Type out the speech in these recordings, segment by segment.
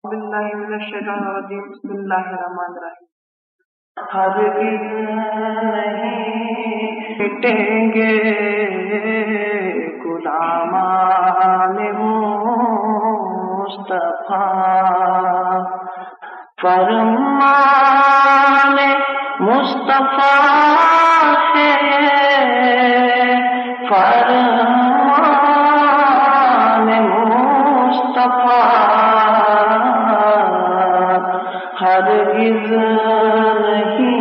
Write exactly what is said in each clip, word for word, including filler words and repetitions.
باللہ من الشیطان الرجیم۔ بسم اللہ الرحمن الرحیم۔ ہرگز نہیں مٹیں گے غلامان مصطفیٰ۔ فرمان مصطفیٰ ہے، فرمان مصطفیٰ۔ ہرگز نہیں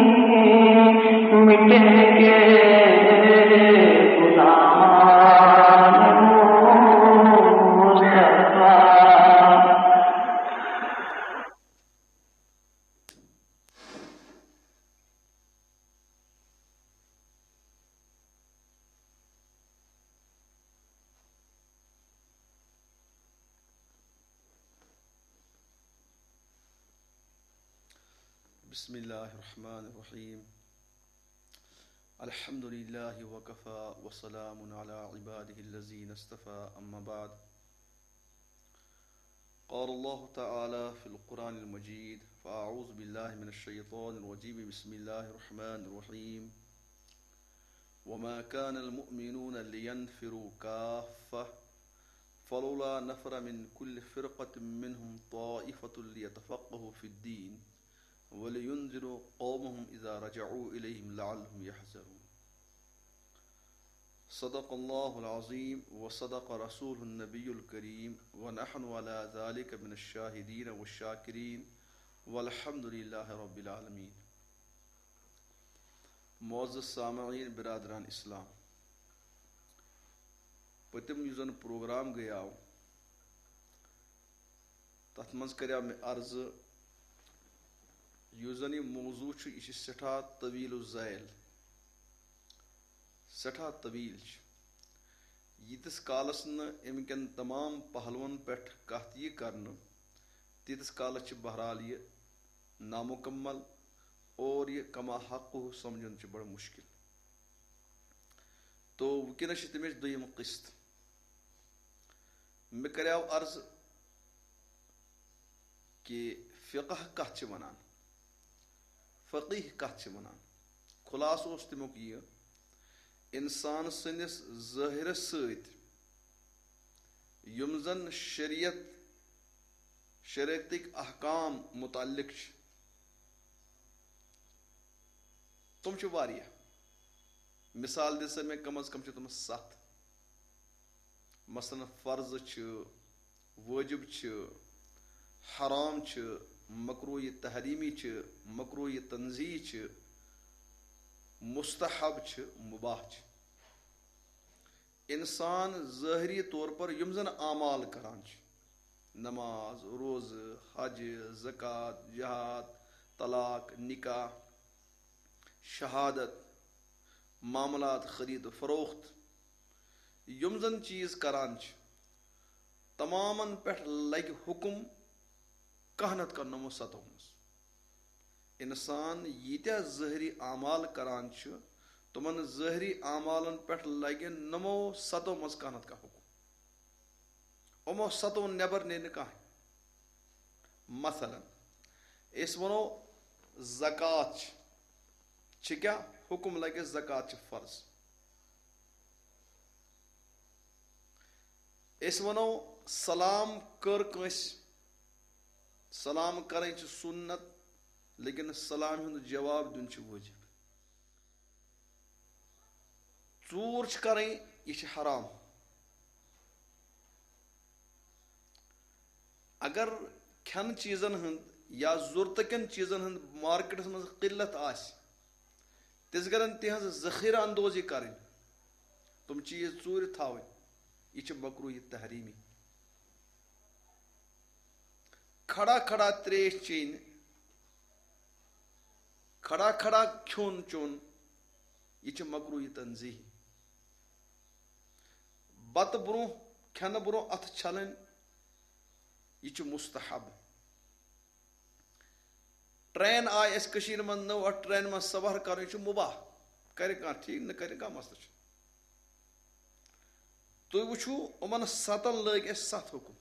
مٹیں گے غلامان مصطفیٰ۔ بسم الله الرحمن الرحيم. الحمد لله وكفى وسلام على عباده الذين اصطفى، أما بعد. قال الله تعالى في القرآن المجيد، فأعوذ بالله من الشيطان الرجيم، بسم الله الرحمن الرحيم. وما كان المؤمنون لينفروا كافة، فلولا نفر من كل فرقة منهم طائفة ليتفقهوا في الدين ولينذروا قومهم إذا رجعوا إليهم لعلهم يحذرون. صدق الله العظيم وصدق رسوله النبي الكريم ونحن على ذلك من الشاهدين والشاكرين والحمد لله رب العالمين. معزز سامعین برادران اسلام، پٔتِم یُس زن پروگرام گٔیاو، تتھ منٛز کریاو مےٚ عرضہٕ، یُس زن یہِ موضوع چھُ، یہِ چھُ سٮ۪ٹھاہ طویل الذیل، سٮ۪ٹھاہ طویل چھُ۔ ییٖتِس کالس نہٕ امہِ کٮ۪ن تمام پہلوَن پٮ۪ٹھ کتھ یی کرنہٕ، تیٖتِس کالس چھِ بہرحال یہِ نامُکمل اور یہِ کما حقہ سمجھُن چھُ بڑٕ مشکل۔ تو وٕنکیٚنس چھِ تَمِچ دوٚیِم قسط۔ مےٚ کریاو عرض کہِ فقہ کتھ چھِ ونان، فقیہ کتھ چھِ ونان۔ خلاصہٕ اوس تَمیُک یہِ، انسان سٕنٛدِس ظٲہرس سۭتۍ یِم زن شریعت، شریعتٕکۍ احکام متعلق چھِ، تِم چھِ واریاہ۔ مثال دِژ مےٚ، کم از کم چھِ تِم ستھ۔ مثلاً، فرض چھِ، وٲجب چھِ، حرام چھِ، مکروہ تحریمی چھِ، مکروہ تنزیہی چھِ، مستحب چھِ، مباح چھِ۔ انسان ظٲہری طور پر یِم زن اعمال کران چھِ، نماز، روزٕ، حج، زکوٰۃ، جہاد، طلاق، نکاح، شہادت، معاملات، خرید و فروخت، یِم زن چیٖز کران چھِ، تمامن پٮ۪ٹھ لگہِ حکم کانٛہہ نتہٕ کانٛہہ نمو ستو منٛز۔ انسان ییٖتیٛاہ ظٲہری اعمال کران چھُ، تِمن ظٲہری اعمالن پٮ۪ٹھ لگہِ نمو ستو منٛز کانٛہہ نتہٕ کانٛہہ حکم۔ یِمو ستو نٮ۪بر نیرِ نہٕ کانٛہہ۔ مثلاً، أسۍ ونو زکوٰۃ چھِ، چھِ کیٛاہ حکم لگہِ؟ زکوٰۃ چھِ فرض۔ أسۍ ونو سلام کٔر کٲنٛسہِ، سلام کرٕنۍ چھِ سُنت، لیکن سلام ہُنٛد جواب دیُن چھُ وٲجب۔ ژوٗر چھِ کرٕنۍ، یہِ چھِ حرام۔ اگر کھٮ۪نہٕ چیٖزن ہُنٛد یا ضروٗرتہٕ کٮ۪ن چیٖزن ہُنٛد مارکیٹس منٛز قلت آسہِ، تیٚلہِ گژھن تِہنٛز ذخیرٕ اندوزی کرٕنۍ، تِم چیٖز ژوٗرِ تھاوٕنۍ، یہِ چھِ مکروہ تحریمی۔ کھڑا کھڑا تریش چیٚنۍ، کھڑا کھڑا کھیوٚن چیوٚن، یہِ چھِ مکروہ تنزیہی۔ بتہٕ برونٛہہ، کھٮ۪نہٕ برونٛہہ اَتھٕ چھلٕنۍ، یہِ چھُ مستحب۔ ٹرین آیہِ اَسہِ کٔشیٖرِ منٛز نٔو، اَتھ ٹرینہِ منٛز سفر کَرُن، یہِ چھُ مُباح۔ کَرِ کانٛہہ، ٹھیٖک، نہٕ کَرِ کانٛہہ، مسلہٕ چھُنہٕ۔ تُہۍ وٕچھِو، یِمَن سَتَن لٲگۍ اَسہِ سَتھ حُکُم۔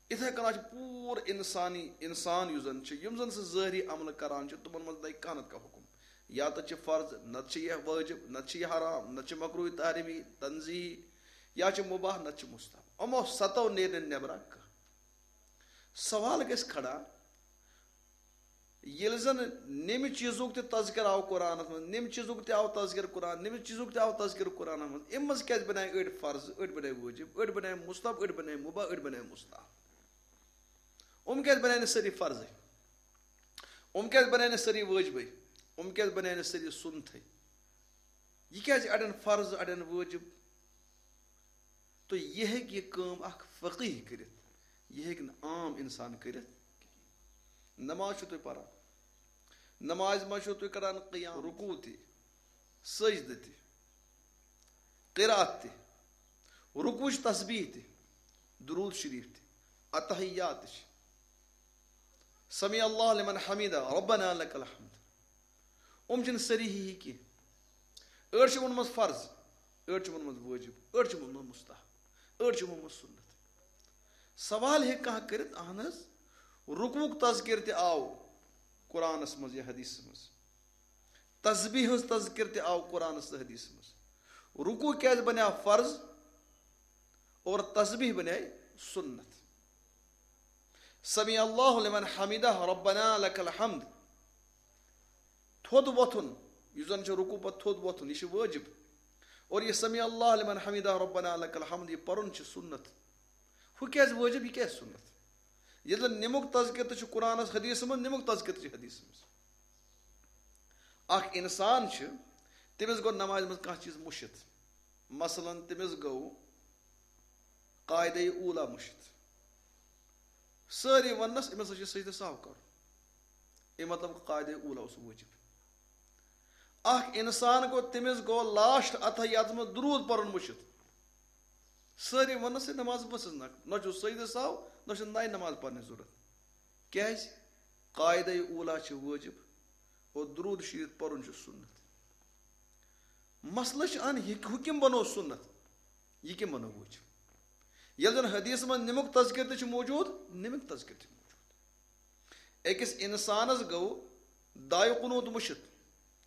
یِتھَے کٔنۍ چھِ پوٗرٕ اِنسٲنی، اِنسان یُس زَن چھِ، یِم زَن سُہ ظٲہری عملہٕ کَران چھِ، تِمَن منٛز نَے کانٛہہ نَتہٕ کانٛہہ حُکُم۔ یا تہٕ چھِ فرض، نَتہٕ چھِ یہِ وٲجِب، نَتہٕ چھِ یہِ حرام، نَتہٕ چھِ مکروٗہی تحریٖمی تنزیہی، یا چھِ مُباح، نَتہٕ چھِ مُستحب۔ یِمو سَتو نیرِ نہٕ نٮ۪برا کانٛہہ۔ سوال گژھِ کھڑا، ییٚلہِ زَن نیٚمہِ چیٖزُک تہِ تذکر آو قرآنَس منٛز، نیٚمہِ چیٖزُک تہِ آو تذکر قرآن، نیٚمہِ چیٖزُک تہِ آو تذکر قرآنَس منٛز، اَمہِ منٛز کیٛازِ بَنیٛاے أڑۍ فرض، أڑۍ بَنیٛاے وٲجِب، أڑۍ بَنیٛاے مُستحب، أڑۍ بَنیٛاے مُباح، أڑۍ بَنیٛاے مُستحب؟ یِم کیٛازِ بَنیٛاے نہٕ سٲری فرضٕے؟ یِم کیٛازِ بَنیٛاے نہٕ سٲری وٲجبٕے؟ یِم کیٛازِ بَنیٛاے نہٕ سٲری سُنتھٕے؟ یہِ کیٛازِ اَڑٮ۪ن فرض، اَڑٮ۪ن وٲجِب؟ تہٕ یہِ ہیٚکہِ یہِ کٲم اَکھ فقیٖح کٔرِتھ، یہِ ہیٚکہِ نہٕ عام اِنسان کٔرِتھ کِہیٖنۍ۔ نماز چھُو تُہۍ پَران، نمازِ منٛز چھُو تُہۍ کَران قیام، رکوع تہِ، سجدٕ تہِ، قرات تہِ، رکوعٕچ تسبیح تہِ، درود شریف تہِ، اتحیات تہِ چھِ۔ سمع اللہ لمن حمیدہ، ربنا لک الحمد۔ یِم چھِنہٕ سٲری ہی ہی کینٛہہ۔ أڑۍ چھِ ووٚنمُت فرض، أڑۍ چھِ ووٚنمُت وٲجِب، أڑۍ چھِ ووٚنمُت مُستحب، أڑۍ چھِ ووٚنمُت سُنت۔ سوال ہیٚکہِ کانٛہہ کٔرِتھ، اہن حظ، رکوعُک تذکر تہِ آو قرآنَس منٛز یا حدیثَس منٛز، تسبیح ہٕنٛز تذکر تہِ آو قرآنَس تہٕ حدیثَس منٛز۔ رکوع کیٛازِ بنیٛاو فرض اور تسبیح بنیٛاے سُنت؟ سمع اللہ لمن حمیدہ، ربنا لک الحمد۔ تھوٚد وۄتھُن، یُس زن چھُ رکوع پتہٕ تھوٚد وۄتھُن، یہِ چھُ وٲجِب۔ اور یہِ سمع اللہ لمن حمیدہ، ربنا لک الحمد، یہِ پرُن چھُ سُنت۔ ہُہ کیٛازِ وٲجِب، یہِ کیٛازِ سُنت؟ ییٚلہِ زن نِمُک تذکر تہِ چھُ قرآنس، حدیثس منٛز، نِمُک تذکر تہِ چھُ حدیثس منٛز۔ اکھ انسان چھُ، تٔمِس گوٚو نمازِ منٛز کانٛہہ چیٖز مٔشِتھ۔ مثلاً، تٔمِس گوٚو قاعدے اوٗلا مٔشِتھ۔ سٲری وننس، أمِس ہسا چھُ سجدٕ سہو کرُن۔ اَمہِ مطلب، قاعدے اوٗلا اوس وٲجِب۔ اکھ انسان گوٚو، تٔمِس گوٚو لاسٹ اتحیاتس منٛز درود پرُن مٔشِتھ۔ سٲری وننس، یہِ نماز ؤژھٕس نہ، نہ چھُ سجدٕ سہو، نہ چھُ نَیہِ نماز پرنٕچ ضروٗرت۔ کیٛازِ؟ قاعدے اوٗلا چھُ وٲجِب اور درود شریف پرُن چھُ سُنت۔ مسئلہٕ چھُ ان، یہِ ہُہ کٔمۍ بنوو سُنت، یہِ کٔمۍ بنوو وٲجِب؟ ییٚلہِ زن حدیث منٛز نِمُک تذکر تہِ چھُ موجود، نِمُک تذکر تہِ موجود۔ أکِس انسانس گوٚو دعایہِ قنوت مٔشِتھ،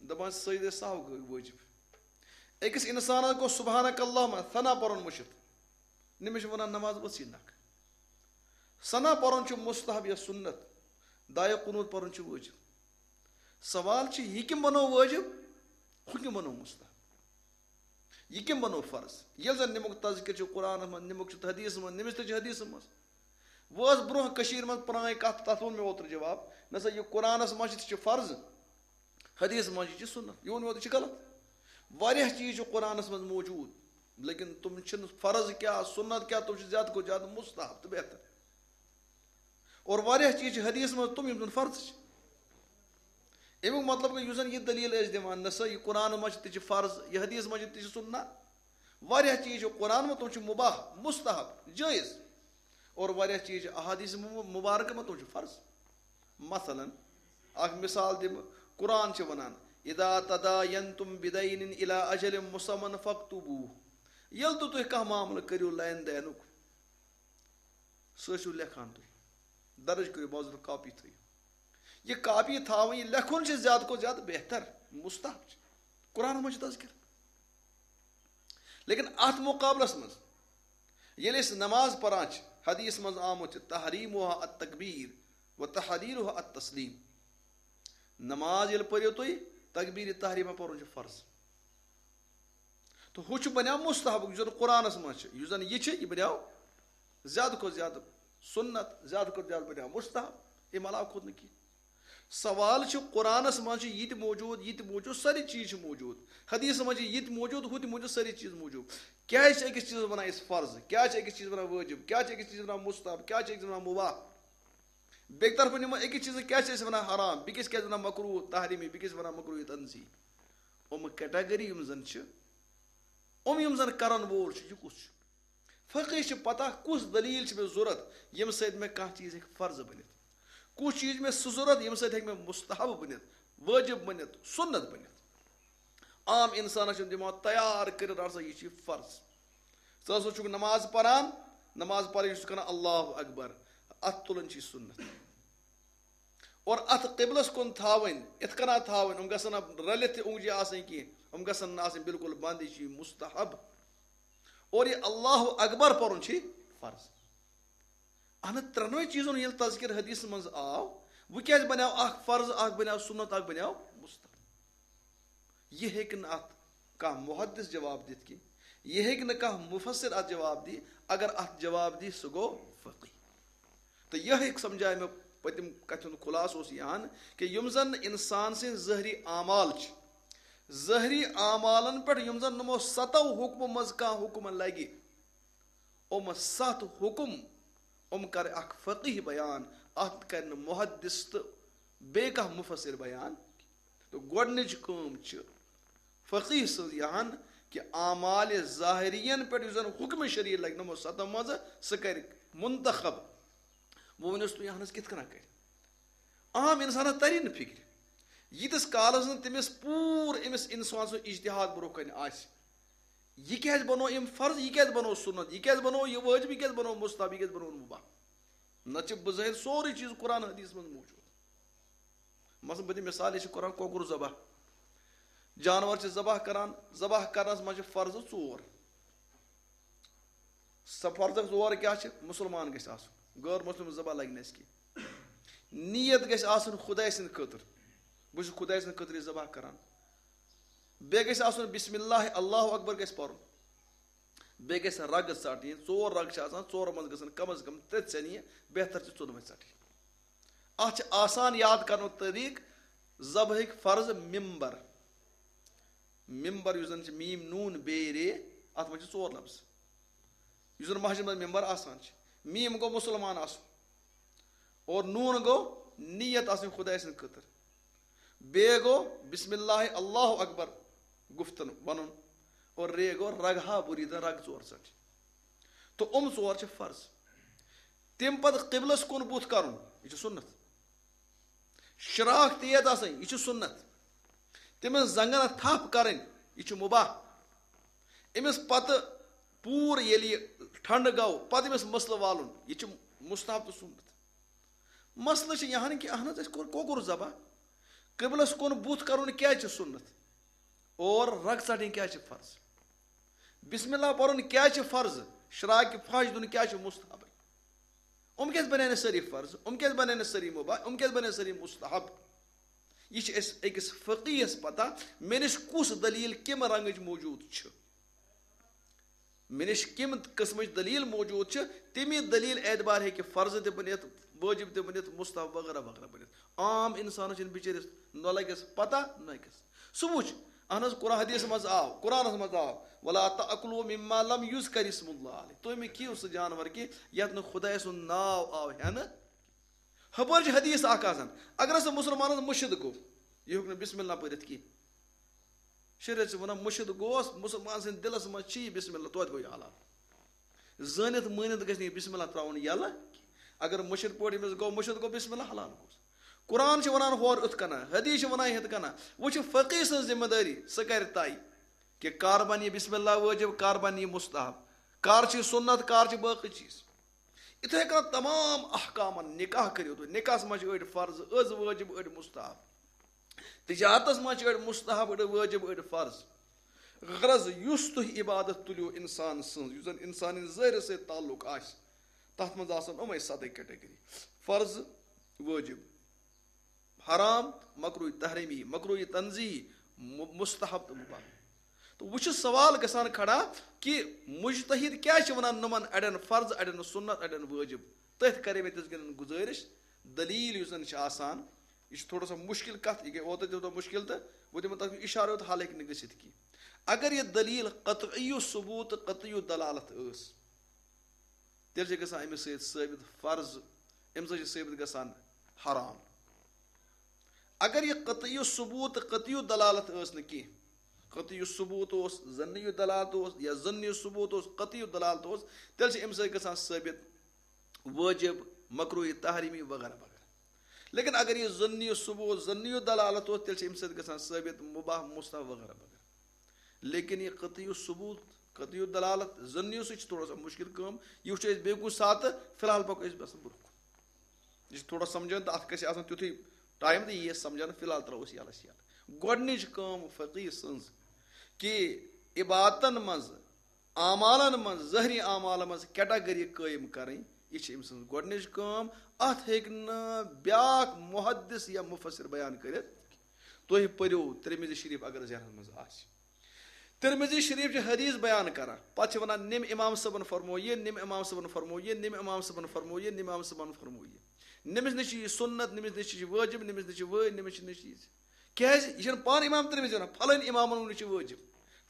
دپان سجدے سہو گٔے وٲجِب۔ أکِس انسانس گوٚو سبحانک اللہم ثنا پرُن مٔشِتھ، نِمِش ونان نماز ؤژھٕے نکھ۔ ثنا پرُن چھُ مستحب یا سُنت، دعایہِ قنوت پرُن چھُ وٲجِب۔ سوال چھُ، یہِ کٔمۍ بنوو وٲجِب، ہُہ کٔمۍ بنوو مستحب؟ یہِ کٔمۍ بنوو فرض؟ ییٚلہِ زن نِمُک تذکر چھُ قرآنس منٛز، نِمُک چھُ حدیثس منٛز، نِمِش تہِ چھُ حدیثس منٛز۔ وۄنۍ ٲس برونٛہہ کٔشیٖرِ منٛز پرٛٲنۍ کتھ، تتھ ووٚن مےٚ اوترٕ جواب، نہ سا، یہِ قرآنس منٛز چھِ، تہِ چھِ فرض، حدیثس منٛز چھِ، یہِ چھِ سُنت۔ یہِ ووٚن مےٚ اوترٕ، یہِ چھُ غلط۔ واریاہ چیٖز چھِ قرآنس منٛز موجود، لیکن تِم چھِنہٕ فرض کیٛاہ، سُنت کیٛاہ، تِم چھِ زیادٕ کھۄتہٕ زیادٕ مستحب تہٕ بہتر۔ اور واریاہ چیٖز چھِ حدیثس منٛز تِم، یِم زن فرض چھِ۔ اَمیُک مطلب گوٚو، یُس زن یہِ دٔلیٖل ٲسۍ دِوان، نہ سا، یہِ قرآنس منٛز چھِ، تہِ چھِ فرض، یہِ حدیثس منٛز چھِ، تہِ چھِ سُنت۔ واریاہ چیٖز چھِ قرآن منٛز، تِم چھِ مباح، مستحب، جٲیز۔ اور واریاہ چیٖز چھِ احادیث مُ-، مبارکہ منٛز، تِم چھِ فرض۔ مثلاً، اکھ مثال دِمہٕ، قرآن چھِ ونان، "اذا تداینتم بدین الی اجل مسمى فاکتبوہ"۔ ییٚلہِ تہِ تُہۍ کانٛہہ معاملہٕ کٔرِو لین دینُک، سُہ ٲسِو لیکھان تُہۍ، درٕج کٔرِو، باضٲبطہٕ کاپی تھٲیِو۔ یہِ کاپی تھاوٕنۍ، یہِ لیکھُن چھُ زیادٕ کھۄتہٕ زیادٕ بہتر، مستحب چھُ۔ قرآنس منٛز چھُ تذکر۔ لیکن اتھ مقابلس منٛز ییٚلہِ أسۍ نماز پران چھِ، حدیث منٛز آمُت چھُ، "تحریمها التکبیر و تحلیلها التسلیم"۔ نماز ییٚلہِ پٔرِو تُہۍ، تکبیر تحریمہ پرُن چھُ فرض۔ تہٕ ہُہ چھُ بنیٛاو مستحب، یُس زن قرآنس منٛز چھُ، یُس زن یہِ چھُ، یہِ بنیٛاو زیادٕ کھۄتہٕ زیادٕ سُنت، زیادٕ کھۄتہٕ زیادٕ بنیٛاو مستحب، اَمہِ علاوٕ کھوٚت نہٕ کینٛہہ۔ سوال چھُ، قرآنس منٛز چھُ یہِ تہِ موجود، یہِ تہِ موجود، سٲری چیٖز چھِ موجود۔ حدیثس منٛز چھِ یہِ تہِ موجود، ہُہ تہِ موجود، سٲری چیٖز موجود۔ کیٛازِ چھِ أکِس چیٖزس ونان أسۍ فرض؟ کیٛازِ چھِ أکِس چیٖزس ونان وٲجب؟ کیٛازِ چھِ أکِس چیٖزس ونان مستحب؟ کیٛازِ چھِ أکِس ونان مباح؟ بیٚکہِ طرفہٕ نِمو أکِس چیٖزس، کیٛازِ چھِ أسۍ ونان حرام؟ بیٚکِس کیٛازِ ونان مکروہ تحریمی؟ بیٚکِس ونان مکروہ تنزیہی؟ یِم category یِم زن چھِ، یِم یِم زن کرن وول چھُ، یہِ کُس چھُ؟ فقیہ چھِ پتہ کُس دلیٖل چھِ مےٚ ضوٚرتھ، ییٚمہِ سۭتۍ مےٚ کانٛہہ چیٖز ہیٚکہِ فرض بٔنِتھ، کُس چیٖز چھِ مےٚ سُہ ضوٚرتھ، ییٚمہِ سۭتۍ ہیٚکہِ مےٚ مستحب بٔنِتھ، وٲجب بٔنِتھ، سُنت بٔنِتھ۔ عام انسانس چھُنہٕ دِوان تیار کٔرِتھ، رٹ سا، یہِ چھُ فرض۔ ژٕ ہسا چھُکھ نماز پران، نماز پرٕنۍ چھُس کران اللہ اکبر، اتھ تُلُن چھُ یہِ سُنت۔ اور اتھ قبلس کُن تھاوٕنۍ، یِتھ کٔنۍ تھاوٕنۍ، یِم گژھن نہٕ رٔلِتھ تہِ اونٛگجہِ آسٕنۍ کینٛہہ، یِم گژھن نہٕ آسٕنۍ بالکل بنٛد، یہِ چھُ یہِ مستحب۔ اور یہِ اللہ اکبر پرُن چھُ فرض۔ اہن، ترٛٮ۪نوَے چیٖزن ییٚلہِ تذکر حدیثس منٛز آو، وۄنۍ کیٛازِ بنیو اکھ فرض، اکھ بنیو سُنت، اکھ بنیو مستحب؟ یہِ ہیٚکہِ نہٕ اتھ کانٛہہ محدث جواب دِتھ کینٛہہ، یہِ ہیٚکہِ نہٕ کانٛہہ مفسر اتھ جواب دِتھ۔ اگر اتھ جواب دی، سُہ گوٚو فقیہ۔ تہٕ یہِ ہیٚکہِ سمجھایہِ مےٚ پٔتِم کتھِ ہُنٛد خلاصہٕ اوس یہِ ہن، کہِ یِم زن نہٕ انسان سٕنٛدۍ ظٲہری اعمال چھِ، ظٲہری اعمالن پٮ۪ٹھ یِم زن یِمو ستو حُکمو منٛز کانٛہہ حُکم لگہِ، یِم ستھ حُکم، یِم کرِ اکھ فقیہ بیان، اتھ کرِ نہٕ محدث تہٕ بیٚیہِ کانٛہہ مفسر بیان۔ تہٕ گۄڈٕنِچ کٲم چھِ فقیہ سٕنٛز یہِ ہن، کہِ اعمال ظاہرین پٮ۪ٹھ یُس زن حُکم شریعت لگہِ نہٕ یِمو ستو منٛزٕ، سُہ کرِ منتخب۔ وۄنۍ ؤنِو تُہۍ، اہن حظ، کِتھ کٔنۍ کرِ؟ عام انسانس تری نہٕ فکرِ۔ ییٖتِس کالس نہٕ تٔمِس پوٗرٕ أمِس انسان سُنٛد اجتہاد برونٛہہ کنہِ آسہِ، یہِ کیٛازِ بنوو أمۍ فرض، یہِ کیٛازِ بنوو سُنت، یہِ کیٛازِ بنوو یہِ وٲجب، یہِ کیٛازِ بنوو مستحب، یہِ کیٛازِ بنوو مُباح؟ نتہٕ چھِ بظٲہر سورُے چیٖز قرآن حدیث منٛز موجود۔ مثلاً بہٕ دِمہٕ مثال، أسۍ چھِ کران کۄکُر ذبح، جانور چھِ ذبح کران، ذبح کرنس منٛز چھِ فرضہٕ ژور۔ سۄ فرضہٕ ژور کیٛاہ چھِ؟ مُسلمان گژھِ آسُن، غٲر مُسلِم ذبح لگہِ نہٕ اَسہِ کینٛہہ۔ نیت گژھِ آسُن خداے سٕنٛدِ خٲطرٕ، بہٕ چھُس خداے سٕنٛدِ خٲطرٕ یہِ ذبح کران۔ بیٚیہِ گژھِ آسُن بسم اللہ، اللہ اکبر گژھِ پرُن۔ بیٚیہِ گژھِ رگہٕ ژٹٕنۍ، ژور رگہٕ چھِ آسان، ژورو منٛز گژھن کم از کم ترٛےٚ ژھٮ۪نہِ، بہتر چھِ ژۄدوَے ژٹٕنۍ۔ اتھ چھِ آسان یاد کرنُک طریٖقہٕ، ذبحٕکۍ فرض ممبر۔ ممبر یُس زن چھِ میم نون بے رے، اتھ منٛز چھِ ژور لفظ۔ یُس زن مسجد منٛز ممبر آسان چھِ، میم گوٚو مُسلمان آسُن، اور نون گوٚو نیت آسٕنۍ خداے سٕنٛدِ خٲطرٕ، بے گوٚو بسم اللہ اللہ اکبر گفتن ونُن، اور رے گوٚو رگہا بُریٖدن، رگ ژور ژٹٕنۍ۔ تہٕ یِم ژور چھِ فرض۔ تَمہِ پتہٕ قبلس کُن بُتھ کرُن، یہِ چھُ سُنت۔ شراکھ تیز آسٕنۍ، یہِ چھُ سُنت۔ تٔمِس زنٛگن تھپھ کرٕنۍ، یہِ چھُ مُباح۔ أمِس پتہٕ پوٗرٕ ییٚلہِ یہِ ٹھنڈٕ گوٚو، پتہٕ أمِس مسلہٕ والُن، یہِ چھُ مستحب تہٕ سُنت۔ مسلہٕ چھُ یہِ ہن کہِ اہن حظ، اَسہِ کوٚر کۄکُر ذبح، قبلس کُن بُتھ کرُن کیٛازِ چھُ سُنت؟ اور رگ ژٹٕنۍ کیٛازِ چھِ فرض؟ بسم اللہ پرُن کیٛازِ چھُ فرض؟ شراکہِ فحش دیُن کیٛازِ چھُ مستحب؟ یِم کیٛازِ بنے نہٕ سٲری فرض؟ یِم کیٛازِ بنے نہٕ سٲری مُباح؟ یِم کیٛازِ بنے سٲری مستحب؟ یہِ چھِ اَسہِ أکِس فقیٖہس پتہ، مےٚ نِش کُس دٔلیٖل کَمہِ رنگٕچ موجود چھِ، مےٚ نِش کَمہِ قٕسمٕچ دٔلیٖل موجود چھِ، تَمی دٔلیٖل اعتبار ہیٚکہِ فرض تہِ بٔنِتھ، وٲجب تہِ بٔنِتھ، مستحب وغیرہ وغیرہ بٔنِتھ۔ عام اِنسانس چھِنہٕ بِچٲرِس نہ لگٮ۪س پتہ، نہ کیٛاہ۔ سُہ وٕچھ، اہن حظ، قرآن حدیثس منٛز آو، قرآنس منٛز آو، "ولا تأکلوا مما لم یذکر اسم اللہ علیہ"، تُہۍ مہٕ کھیٚیِو سُہ جانور کینٛہہ یتھ نہٕ خداے سُنٛد ناو آو ہٮ۪نہٕ۔ ہپٲرۍ چھِ حدیث اکھ آسان، اگر ہسا مُسلمانس مٔشِد گوٚو، یہِ ہیوٚک نہٕ بسم اللہ پٔرِتھ کینٛہہ۔ شریعت چھِ ونان، مٔشِد گوس، مُسلمان سٕنٛدِ دِلس منٛز چھِ یہِ بسم اللہ، توتہِ گوٚو یہِ حلال۔ زٲنِتھ مٲنِتھ گژھِ نہٕ یہِ بسم اللہ ترٛاوُن یَلہٕ۔ اگر مٔشِد پٲٹھۍ أمِس گوٚو، مٔشِد گوٚو، بسم اللہ، حلال گوٚوس۔ قرآن چھِ وَنان ہورٕ یُتھ کَنہ، حدیٖث چھِ وَنان یِتھ کَنہ۔ وۄنۍ چھِ فقیٖح سٕنٛز ذمہٕ دٲری، سُہ کَرِ طے کہِ کر بَنہِ یہِ بسم اللہ وٲجِب، کر بَنہِ یہِ مستحب، کر چھِ سُنت، کر چھِ باقٕے چیٖز۔ یِتھَے کٔنۍ تمام احکامَن، نکاح کٔرِو تُہۍ، نکاحَس منٛز چھِ أڑۍ فرض، أڑۍ وٲجِب، أڑۍ مستحب۔ تجارتس منٛز چھِ أڑۍ مستحب، أڑۍ وٲجب، أڑۍ فرض۔ غرض، یُس تُہۍ عبادت تُلِو انسان سٕنٛز، یُس زن انسانن ظٲہرس سۭتۍ تعلق آسہِ، تتھ منٛز آسن یِمے ستٕے category: فرض، وٲجب، حرام، مکروہ تحریمی، مکروہ تنزیہی، مُ-، مستحب تہٕ مباح۔ تہٕ وۄنۍ چھُ سوال گژھان کھڑا کہِ مجتہد کیٛازِ چھِ ونان یِمن اڑٮ۪ن فرض، اڑٮ۪ن سُنت، اڑٮ۪ن وٲجب؟ تٔتھۍ کرے مےٚ تِژھ گِنٛدن گُزٲرِش، دلیٖل یُس زن چھِ آسان، یہِ چھِ تھوڑا سا مُشکِل کَتھ، یہِ گٔے اوترٕ تہِ یوٗتاہ مُشکِل تہٕ بہٕ دِمہٕ تَتھ اِشارٕ یوت، حالانکہِ نہٕ گٔژھِتھ کینٛہہ۔ اگر یہِ دٔلیٖل قطعی ثبوت تہٕ قطعی دلالت ٲس، تیٚلہِ چھِ گژھان أمِس سۭتۍ ثٲبت فرض، أمِس سۭتۍ چھِ ثٲبت گژھان حرام۔ اگر یہِ قطعی ثبوت تہٕ قطعی دلالت ٲس نہٕ کینٛہہ، قطعی ثبوت اوس، ظنی دلالت اوس یا ظنی ثبوت اوس، قطعی دلالت اوس، تیٚلہِ چھِ أمِس سۭتۍ گژھان ثٲبت وٲجب، مکروہ تحریمی وغیرہ وغیرہ۔ لیکن اگر یہِ ظنی ثبوت، ظنی دلالت اوس، تیٚلہِ چھِ اَمہِ سۭتۍ گژھان ثٲبت مباح، مستحب وغیرہ وغیرہ۔ لیکن یہِ قطعی ثبوت، قطعی دلالت، ظنی سۭتۍ چھِ تھوڑا سا مُشکِل کٲم۔ یہِ وٕچھو أسۍ بیٚیہِ کُنہِ ساتہٕ، فی الحال پَکو أسۍ بس برٛونٛہہ کُن۔ یہِ چھُ تھوڑا سمجھان تہٕ اَتھ گژھِ آسُن تیُتھُے ٹایم تہٕ یی اَسہِ سمجھان، فی الحال ترٛاوو أسۍ یَلَس یَلہٕ۔ گۄڈٕنِچ کٲم فقیٖح سٕنٛز کہِ عبادتَن منٛز، اعمالَن منٛز، ظٲہری اعمالَن منٛز کیٹاگری قٲیِم کَرٕنۍ، یہِ چھِ أمۍ سٕنٛز گۄڈٕنِچ کٲم۔ اَتھ ہیٚکہِ نہٕ بیٛاکھ محدث یا مفسر بیان کٔرِتھ۔ تُہۍ پٔرِو ترمذی شریف اگر ذہنَس منٛز آسہِ۔ ترمذی شریف چھِ حدیث بیان کران، پتہٕ چھِ ونان، نِم امام صٲبن فرمو یہِ، نِم امام صٲبن فرمو یہِ، نِم امام صٲبن فرمو یہِ، نِم امام صٲبن فرمو یہِ۔ نٔمِس نِش چھِ یہِ سُنت، نٔمِس نِش چھِ یہِ وٲجب، نٔمِس نِش چھِ وٲج، نٔمِس چھِ نِش یہِ۔ کیازِ؟ یہِ چھُنہٕ پانہٕ امام ترمذی ونان، فلٲنۍ امامن ووٚن یہِ چھُ وٲجب،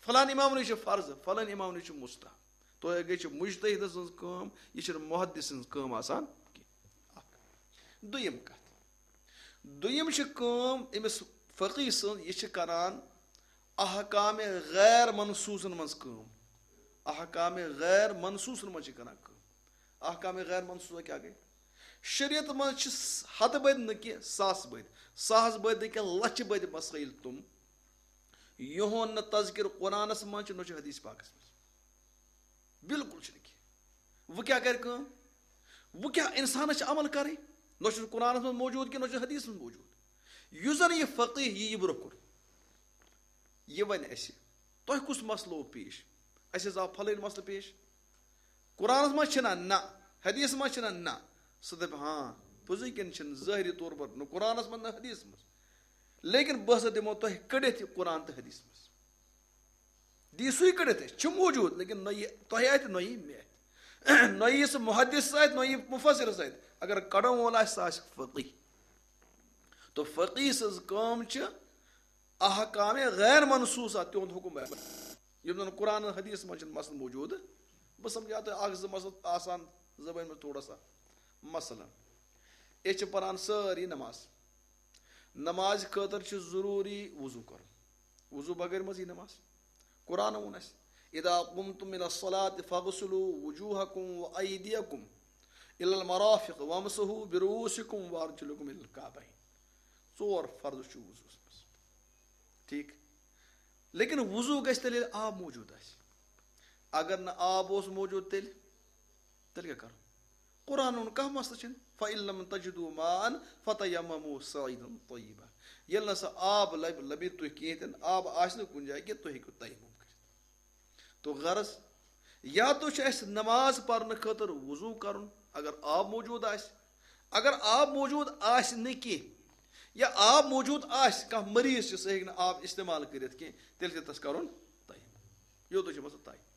فلٲنۍ امامن یہِ چھُ فرض، فلٲنۍ امامن یہِ چھُ مستحب۔ تۄہہِ گٔے چھِ مجتہد سٕنٛز کٲم، یہِ چھِنہٕ محدث سٕنٛز کٲم آسان کینٛہہ۔ اکھ۔ دوٚیِم کتھ، دوٚیِم چھِ کٲم أمِس فقیٖح سٕنٛز، یہِ چھِ کران احکام غیر منصوصن منٛز کٲم۔ احکام غیر منصوصن منٛز چھِ کران کٲم۔ احکام غیر منصوص کیٛاہ گٔے؟ شریعت منٛز چھِ س-، ہتہٕ بٔدۍ نہٕ کینٛہہ، ساس بٔدۍ، ساس بٔدۍ نہٕ کینٛہہ، لچھِ بٔدۍ مسائل تِم، یِہُنٛد نہٕ تذکر قرآنس منٛز چھُ، نہ چھُ حدیث پاکس منٛز۔ بالکل چھُنہٕ کینٛہہ۔ وۄنۍ کیٛاہ کرِ کٲم؟ وۄنۍ کیٛاہ انسانس چھِ عمل کرٕنۍ؟ نہ چھُ قرآنس منٛز موجود کینٛہہ، نہ چھُ حدیثس منٛز موجود۔ یُس زن یہِ فقیٖح یی، یہِ برونٛہہ کُن، یہِ ونہِ اسہِ، تۄہہِ کُس مسلہٕ اوس پیش؟ اسہِ حظ آو فلٲنۍ مسلہٕ پیش۔ قرآنس منٛز چھِنہ؟ نہ۔ حدیثس منٛز چھِنہ؟ نہ۔ سُہ دپہِ، ہاں، پوٚزُے کِنہٕ چھِنہٕ؟ ظٲہری طور پر نہ قرآنس منٛز نہ حدیثس منٛز، لیکن بہٕ ہسا دِمو تۄہہِ کٔڑِتھ یہِ قرآن تہٕ حدیث منٛز۔ دی سُے کٔڑِتھ اَسہِ، چھُ موجود، لیکن نہ یہِ تۄہہِ اَتھِ، نہ یہِ مےٚ اَتھِ۔ نہ یہِ سُہ محدثس اَتھِ، نہ یہِ مفسرس اَتھِ۔ اگر کڑن وول آسہِ، سُہ آسہِ فقیح۔ تو فقیح سٕنٛز کٲم چھِ احکام غیر منصوصہ تِہُنٛد حُکم بیان۔ یِم زن قرآن حدیث منٛز چھِنہٕ مسلہٕ موجود۔ بہٕ سمجھا تۄہہِ اکھ زٕ مسلہٕ آسان زبٲنۍ منٛز تھوڑا سا۔ مثلاً، أسۍ چھِ پران سٲری نماز۔ نمازِ خٲطرٕ چھُ ضروٗری وضو کرُن۔ وضو بغٲر منٛز یی نماز۔ قرآن ووٚن اَسہِ، "اذا قمتم الى الصلاة فاغسلوا وجوهكم وأيديكم الى المرافق وامسحوا برؤوسكم وارجلكم الى الكعبين۔" ژور فرض چھُ وضوٗوَس منٛز۔ ٹھیٖک۔ لیکن وضو گژھِ تیٚلہِ، ییٚلہِ آب موجود آسہِ۔ اگر نہٕ آب اوس موجود، تیٚلہِ، تیٚلہِ کیٛاہ کرو؟ قرآن ووٚن، کانٛہہ مسلہٕ چھُنہٕ۔ "فإن لم تجدوا ماء فتيمموا صعيدا طيبا۔" ییٚلہِ نہٕ سا آب لب-، لبہِ تُہۍ کِہیٖنۍ تہِ نہٕ، آب آسہِ نہٕ کُنہِ جایہِ کینٛہہ، تُہۍ ہیٚکِو تیمم کٔرِتھ۔ تو غرض، یا تو چھُ اَسہِ نماز پرنہٕ خٲطرٕ وضو کرُن، اگر آب موجود آسہِ۔ اگر آب موجود آسہِ نہٕ کینٛہہ، یا آب موجود آسہِ، کانٛہہ مریض چھُ، سُہ ہیٚکہِ نہٕ آب استعمال کٔرِتھ کینٛہہ، تیٚلہِ چھُ تَس کرُن تیمم۔ یوتُے چھُ مسلہٕ طے۔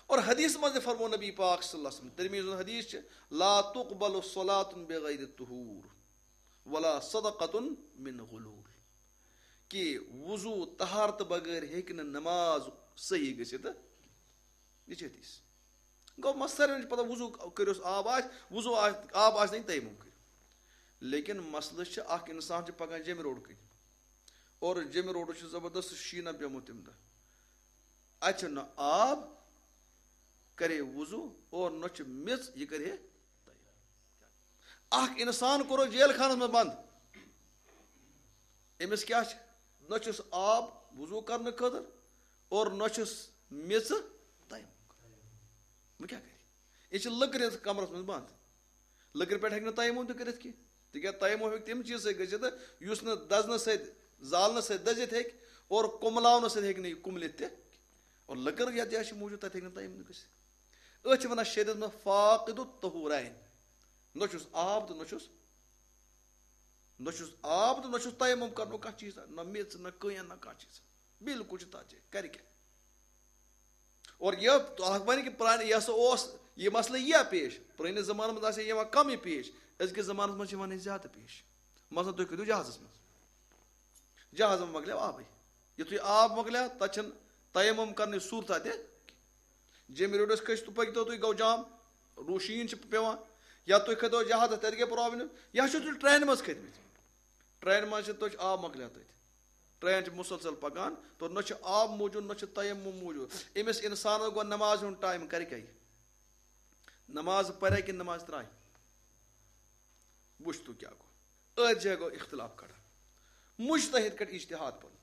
اور حدیث منٛز تہِ فرموو نبی پاک صلی اللہ علیہ وسلم، ترمذی ہُنٛد حدیث چھُ، "لا تقبل صلاة بغیر طہور ولا صدقة من غلول"، کہ وضو طہارت بغٲر ہیٚکہِ نہٕ نماز صحیح گٔژھِتھ۔ یہِ چھِ حدیث۔ گوٚو، مس-، ساروِین چھِ پتہ، وضو کٔرِو، آب آسہِ، وضو آسہِ، آب آسہِ نہٕ، تیمم کٔرِو۔ لیکن مسلہٕ چھُ، اکھ انسان چھُ پکان جیٚمہِ روڈ کِنۍ، اور جیٚمہِ روڈٕ چھُ زبردست شیٖنہ پیومُت تَمہِ دۄہ۔ اَتہِ چھُنہٕ آب، کرے وضو، اور نہ چھُ میٚژ، یہِ کرِ ہے۔ اکھ انسان کوٚرُکھ جیل خانس منٛز بند۔ أمِس کیٛاہ چھُ؟ نہ چھُس آب وضو کرنہٕ خٲطرٕ، اور نہ چھُس میٚژ تیمم کرنہٕ۔ وۄنۍ کیٛاہ کرِ؟ یہِ چھِ لٔکرِ ہٕنٛدِس کمرس منٛز بند۔ لٔکرِ پٮ۪ٹھ ہیٚکہِ نہٕ تیمم تہِ کٔرِتھ کینٛہہ، تِکیٛازِ تیمم ہیٚکہِ تَمہِ چیٖزٕ سۭتۍ گٔژھِتھ، یُس نہٕ دزنہٕ سۭتۍ، زالنہٕ سۭتۍ دٔزِتھ ہیٚکہِ، اور کُملاونہٕ سۭتۍ ہیٚکہِ نہٕ یہِ کُملِتھ تہِ۔ اور لٔکٕر یَتھ جایہِ چھِ موٗجوٗد، تَتہِ ہیٚکہِ نہٕ تیمم تہِ گٔژھِتھ۔ أتھۍ چھِ وَنان شریعتس منٛز فاقد الطہورین۔ نہ چھُس آب تہٕ نہ چھُس، نہ چھُس آب تہٕ نہ چھُس تیمم کرنُک کانٛہہ چیٖز، نہ میٚژ، نہ کٔنۍ، نہ کانٛہہ چیٖز۔ بالکل چھُ تَتھ جایہِ، کرِ کیٛاہ؟ اور یہِ اکھ وَنہِ کہِ پرٛانہِ، یہِ ہسا اوس یہِ مسلہٕ یہِ پیش، پرٛٲنِس زمانس منٛز آسہِ ہے یِوان کم یہِ پیش، أزکِس زمانس منٛز چھِ یِوان یہِ زیادٕ پیش۔ مثلاً، تُہۍ کٔرِو جہازس منٛز، جہازس منٛز مۄکلیو آبٕے۔ یُتھُے آب مۄکلیو، تَتہِ چھَنہٕ تیمم کرنٕچ صوٗرتھا تہِ۔ جیٚمہِ روڈس کھٔسۍ تہٕ پٔکۍتو تُہۍ، گوٚو جام، روٗ-، شیٖن چھِ پٮ۪وان، یا تُہۍ کھٔتو جہازس، تَتہِ گٔے پرابلم، یا چھِو تُہۍ ٹرینہِ منٛز کھٔتۍمٕتۍ، ٹرینہِ منٛز چھِ، تُہۍ چھِ آب مۄکلیو تَتہِ۔ ٹرین چھِ مسلسل پکان، تو نہ چھُ آب موجود، نہ چھُ تیمم موجود۔ أمِس انسانس گوٚو نماز ہُنٛد ٹایم، کرِ کیٛاہ یہِ؟ نماز پرِ کِنہٕ نماز ترٛایہِ؟ وٕچھ تو کیٛاہ گوٚو۔ أتھۍ جایہِ گوٚو اختلاف کھڑا۔ مجتہد کڑِ اجتہاد پنُن۔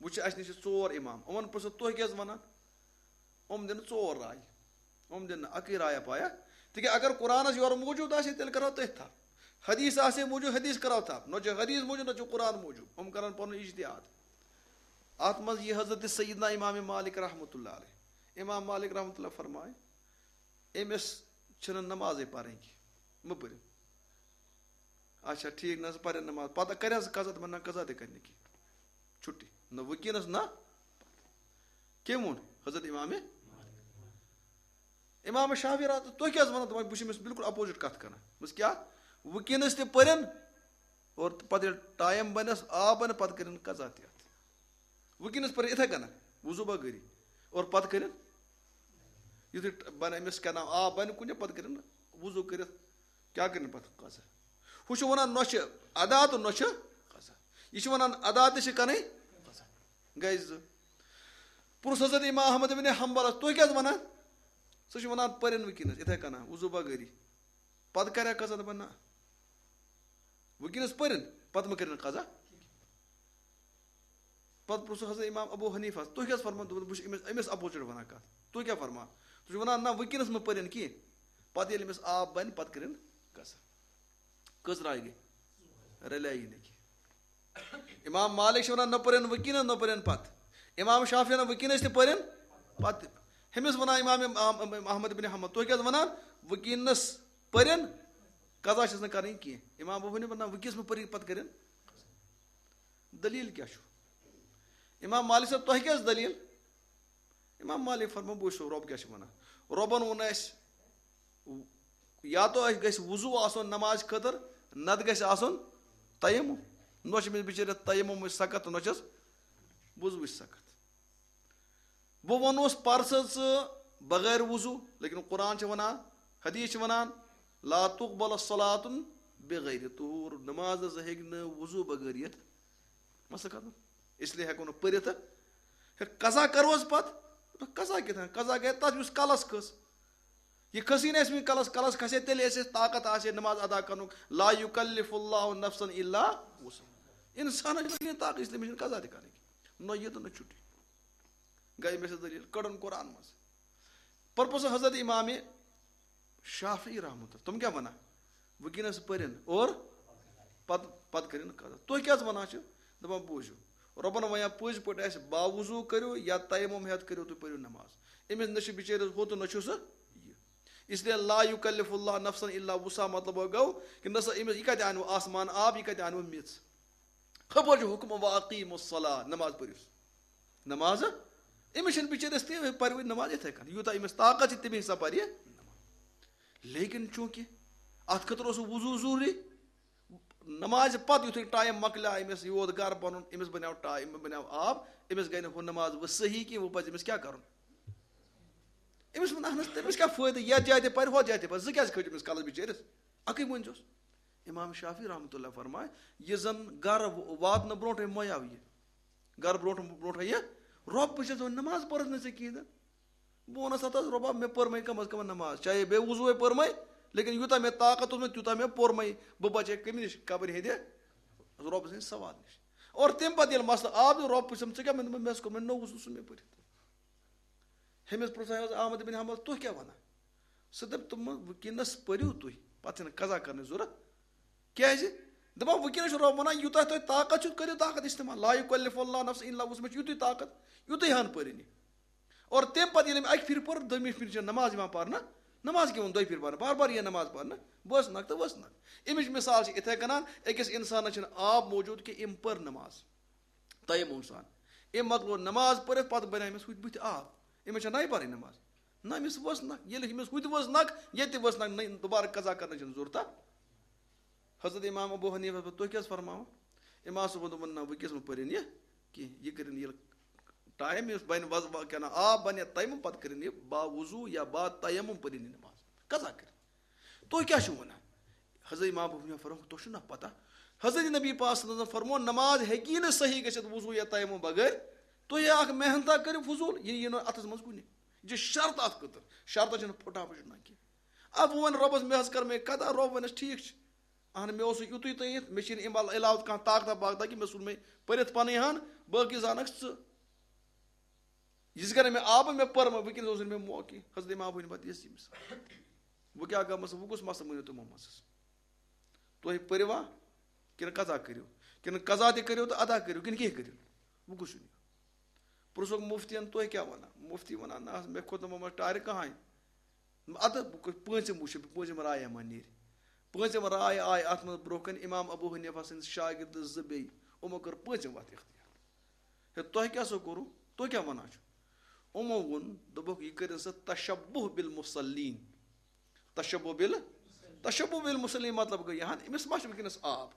وٕچھ، اَسہِ نِش چھِ ژور امام۔ یِمن پرٛژھو، تُہۍ کیٛاہ حظ ونان؟ یِم دِنہٕ ژور رایہِ۔ یِم دِنہٕ اَکٕے رایا پایا تِکیٛازِ اگر قرآنس یورٕ موٗجوٗد آسہِ ہے، تیٚلہِ کرو تٔتھۍ تھپھ۔ حدیث آسہِ ہے موٗجوٗد، حدیث کرو تھپھ۔ نہ چھُ حدیث موٗجوٗد، نہ چھُ قرآن موٗجوٗد۔ یِم کرن پنُن اجتہاد۔ اتھ منٛز یہِ حضرت سیدنا امام مالک رحمتہ اللہ علیہ۔ امام مالک رحمتہ اللہ فرمایہِ، أمِس چھِنہٕ نمازے پرٕنۍ کینٛہہ، مہٕ پٔرِو۔ اچھا، ٹھیٖک، نہ حظ پرن نماز۔ پتہٕ کرِ حظ قضا؟ دپان، نہ، قضا تہِ کرِ نہٕ کینٛہہ، چھُٹی۔ نہ وٕنکیٚنس، نہ۔ کٔمۍ ووٚن؟ حضرت امام۔ امام شافعی رحمتہ، تُہۍ کیٛاہ حظ ونان؟ دپان، بہٕ چھُس أمِس بالکل opposite کتھ کران۔ بس کیٛاہ؟ وٕنکیٚنس تہِ پرن اور پتہٕ ییٚلہِ ٹایم بنٮ۪س، آب بنہِ، پتہٕ کرن قضا تہِ اتھ۔ وٕنکیٚنس پرِ یِتھے کٔنۍ، وضو بغٲری، اور پتہٕ کٔرِن، یُتھُے بنہِ أمِس کیٛاہ نام، آب بنہِ کُنہِ، پتہٕ کٔرِن وضو کٔرِتھ، کیٛاہ کٔرِن پتہٕ قضا؟ ہُہ چھُ ونان، نہ چھِ ادا تہٕ نہ چھِ قضا۔ یہِ چھُ ونان، ادا تہِ چھِ کرٕنۍ، قضا۔ گٔے زٕ۔ پرُژھ حضرت امام احمد بن حنبلس، تُہۍ کیٛاہ حظ ونان؟ سُہ چھُ ونان، پٔرِن وٕنکیٚنس یِتھے کٔنۍ، وضو بغٲری۔ پتہٕ کریا قضا؟ دپان، نہ۔ وٕنکیٚنس پٔرِن، پتہٕ مہ کٔرِن قضا۔ پتہٕ پرُژھُکھ حضرت امام ابو حنیفس، تُہۍ کیٛاہ فرمان؟ دوٚپُن، بہٕ چھُس أمِس، أمِس opposite ونان کتھ۔ تُہۍ کیٛاہ فرمان؟ تُہۍ چھِو ونان، نہ، وٕنکیٚنس مہ پٔرِن کینٛہہ۔ پتہٕ ییٚلہِ أمِس آب بنہِ، پتہٕ کٔرِن قضا۔ کٔژ راے گٔے؟ رلییی نہٕ کینٛہہ۔ امام مالک چھِ ونان، نہ پٔرِن وٕنکیٚنس، نہ پٔرِن پتہٕ۔ امام شافعی ونان، وٕنکیٚنس تہِ پٔرِن پتہٕ۔ ہُمِس ونان امام احمد بن حنبل، تُہۍ کیٛاہ حظ ونان؟ وٕنکیٚنس پٔرِن، قضا چھس نہٕ کرٕنۍ کینٛہہ۔ امام ابو حنیفہ ونان، وٕنکیٚنس مہ پٔرِن، پتہٕ کٔرِن۔ دلیل کیٛاہ چھُ؟ امام مالک صٲب، تۄہہِ کیٛاہ ٲس دلیل؟ امام مالک فرمان، بہٕ وٕچھو رۄب کیٛاہ چھُ ونان۔ رۄبن ووٚن اَسہِ، یا تو اَسہِ گژھِ وضو آسُن نماز خٲطرٕ، نتہٕ گژھِ آسُن تیمم۔ نہ چھُ أمِس بِچٲرِس تیممٕچ سکت، نہ چھَس وضوٕچ سکت۔ بہٕ وَنوس، پَر سا ژٕ بغیر وضو، لیکن قرآن چھِ وَنان، حدیث چھِ وَنان، لا تقبل صلاة بغیر طہور، نماز نہ ہیٚکہِ نہٕ وضو بغٲر یِتھ۔ مسلہٕ ختم۔ اس لیے ہٮ۪کو نہٕ پٔرِتھ۔ ہے، قضا کروس پتہٕ؟ قضا کِتھ کٔنۍ؟ قضا گٔے تَتھ یُس کلس کھٔژ۔ یہِ کھٔسٕے نہٕ اَسہِ وٕنہِ کلس، کلس کھسہِ تیٚلہِ اَسہِ اَسہِ طاقت آسہِ ہے نماز ادا کرنُک۔ لا یکلف اللہ نفسا الا وسعها۔ انسانس چھُنہٕ کینٛہہ طاقت، اس لیے مےٚ چھُنہٕ قضا تہِ کرٕنۍ۔ نہ یہِ تہٕ نہ چھُٹی۔ گٔے مےٚ سۭتۍ دٔلیٖل، کٔڑٕن قرآن منٛز۔ پرپوز حضرت امام شافعی رحمۃ اللہ، تِم کیٛاہ وَنان؟ وٕنکیٚنَس پٔرِن اور پَتہٕ، پَتہٕ کٔرِن قضا۔ تُہۍ کیٛاہ حظ وَنان چھِو؟ دَپان، بوٗزِو، رۄبَن وَنیا پٔزۍ پٲٹھۍ اَسہِ باوضوٗ کٔرِو یا تیمم ہٮ۪تھ کٔرِو تُہۍ پٔرِو نماز۔ أمِس نہ چھُ بِچٲرِس ہُہ تہٕ نہ چھُ سُہ یہِ۔ اس لیے لا یکلف اللہ نفسا الا وسعها مطلب گوٚو کہِ نہ سا أمِس، یہِ کَتہِ اَنوٕ آسمان آب، یہِ کَتہِ اَنوٕ میٚژ؟ خبر چھُ حُکم، واقیموا الصلاۃ، نماز پٔرِو۔ نماز، أمِس چھِنہٕ بِچٲرِس تہِ پَرِ وۄنۍ نماز یِتھَے کٔنۍ، یوٗتاہ أمِس طاقت چھِ، تَمے حساب پَرِ یہِ۔ لیکن چوٗنٛکہِ اَتھ خٲطرٕ اوس وضوٗ ضروٗری، نمازِ پَتہٕ یُتھُے ٹایم مۄکلیو أمِس، یہِ ووت گَرٕ پَنُن، أمِس بَنیو ٹایم، بَنیو آب، أمِس گٔے نہٕ ہُہ نماز وۄنۍ صحیح کینٛہہ، وۄنۍ پَزِ أمِس کیٛاہ کَرُن؟ أمِس ووٚن، اَہن حظ، تٔمِس کیٛاہ فٲیدٕ، یَتھ جایہِ تہِ پَرِ، ہۄتھ جایہِ تہِ پَرِ، زٕ کیٛازِ کھٔتۍ أمِس کَلَس بِچٲرِس؟ اَکٕے ؤنۍزیوس۔ امام شافعی رحمۃ اللہ فرمایہِ، یہِ زَن گَرٕ واتنہٕ برونٛٹھٕے مۄیاو یہِ، گَرٕ برونٛٹھ، برونٛٹھٕے یہِ، رۄب، بہٕ چھَس وۄنۍ نماز پٔرٕتھ نہٕ ژےٚ کِہیٖنۍ تہِ۔ بہٕ وَنَس، ہَتہٕ حظ رۄبا، مےٚ پٔر مَے کم از کم نماز، چاہے بے وضوٗوَے پٔر مَے، لیکن یوٗتاہ مےٚ طاقت اوس مےٚ، تیوٗتاہ مےٚ پوٚر مَے، بہٕ بَچے کَمہِ نِش؟ قبرِ ہِنٛدِ رۄب سٕنٛدِ سوال نِش۔ اور تَمہِ پَتہٕ ییٚلہِ مسلہٕ آو تہٕ رۄب پرٛژھم، ژےٚ کیٛاہ؟ مےٚ دوٚپمَس، مےٚ اوس کوٚرمُت نوٚو وضوٗ، سُہ مےٚ پٔرِتھ۔ ہُمِس پرٛژھاے حضرت احمد بن حنبل، تُہۍ کیٛاہ وَنان؟ سُہ دَپہِ، تِمَن وٕنکیٚنَس پٔرِو تُہۍ، پَتہٕ چھَنہٕ قضا کَرنٕچ ضوٚرَتھ۔ کیٛازِ؟ دَپان، وٕنکیٚنَس چھُ رۄب وَنان، یوٗتاہ تۄہہِ طاقت چھُ، کٔرِو طاقت استعمال۔ لا یکلف اللہ نفسا الا وسعها، مےٚ چھُ یُتُے طاقت، یُتُے ہَن پٔرِنۍ۔ اور تَمہِ پَتہٕ ییٚلہِ أمۍ اَکہِ پھِرِ پٔر، دوٚیمہِ پھِرِ چھَنہٕ نماز یِوان پَرنہٕ۔ نماز کیٛاہ ووٚن دۄیہِ پھِرِ پَرنہٕ؟ بار بار یِیہِ نماز پَرنہٕ، ؤژھ نَکھ تہٕ ؤژھ نَکھ۔ اَمِچ مثال چھِ یِتھَے کَنان، أکِس اِنسانَس چھِنہٕ آب موٗجوٗد کینٛہہ، أمۍ پٔر نماز۔ تیمم سان۔ أمۍ مۄکلو نماز پٔرِتھ، پتہٕ بنیٛاو أمِس ہُتہِ بٕتھِ آب۔ أمِس چھا نَیہِ پَرٕنۍ نماز؟ نہ، أمِس ؤژھ نَکھ۔ ییٚلہِ أمِس ہُتہِ ؤژھ نَکھ، ییٚتہِ تہِ ؤژھ نَکھ، نٔے دوبارٕ قضا کرنٕچ چھَنہٕ ضروٗرت۔ حضرت امام ابو حنیفہ، تُہۍ کیٛاہ حظ فرماوان؟ امام صٲبَن دوٚپُن، نہ، وٕنکیٚس مہٕ پٔرِن یہِ کینٛہہ۔ یہِ کٔرِن ییٚلہِ ٹایم یُس بَنہِ وض-، کیٛاہ ناو، آب بَنہِ تیمم، پَتہٕ کٔرِن یہِ با وضوٗ یا با تیمم پٔرِن یہِ نماز۔ قضا کٔرِن۔ تُہۍ کیٛاہ چھِو وَنان؟ حضرت امام ابو حنیفہ فرموو، تۄہہِ چھُو نہ پتہ؟ حضرت نبی پاک صلی اللہ علیہ وسلم فرموو، نماز ہیٚکی نہٕ صحیح گٔژھِتھ وضوٗ یا تیمم بغٲر۔ تُہۍ اکھ محنتہ کٔرِو فضوٗل، یہِ یِیہِ نہٕ اَتھَس منٛز کُنہِ۔ یہِ چھِ شرط اَتھ خٲطرٕ۔ شرطَس چھِنہٕ پھٕٹان پھٕٹان کینٛہہ۔ اَدٕ وۄنۍ وَن رۄبَس، مےٚ حظ کٔر مےٚ قضا، رۄب وَنٮ۪س، ٹھیٖک چھُ۔ اہن، مےٚ اوس یُتُے تہٕ یِتھ، مےٚ چھِنہٕ اَمہِ علاوٕ کانٛہہ طاقتہ باقتہ کہِ مےٚ ژھُن مےٚ پٔرِتھ پَنٕنۍ ہَن، باقٕے زانَکھ ژٕ۔ یِژھ گرِ مےٚ آبہٕ مےٚ پٔرمہٕ، وٕنکیٚنَس اوس نہٕ مےٚ موقعہٕ۔ حضرت امام ابو حنیفہ دِژ یہِ مثال۔ وۄنۍ کیٛاہ گٔمٕژ، وۄنۍ کُس مسلہٕ مٲنِو تِمو منٛز؟ تُہۍ پٔرِوا کِنہٕ قضا کٔرِو؟ کِنہٕ قضا تہِ کٔرِو تہٕ ادا کٔرِو، کِنہٕ کینٛہہ کٔرِو؟ وۄنۍ کُس چھُ نیُن؟ پرٛژھُکھ مُفتِیَن، تُہۍ کیٛاہ وَنان؟ مُفتی وَنان، نہ حظ، مےٚ کھوٚت نہٕ یِمَن منٛز ٹارِ کٕہٕنۍ۔ اَدٕ وۄنۍ کُس پٲنٛژِم وٕچھِ، پٲنٛژِم راے ما نیرِ؟ پٲنٛژِم راے آیہِ اَتھ منٛز برٛونٛہہ کَنہِ اِمام ابوٗ حنیٖفہ سٕنٛدۍ شاگِرد زٕ بیٚیہِ، یِمو کٔر پٲنٛژِم وَتھ اختیار۔ ہے، تۄہہِ کیٛاہ سا کوٚروٕ؟ تُہۍ کیٛاہ وَنان چھِو؟ یِمو ووٚن، دوٚپُکھ، یہِ کٔرِن سا تشبُہ بالمصلین۔ تشبُہ بال-، تشبُہ بالمصلین مطلب گوٚو یہِ ہن، أمِس ما چھُ وٕنکیٚنَس آب،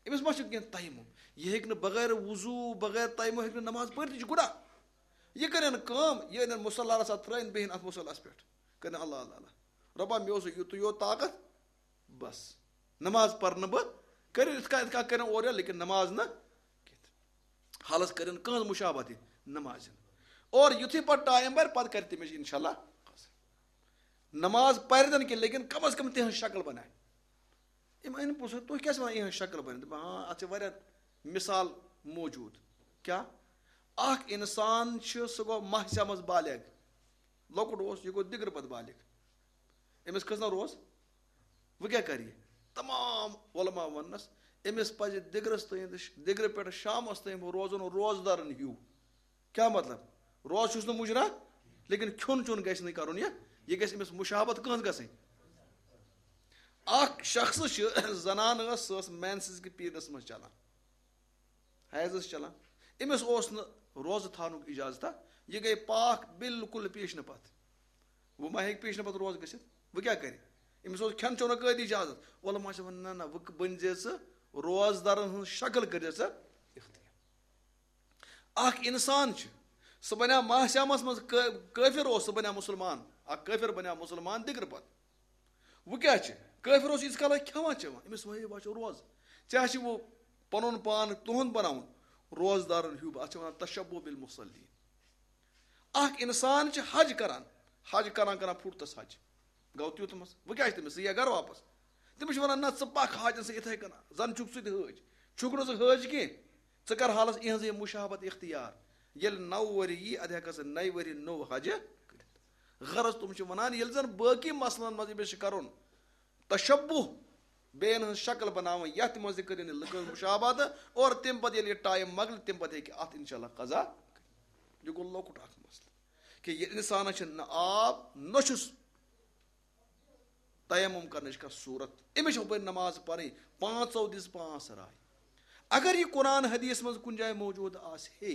أمِس ما چھُ وٕنکیٚنَس تیمم، یہِ ہیٚکہِ نہٕ بغٲر وضوٗ، بغٲر تیمم ہیٚکہِ نہٕ نماز پٔرِتھ، یہِ چھُ گُناہ۔ یہِ کَرن کٲم، یہِ أنِن مُصلی رَژھا ترٛٲوِن، بیٚہن اَتھ مُصلیٰ ہَس پٮ۪ٹھ، کَرن اللہ اللہ اللہ، رۄبا، مےٚ اوس یُتُے یوت طاقت، بس، نماز پرنہٕ بہٕ، کٔرِو یِتھ کٔنۍ، یِتھ کٔنۍ کٔرِو اورٕ یورٕ، لیکن نماز نہٕ کینٛہہ۔ حالس کٔرِن کٕہٕنٛز مُشابہت یہِ نمازِ ہٕنٛز۔ اور یُتھُے پتہٕ ٹایم بَرِ، پتہٕ کَرِ تٔمِس اِنشاء اللہ قضا۔ نماز پَرِ نہٕ کینٛہہ، لیکن کم از کم تِہٕنٛز شکل بناوِ۔ یِم أنۍ پرٛژھُن، تُہۍ کیٛاہ چھِو وَنان، یِہٕنٛز شکل بناوِ؟ دَپان، ہاں، اَتھ چھِ واریاہ مثال موجود۔ کیٛاہ؟ اکھ اِنسان چھُ، سُہ گوٚو ماہِ صیامس بالغ، لۄکُٹ اوس، یہِ گوٚو دِگرٕ پتہٕ بالغ۔ أمِس کھٔژ نہ روز؟ وۄنۍ کیٛاہ کَرِ یہِ؟ تمام علماء وَننَس، أمِس پَزِ دِگرَس تام تہٕ ش-، دِگرٕ پٮ۪ٹھ شامَس تام روزُن روزدارَن ہیوٗ۔ کیٛاہ مطلب؟ روز چھُس نہٕ مُجرا، لیکن کھیوٚن چیوٚن گژھِ نہٕ کَرُن یہِ۔ یہِ گژھِ أمِس مُشابہت کٕہٕنٛز گژھٕنۍ؟ اَکھ شخص چھِ، زنان ٲس، سۄ ٲس مینسز کہِ پیٖریڈَس منٛز چَلان۔ حیض ٲس چلان، أمِس اوس نہٕ روزٕ تھاونُک اجازت۔ یہِ گٔے پاک بالکل پیش نہٕ پتہٕ۔ وۄنۍ ما ہیٚکہِ پیش نہٕ پتہٕ روزٕ گٔژھِتھ؟ وۄنۍ کیٛاہ کرِ؟ أمِس اوس کھٮ۪ن چٮ۪نُک قٲدی اجازت۔ علماء چھِ وَنان، نہ، نہ، وۄنۍ بٔنۍ زِ ژٕ روزدارن ہٕنٛز شکل، کٔرۍ زِ ژٕ اختیار۔ اکھ انسان چھُ، سُہ بنیٛاو ماہِ صیامس منٛز کٲ-، کٲفر اوس، سُہ بنیٛاو مُسلمان۔ اکھ کٲفر بنیٛاو مُسلمان دِگرٕ پتہٕ۔ وۄنۍ کیٛاہ چھِ؟ کٲفِر اوس ییٖتِس کالَس کھٮ۪وان چٮ۪وان، أمِس وَنے، بہٕ چھُس روزٕ۔ ژےٚ چھِ وۄنۍ پَنُن پان تُہُنٛد بَناوُن روزدارَن ہیوٗ، اَتھ چھِ وَنان تشبُہ بالمصلین۔ اَکھ اِنسان چھِ حج کَران، حج کَران کَران پھُٹ تَس حج، گوٚو تیُتھ منٛز۔ وۄنۍ کیٛاہ چھِ تٔمِس؟ سُہ یِیہِ گَرٕ واپَس۔ تٔمِس چھِ وَنان، نہ، ژٕ پَکھ حاجَن سۭتۍ یِتھَے کٔنۍ، زَن چھُکھ ژٕ تہِ حٲج، چھُکھ نہٕ ژٕ حٲج کینٛہہ۔ ژٕ کر حالس اِہنٛزٕے مُشابہت اختیار۔ ییٚلہِ نَو ؤری یی، اَدٕ ہٮ۪کَس نَیہِ ؤری نوٚو حجہِ کٔرِتھ۔ غرض، تِم چھِ وَنان، ییٚلہِ زَن بٲقی مسلن منٛز أمِس چھِ کَرُن تشبُہ، بیٚین ہٕنٛز شکل بناوٕنۍ، یَتھ منٛز تہِ کٔرِن یہِ لُکن ہٕنٛز مُشابہت، اور تَمہِ پتہٕ ییٚلہِ یہِ ٹایم مۄکلہِ، تَمہِ پتہٕ ہیٚکہِ اَتھ اِنشاء اللہ قضا کٔرِتھ۔ یہِ گوٚو لۄکُٹ اکھ مسلہٕ، کہِ یہِ اِنسانَس چھِ نہ آب، نہ چھُس تیمم کرنٕچ کانٛہہ صورت۔ أمِس چھِ ہُپٲرۍ نماز پرٕنۍ، پانٛژو دِژ پانٛژھ راے۔ اگر یہِ قرآن حدیث منٛز کُنہِ جایہِ موجود آسہِ ہے،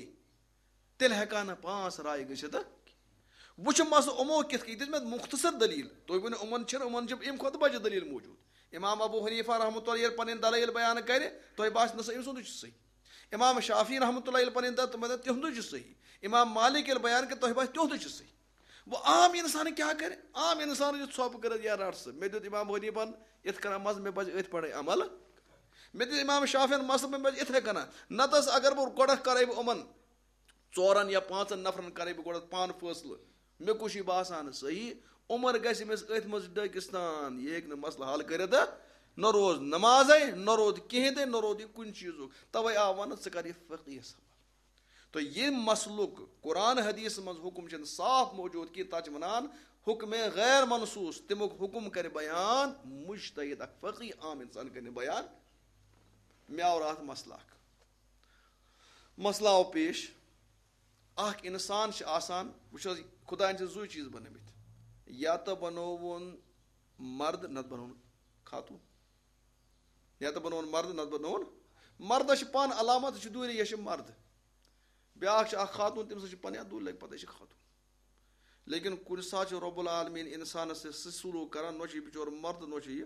تیٚلہِ ہٮ۪کہٕ ہا نہٕ پانٛژھ راے گٔژھِتھ۔ وۄنۍ چھُ مسلہٕ یِمو کِتھ کٔنۍ دِژ مےٚ مختصر دلیل۔ تُہۍ ؤنِو، یِمن چھِنہٕ، یِمن چھِ اَمہِ کھۄتہٕ بجہِ دلیل موجود۔ امام ابو حنیفہ رحمۃ اللہ ییٚلہِ پنٕنۍ دلائل بیان کرِ، تۄہہِ باسہِ نہ سا أمۍ سُنٛدُے چھُ صحیح۔ امام شافعی رحمۃ اللہ ییٚلہِ پنٕنۍ دل-، تِمن دپہِ تِہُنٛدُے چھُ صحیح۔ امام مالک ییٚلہِ بیان کرِ، تۄہہِ باسہِ تِہُنٛدُے چھُ صحیح۔ وۄنۍ عام اِنسان کیٛاہ کَرِ؟ عام اِنسان چھُ ژھۄپہٕ کٔرِتھ، یا رَٹ سا، مےٚ دیُت اِمام حنیٖفَن یِتھ کَنۍ مَزٕ، مےٚ پَزِ أتھۍ پٮ۪ٹھٕے عمل۔ مےٚ دیُت اِمام شافعیَن مَزٕ، مےٚ پَزِ یِتھَے کَنۍ۔ نَتہٕ ٲس، اگر بہٕ گۄڈَتھ کَرَے بہٕ یِمَن ژورَن یا پانٛژَن نفرَن کَرَے بہٕ گۄڈَتھ پانہٕ فٲصلہٕ، مےٚ کُس چھُے باسان صحیح، عمر گژھِ أمِس أتھۍ منٛز ڈٲکِستان، یہِ ہیٚکہِ نہٕ مسلہٕ حل کٔرِتھ۔ نہ روز نمازے، نہ روٗد کِہیٖنۍ تہِ، نہ روٗد یہِ کُنہِ چیٖزُک۔ تَوَے آو وَنہٕ، ژٕ کَر یہِ فقیٖہَس حوالہٕ۔ تو یہِ مسلُک قرآن حدیث منٛز حکم چھِنہٕ صاف موجود کینٛہہ، تَتھ چھِ وَنان حکم غیر منصوص، تَمیُک حکم کَرِ بیان مجتہد، اکھ فقیہ عام اِنسان کَرِ نہٕ بیان۔ مےٚ آو راتھ مسلہٕ اکھ۔ مسلہٕ آو پیش، اکھ اِنسان چھِ آسان، وٕچھ حظ، خۄدایَن چھِ زٕے چیٖز بَنٲومٕتۍ، یا تہٕ بَنووُن مرد، نَتہٕ بَنووُن خاتوٗن۔ یا تہٕ بَنووُن مرد، نَتہٕ بَنووُن۔ مردَس چھِ پانہٕ علامت، یہِ چھُ دوٗرِ، یہِ چھِ مرد۔ بیٛاکھ چھِ اَکھ خاتوٗن، تٔمِس چھِ پَنٕنۍ اَتھ دوٗرِ لَگہِ پَتہٕ، یہِ چھِ خاتوٗن۔ لیکن کُنہِ ساتہٕ چھُ رب العالمین اِنسانَس سۭتۍ سُہ سلوٗک کَران، نہ چھُ یہِ بِچور مرد، نہ چھُ یہِ،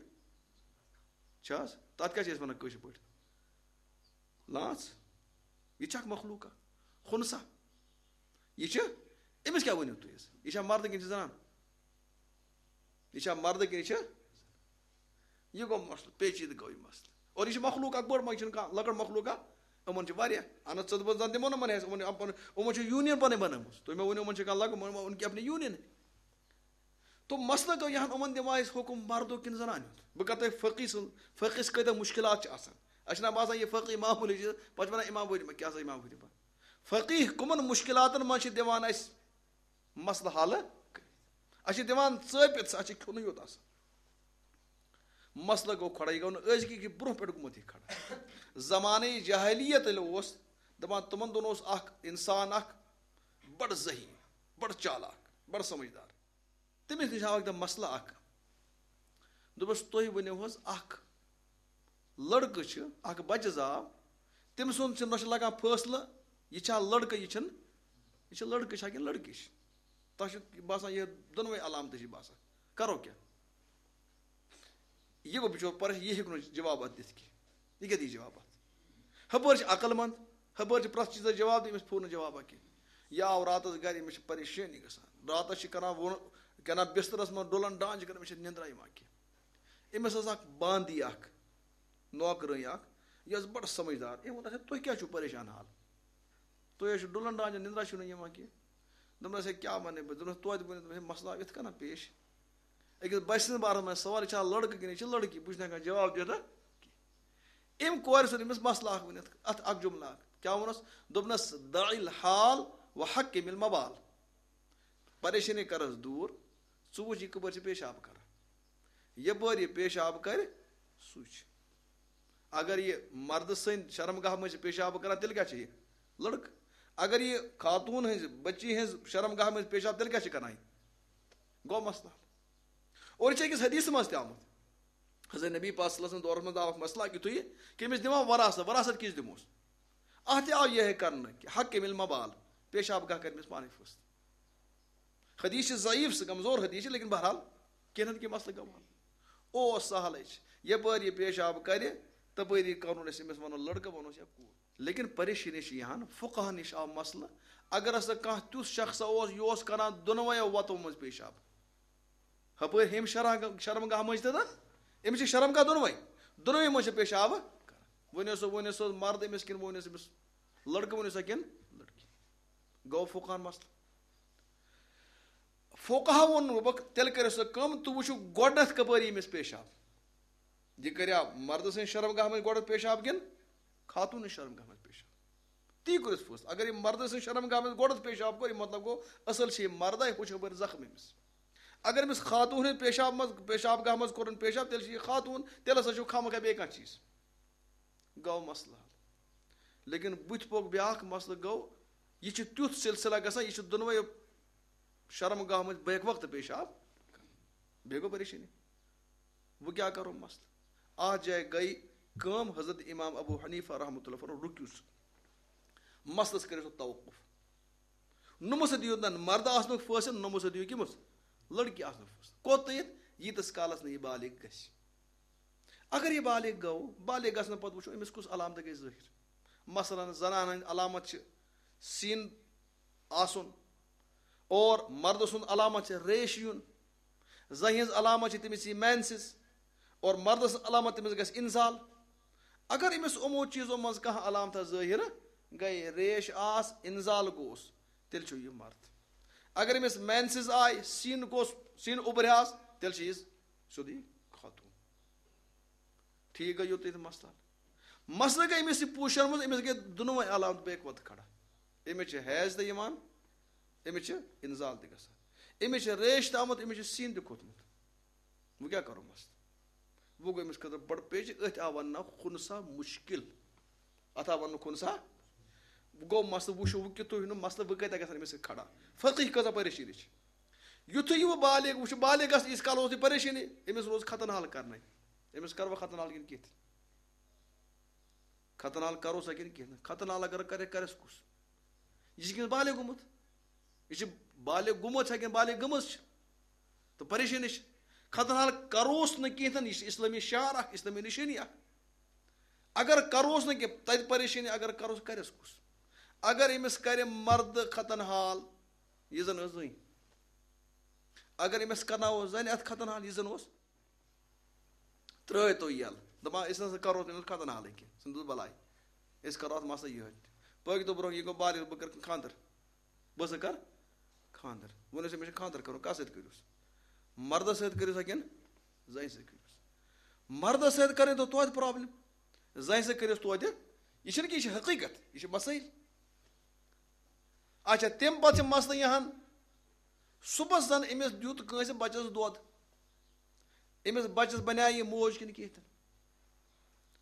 چھِ حظ؟ تَتھ کیٛاہ چھِ أسۍ وَنان کٲشِر پٲٹھۍ؟ لانٛژھ۔ یہِ چھِ اَکھ مخلوٗقہ، خُنثیٰ۔ یہِ چھِ، أمِس کیٛاہ ؤنِو تُہۍ حظ؟ یہِ چھا مردٕ کِنہٕ چھِ زنان؟ یہِ چھا مردٕ کِنہٕ یہِ چھِ؟ یہِ گوٚو مسلہٕ، پیچیدٕ گوٚو یہِ مسلہٕ۔ اور یہِ چھِ مخلوق اکھ بٔڑ، ما، یہِ چھُنہٕ کانٛہہ لۄکٕٹ مخلوق اکھ۔ یِمن چھِ واریاہ۔ اَہن حظ، ژٕ دَپان زَن دِمو نہٕ یِمن حیثیت، یِمن، یِمن، یِمن چھِ union پنٕنۍ بنٲومٕژ۔ تُہۍ مےٚ ؤنِو، یِمن چھِ کانٛہہ لۄکٕٹ، یِمن، یِمن، یِمن کیٛاہ اپنی union ہے؟ تو مسلہٕ گوٚو یہِ ہن یِمن دِمو أسۍ حُکم مردُک کِنہٕ زنانہِ ہُنٛد۔ بہٕ کرٕ تۄہہِ فقی سُنٛد، فقیس کۭتیٛاہ مُشکِلات چھِ آسان۔ اَسہِ چھُنہ باسان یہِ فقی معموٗلی چھِ، پتہٕ چھِ وَنان امام حنیفہ، کیٛاہ سا امام حنیفہ؟ فقی کٕمن مُشکِلاتن منٛز چھِ دِوان اَسہِ مسلہٕ حل کٔرِتھ۔ اَسہِ چھِ دِوان ژٲپِتھ، اَسہِ چھِ کھیوٚنُے یوت آسان۔ مسلہٕ گوٚو کھڑا، یہِ گوٚو نہٕ أزکہِ کہِ برونٛہہ پٮ۪ٹھ گوٚمُت یہِ کھڑا۔ زمانہٕ جاہلیت ییٚلہِ اوس، دَپان تِمَن دۄہَن اوس اَکھ اِنسان اَکھ بَڑٕ ذہیٖن، بَڑٕ چالاک، بَڑٕ سمجھدار۔ تٔمِس نِش آو اَکہِ دۄہ مسلہٕ اَکھ۔ دوٚپُس، "تُہۍ ؤنِو حظ، اَکھ لٔڑکہٕ چھِ، اَکھ بَچہٕ زاو، تٔمۍ سُنٛد چھِ، نہ چھِ لَگان فٲصلہٕ، یہِ چھا لٔڑکہٕ، یہِ چھِنہٕ، یہِ چھِ لٔڑکہٕ چھا کِنہٕ لٔڑکی چھِ؟ تۄہہِ چھِ باسان یہِ دۄنوَے علامتہٕ چھِ باسان، کَرو کیٛاہ؟" یہِ گوٚو بِچور پریش-، یہِ ہیٚکہِ نہٕ جواب اَتھ دِتھ کینٛہہ۔ یہِ کیٛاہ دِیہِ جواب اَتھ؟ ہُپٲرۍ چھِ عقل مند، ہُپٲرۍ چھِ پرٛٮ۪تھ چیٖزَس جواب دِتھ، أمِس پھوٗر نہٕ جوابا کینٛہہ۔ یہِ آو راتَس گَرِ، أمِس چھِ پریشٲنی گژھان۔ راتَس چھِ کَران وُن-، کَران بِسترَس منٛز ڈُلَن ڈان چھِ کَران، أمِس چھِ نِندرا یِوان کینٛہہ۔ أمِس ٲس اَکھ باندی اَکھ، نوکرٲنۍ اَکھ، یہِ ٲس بَڑٕ سَمجھدار۔ أمۍ ووٚن، "اچھا، تُہۍ کیٛازِ چھِو پریشان حال؟ تُہۍ حظ چھِو ڈُلَن ڈان، نِندرا چھِو نہٕ یِوان کینٛہہ۔" دوٚپنَس، "ہے، کیٛاہ وَنَے بہٕ؟" دوٚپنَس، "توتہِ ؤنِو۔" دوٚپمَس، "ہے، مسلہٕ آو یِتھ کَنَن پیش۔" أکِس بَچہٕ سٕنٛدِس بارَس منٛز سوال، یہِ چھا لٔڑکہٕ کِنہٕ یہِ چھِ لٔڑکی؟ بہٕ چھُس نہٕ ہٮ۪کان جواب دِتھ نہ کینٛہہ۔ أمۍ کورِ سُنٛد أمِس مسلہٕ اَکھ ؤنِتھ، اَتھ اَکھ جُملہٕ اَکھ۔ کیٛاہ ووٚنُس؟ دوٚپنَس، "دع الحال وحکم المبال۔" پریشٲنی کَرَس دوٗر، ژٕ وٕچھ یہِ کَپٲرۍ چھِ پیشاب کَران۔ یَپٲرۍ یہِ پیشاب کَرِ، سُے چھُ۔ اگر یہِ مردٕ سٕنٛدِ شرمگاہ منٛز چھِ پیشاب کَران، تیٚلہِ کیٛاہ چھِ یہِ؟ لٔڑکہٕ۔ اگر یہِ خاتوٗن ہٕنٛزِ، بٔچی ہٕنٛز شرمگاہ منٛز پیشاب، تیٚلہِ کیٛاہ چھِ کَران یہِ؟ گوٚو مسلہٕ حل۔ اور یہِ چھِ أکِس حدیثہٕ منٛز تہِ آمُت۔ حضرت نبی پاک صلی اللہ علیہ وسلم دورس منٛز آو اکھ مسلہٕ اکھ یُتھُے کہِ أمِس دِوان وراثت، وراثت کِس دِموس؟ اَتھ تہِ آو یِہوٚے کرنہٕ کہِ حکم المبال، پیشاب گاہ کرِ أمِس پانَے فٲصلہٕ۔ حدیث چھِ ضعیف، سُہ کمزور حدیث چھِ، لیکن بہرحال کینٛہہ نتہٕ کینٛہہ مسلہٕ گوٚو حل۔ اوس سہلٕے چھِ، یپٲرۍ یہِ پیشاب کرِ، تپٲری کرُن أسۍ أمِس ونو لڑکہٕ، ونوس یا کوٗر۔ لیکن پریشٲنی چھِ یہِ ہن، فقہن نِش آو مسلہٕ، اگر ہسا کانٛہہ تیُتھ شخصا اوس، یہِ اوس کران دۄنوَیو وتو منٛز پیشاب، ہپٲرۍ ہیٚمہِ شرح-، شرمگاہ مٔنٛزۍ تہِ تہٕ أمِس چھِ شرمگاہ دۄنوَے، دۄنوَے منٛز چھِ پیشاب کران۔ ؤنِو سا، ؤنِو سا مرد أمِس کِنہٕ ؤنِو سا أمِس لڑکہٕ، ؤنِو سا کِنہٕ لڑکی؟ گوٚو فقہن مسلہٕ۔ فقہا ووٚن، دوٚپُکھ، تیٚلہِ کٔرِو سا کٲم، تُہۍ وٕچھِو گۄڈٕنٮ۪تھ کَپٲرۍ ییٚمِس پیشاب۔ یہِ کَریا مردٕ سٕنٛدِ شرمگاہ منٛز گۄڈٕ پیشاب کِنہٕ خاتوٗن سٕنٛدِ شرمگاہ منٛز پیشاب؟ تی کٔرِتھ فٲصلہٕ۔ اگر یہِ مردٕ سٕنٛدِ شرمگاہ منٛز گۄڈٕ پیشاب کوٚر، یہِ مطلب گوٚو، اَصٕل چھِ یہِ مردے، ہُہ چھُ ہُپٲرۍ زخم أمِس۔ اگر أمِس خاتوٗن ہٕنٛدِ پیشاب منٛز، پیشاب گاہ منٛز کوٚرُن پیشاب، تیٚلہِ چھِ یہِ خاتوٗن، تیٚلہِ ہسا چھُ خامخا بیٚیہِ کانٛہہ چیٖز۔ گوٚو مسلہٕ حل۔ لیکن بٕتھِ پوٚک بیٛاکھ مسلہٕ گوٚو، یہِ چھُ تیُتھ سلسلہ گژھان، یہِ چھُ دۄنوَے شرمگاہ منٛز بیک وقت پیشاب کران۔ بیٚیہِ گوٚو پریشٲنی۔ وۄنۍ کیٛاہ کرو مسلہٕ؟ اَتھ جایہِ گٔے کٲم، حضرت امام ابو حنیفہ رحمۃ اللہ فرماوان، رُکِو سا۔ مسلس کٔرِو سا توقف۔ نہ مہ سا دِیِو نہ مردٕ آسنُک فٲصلہٕ، نہ مہ سا دِیِو کٔمِس؟ لڑکی آسنُک فٲصلہٕ۔ کوٚت تام؟ ییٖتِس کالس نہٕ یہِ بالغ گژھِ۔ اگر یہِ بالغ گوٚو، بالغ گژھنہٕ پتہٕ وٕچھو أمِس کُس علامتہٕ گٔے ظٲہِر۔ مثلاً زنانہِ ہٕنٛز علامت چھِ سیٖن آسُن، اور مردٕ سُنٛد علامت چھِ ریش یُن، زنہِ ہٕنٛز علامت چھِ تٔمِس یی مینسز، اور مردٕ سٕنٛز علامت تٔمِس گژھِ اِنزال۔ اگر أمِس یِمو چیٖزو منٛز کانٛہہ علامتہ ظٲہِر گٔے، ریش آس، اِنزال گوٚوس، تیٚلہِ چھُ یہِ مرد۔ اگر أمِس مینسز آے، سیٖن گوٚوس، سیٖن اُبریٛاس، تیٚلہِ چھِ یہِ سیوٚدُے خاتوٗن۔ ٹھیٖک گٔے یوٚتُے تہٕ مسلہٕ حل۔ مسلہٕ گٔے أمِس یہِ پوٗشَن منٛز، أمِس گٔے دۄنوَے علامت بیک وقت کھڑا۔ أمِس چھِ حیض تہِ یِوان، أمِس چھِ اِنزال تہِ گژھان، أمِس چھِ ریش تہِ آمُت، أمِس چھِ سیٖن تہِ کھوٚتمُت۔ وۄنۍ کیٛاہ کَرو مسلہٕ؟ وۄنۍ گوٚو أمِس خٲطرٕ بڑٕ پیچہِ، أتھۍ آو وَننہٕ خُنسا مُشکِل۔ اَتھ آو وَننہٕ خُنسا۔ وۄنۍ گوٚو مسلہٕ، وٕچھِو وۄنۍ کیُتھ تُہۍ نہٕ مسلہٕ، وۄنۍ کَتہِ گژھن أمِس سۭتۍ کھڑا؟ فقیٖح کۭژاہ پریشٲنی چھِ۔ یُتھُے یہِ وۄنۍ بالغ، وۄنۍ چھُ بالغ گژھان، ییٖتِس کال اوس یہِ پریشٲنی، أمِس روز ختن حال کرنَے۔ أمِس کَروا ختن حال کِنہٕ کِتھ؟ ختن حال کَرو سا کِنہٕ کِتھ نہٕ؟ ختن حال اگر کَرِ، کَرٮ۪س کُس؟ یہِ چھِ کِنہٕ بالغ گوٚمُت؟ یہِ چھِ بالغ گوٚمُت چھا کِنہٕ بالغ گٔمٕژ چھِ؟ تہٕ پریشٲنی چھِ۔ ختن حال کَروس نہٕ کِہیٖنۍ تہِ نہٕ، یہِ چھِ اِسلٲمی شعار اَکھ، اِسلٲمی نِشٲنی اَکھ۔ اگر کَروس نہٕ کینٛہہ، تَتہِ پریشٲنی، اگر کَروس، کَرٮ۪س کُس؟ اگر أمِس کَرِ مردٕ ختن حال، یہِ زَن ٲس زٔنۍ۔ اگر أمِس کَرناوو زَنہِ اَتھ ختن حال، یہِ زَن اوس، ترٛٲے تو یَلہٕ۔ دَپان، أسۍ نہ سا کَرو تٔمِس ختن حالٕے کینٛہہ، ژھٕن دوٚپُس بَلاے۔ أسۍ کَرو اَتھ مسلہٕ یِہوٚے۔ پٲکۍ دۄہ برونٛہہ یہِ گوٚو بالغ، بہٕ کَرٕ خانٛدر۔ بہٕ ہسا کَرٕ خانٛدر۔ ووٚنُس، أمِس چھُ خانٛدر کَرُن، کَس سۭتۍ کٔرِوس؟ مردَس سۭتۍ کٔرِوسا کِنہٕ زَنہِ سۭتۍ کٔرِوس؟ مردَس سۭتۍ کَرٕنۍ تو توتہِ پرابلم، زَنہِ سۭتۍ کٔرِوس توتہِ۔ یہِ چھُنہٕ کینٛہہ، یہِ چھِ حقیٖقت، یہِ چھِ مسٲیِل۔ اچھا، تَمہِ پَتہٕ چھِ مسلہٕ یہِ ہن، صُبحس زَن أمِس دیُت کٲنٛسہِ بَچَس دۄد، أمِس بَچَس بَنیٛاہ یہِ موج کِنہٕ کِہیٖنۍ تہِ نہٕ؟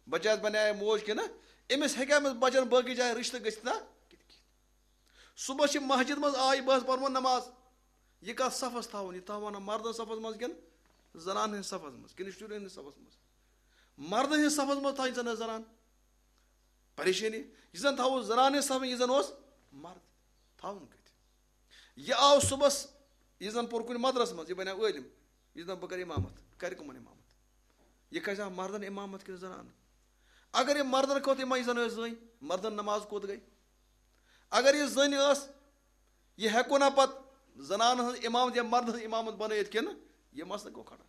بَچَس بَنیٛاہ یہِ موج کِنہٕ؟ أمِس ہیٚکیٛاہ أمِس بَچَن باقٕے جایہِ رِشتہٕ گٔژھِتھ نا؟ کِنہٕ کِہیٖنۍ؟ صُبحَس چھِ مسجد منٛز آیہِ، بہٕ حظ پَرمو نماز۔ یہِ کَتھ صفَس تھاوُن؟ یہِ تھاوان مردَن صفَس منٛز کِنہٕ زنانَن ہٕنٛدِس صفَس منٛز کِنہٕ شُرٮ۪ن ہٕنٛدِس صفَس منٛز؟ مردَن ہٕنٛدِس صفَس منٛز تھاوٕنۍ زَن زنان۔ پریشٲنی، یہِ زَن تھاوو زنانہِ صفہٕ، یہِ زَن اوس مرد، تھاوُن کَتہِ؟ یہِ آو صُبحَس، یہِ زَن پوٚر کُنہِ مدرسہٕ منٛز، یہِ بَنیو عٲلِم، یہِ زَن بہٕ کَرٕ اِمامت، کَرِ کٕمَن اِمامت؟ یہِ کھسہِ ہا مردَن اِمامت کِنہٕ زنانَن؟ اگر یہِ مردَن کھوٚت اِمام، یہِ زَن ٲس زٔنۍ، مردَن نماز کوٚت گٔے؟ اگر یہِ زٔنۍ ٲس، یہِ ہٮ۪کو نا پَتہٕ زنانَن ہٕنٛز اِمامت یا مردَن ہٕنٛز اِمامت بَنٲیِتھ کِنہٕ؟ یہِ مسلہٕ گوٚو کھڑا۔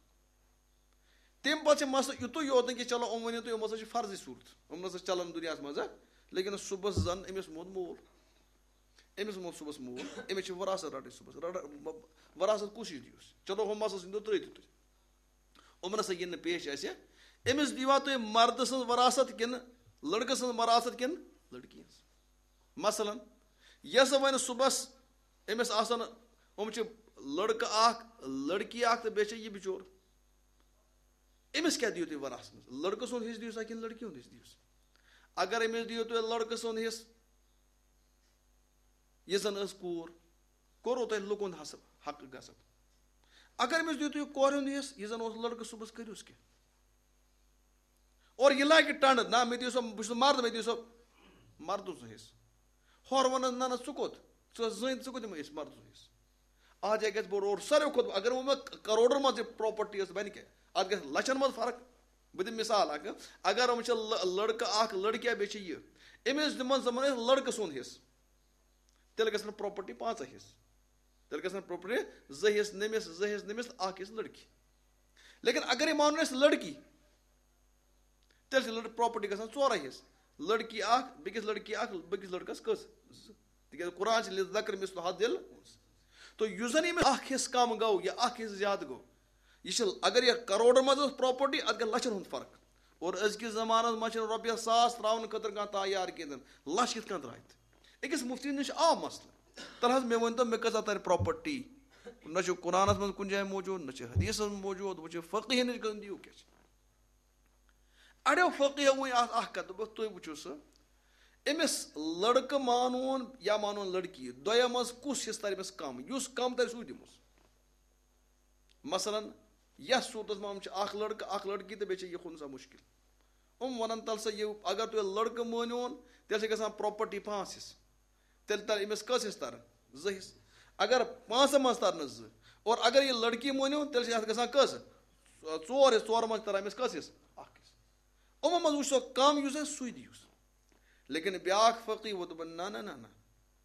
تَمہِ پَتہٕ چھِ مسلہٕ یُتُے یوت نہٕ کہِ چلو، یِم ؤنِو تُہۍ، یِم ہسا چھِ فرضی صوٗرت، یِم نہ سا چلن دُنیاہَس منٛز، ہا۔ لیکن صُبحَس زَن أمِس موٗد مول، أمِس موٗد صُبحَس مول، أمِس چھِ وراثت رَٹٕنۍ صُبحَس۔ رَٹ-، وراثت کُس یہِ دِیُس؟ چلو، ہُم مسلہٕ ؤنۍتو، ترٛٲیِو تُہۍ۔ یِم نہ سا یِن نہٕ پیش اَسہِ۔ أمِس دیٖوا تُہۍ مردٕ سٕنٛز وراثت کِنہٕ لٔڑکہٕ سٕنٛز وراثت کِنہٕ لٔڑکی ہٕنٛز؟ مثلاً، یۄس وۄنۍ صُبحَس أمِس آسَن، یِم چھِ لٔڑکہٕ اَکھ، لٔڑکی اَکھ تہٕ بیٚیہِ چھِ یہِ بِچور۔ أمِس کیٛاہ دِیِو تُہۍ وراثتَس منٛز؟ لٔڑکہٕ سُنٛد حِصہٕ دِیِو سا کِنہٕ لٔڑکی ہُنٛد حِصہٕ دِیِو سا؟ اگر أمِس دِیِو تُہۍ لٔڑکہٕ سُنٛد حِصہٕ، یہِ زَن ٲس کوٗر، کوٚروٕ تۄہہِ لُکَن ہُنٛد حسب، حق غصب۔ اگر أمِس دِیِو تُہۍ کورِ ہُنٛد حِصہٕ، یہِ زَن اوس لٔڑکہٕ، صُبحَس کٔرِوس کینٛہہ۔ اور یہِ لاگہِ ٹنڈ، نہ، مےٚ دِیِو سا، بہٕ چھُس مرد، مےٚ دِیِو سا مردٕ سُنٛد حِصہٕ۔ ہورٕ وَنَس، نہ، نہ، ژٕ کوٚت؟ ژٕ ٲس زٔنۍ، ژٕ کوٚت دِمہٕ أسۍ مردٕ سُنٛد حِصہٕ؟ اَتھ جایہِ گژھِ بوٚڑ اور ساروی کھۄتہٕ، اگر وۄنۍ مےٚ کروڑَن منٛز یہِ پراپرٹی ٲس، بَنہِ کیٛاہ؟ اَتھ گژھِ لَچھَن منٛز فرق۔ بہٕ دِمہٕ مِثال اَکھ، اگر وۄنۍ چھِ لٔ-، لٔڑکہٕ اَکھ، لٔڑکیٛاہ بیٚیہِ چھِ یہِ، أمِس دِمَن زَن أسۍ لٔڑکہٕ سُنٛد حِصہٕ، تیٚلہِ گژھن پراپرٹی پانٛژھ حِصہٕ۔ تیٚلہِ گژھن پراپرٹی زٕ حِصہٕ نٔمِس، زٕ حِصہٕ نٔمِس تہٕ اَکھ حِصہٕ لٔڑکی۔ لیکن اگر یہِ مانُن أسۍ لٔڑکی، تیٚلہِ چھِ لٔڑ-، پراپرٹی گژھان ژورَے حِصہٕ۔ لٔڑکی اَکھ، بیٚکِس لٔڑکی اَکھ، بیٚکِس لٔڑکَس کٔژ؟ زٕ۔ تِکیٛازِ قرآن چھِ لِلذَکر مِثلُ حظِّ الْأُنْثَیَیْنِ۔ تو یُس زَن ییٚمِس اَکھ حِصہٕ کَم گوٚو یا اَکھ حِصہٕ زیادٕ گوٚو، یہِ چھِ، اگر یہِ کروڑَن منٛز ٲس پراپرٹی، اَتھ گژھِ لَچھَن ہُنٛد فرق۔ اور أزکِس زمانَس منٛز چھِنہٕ رۄپیَس ساس ترٛاوُن خٲطرٕ کانٛہہ تیار کینٛہہ، لَچھ کِتھ کٔنۍ ترٛاوِ؟ أکِس مُفتی نِش آو مسلہٕ، تَلہٕ حظ مےٚ ؤنۍ تو، مےٚ کۭژاہ تَرِ پراپرٹی؟ نہ چھُ قرآنَس منٛز کُنہِ جایہِ موٗجوٗد، نہ چھُ حدیثَس منٛز موٗجوٗد، وۄنۍ چھُ فقیٖہَن نِش گژھُن، دِیِو کیٛاہ چھِ؟ اَڑیو فقیٖہو ؤنۍ اَتھ اَکھ کَتھ، دوٚپُکھ، تُہۍ وٕچھِو سا، أمِس لٔڑکہٕ مانون یا مانون لٔڑکی، دۄیو منٛز کُس حِصہٕ تَرِ أمِس کَم؟ یُس کَم تَرِ، سُے دِموس۔ مثلاً، یَتھ صوٗرتَس منٛز یِم چھِ اَکھ لٔڑکہٕ، اَکھ لٔڑکی تہٕ بیٚیہِ چھِ یہِ کھُن سا مُشکِل۔ یِم وَنَن، تَلہٕ سا یہِ، اگر تُہۍ لٔڑکہٕ مٲنِوُن، تیٚلہِ چھِ گژھان پراپرٹی پانٛژھ حِصہٕ۔ تیٚلہِ تَرِ أمِس کٔژ حِصہٕ تَرَن؟ زٕ حِصہٕ۔ اگر پانٛژَن منٛز تَرنَس زٕ، اور اگر یہِ لٔڑکی مٲنِو، تیٚلہِ چھِ اَتھ گژھان کٔژ؟ ژور حِصہٕ۔ ژورَن منٛز تَرِ أمِس کٔژ حِصہٕ؟ اَکھ حِصہٕ۔ یِمَن منٛز وٕچھ سا کَم یُس آسہِ، سُے دِیوس۔ لیکن بیٛاکھ فقیٖر ووٚن، دوٚپُن، نہ، نہ، نہ، نہ،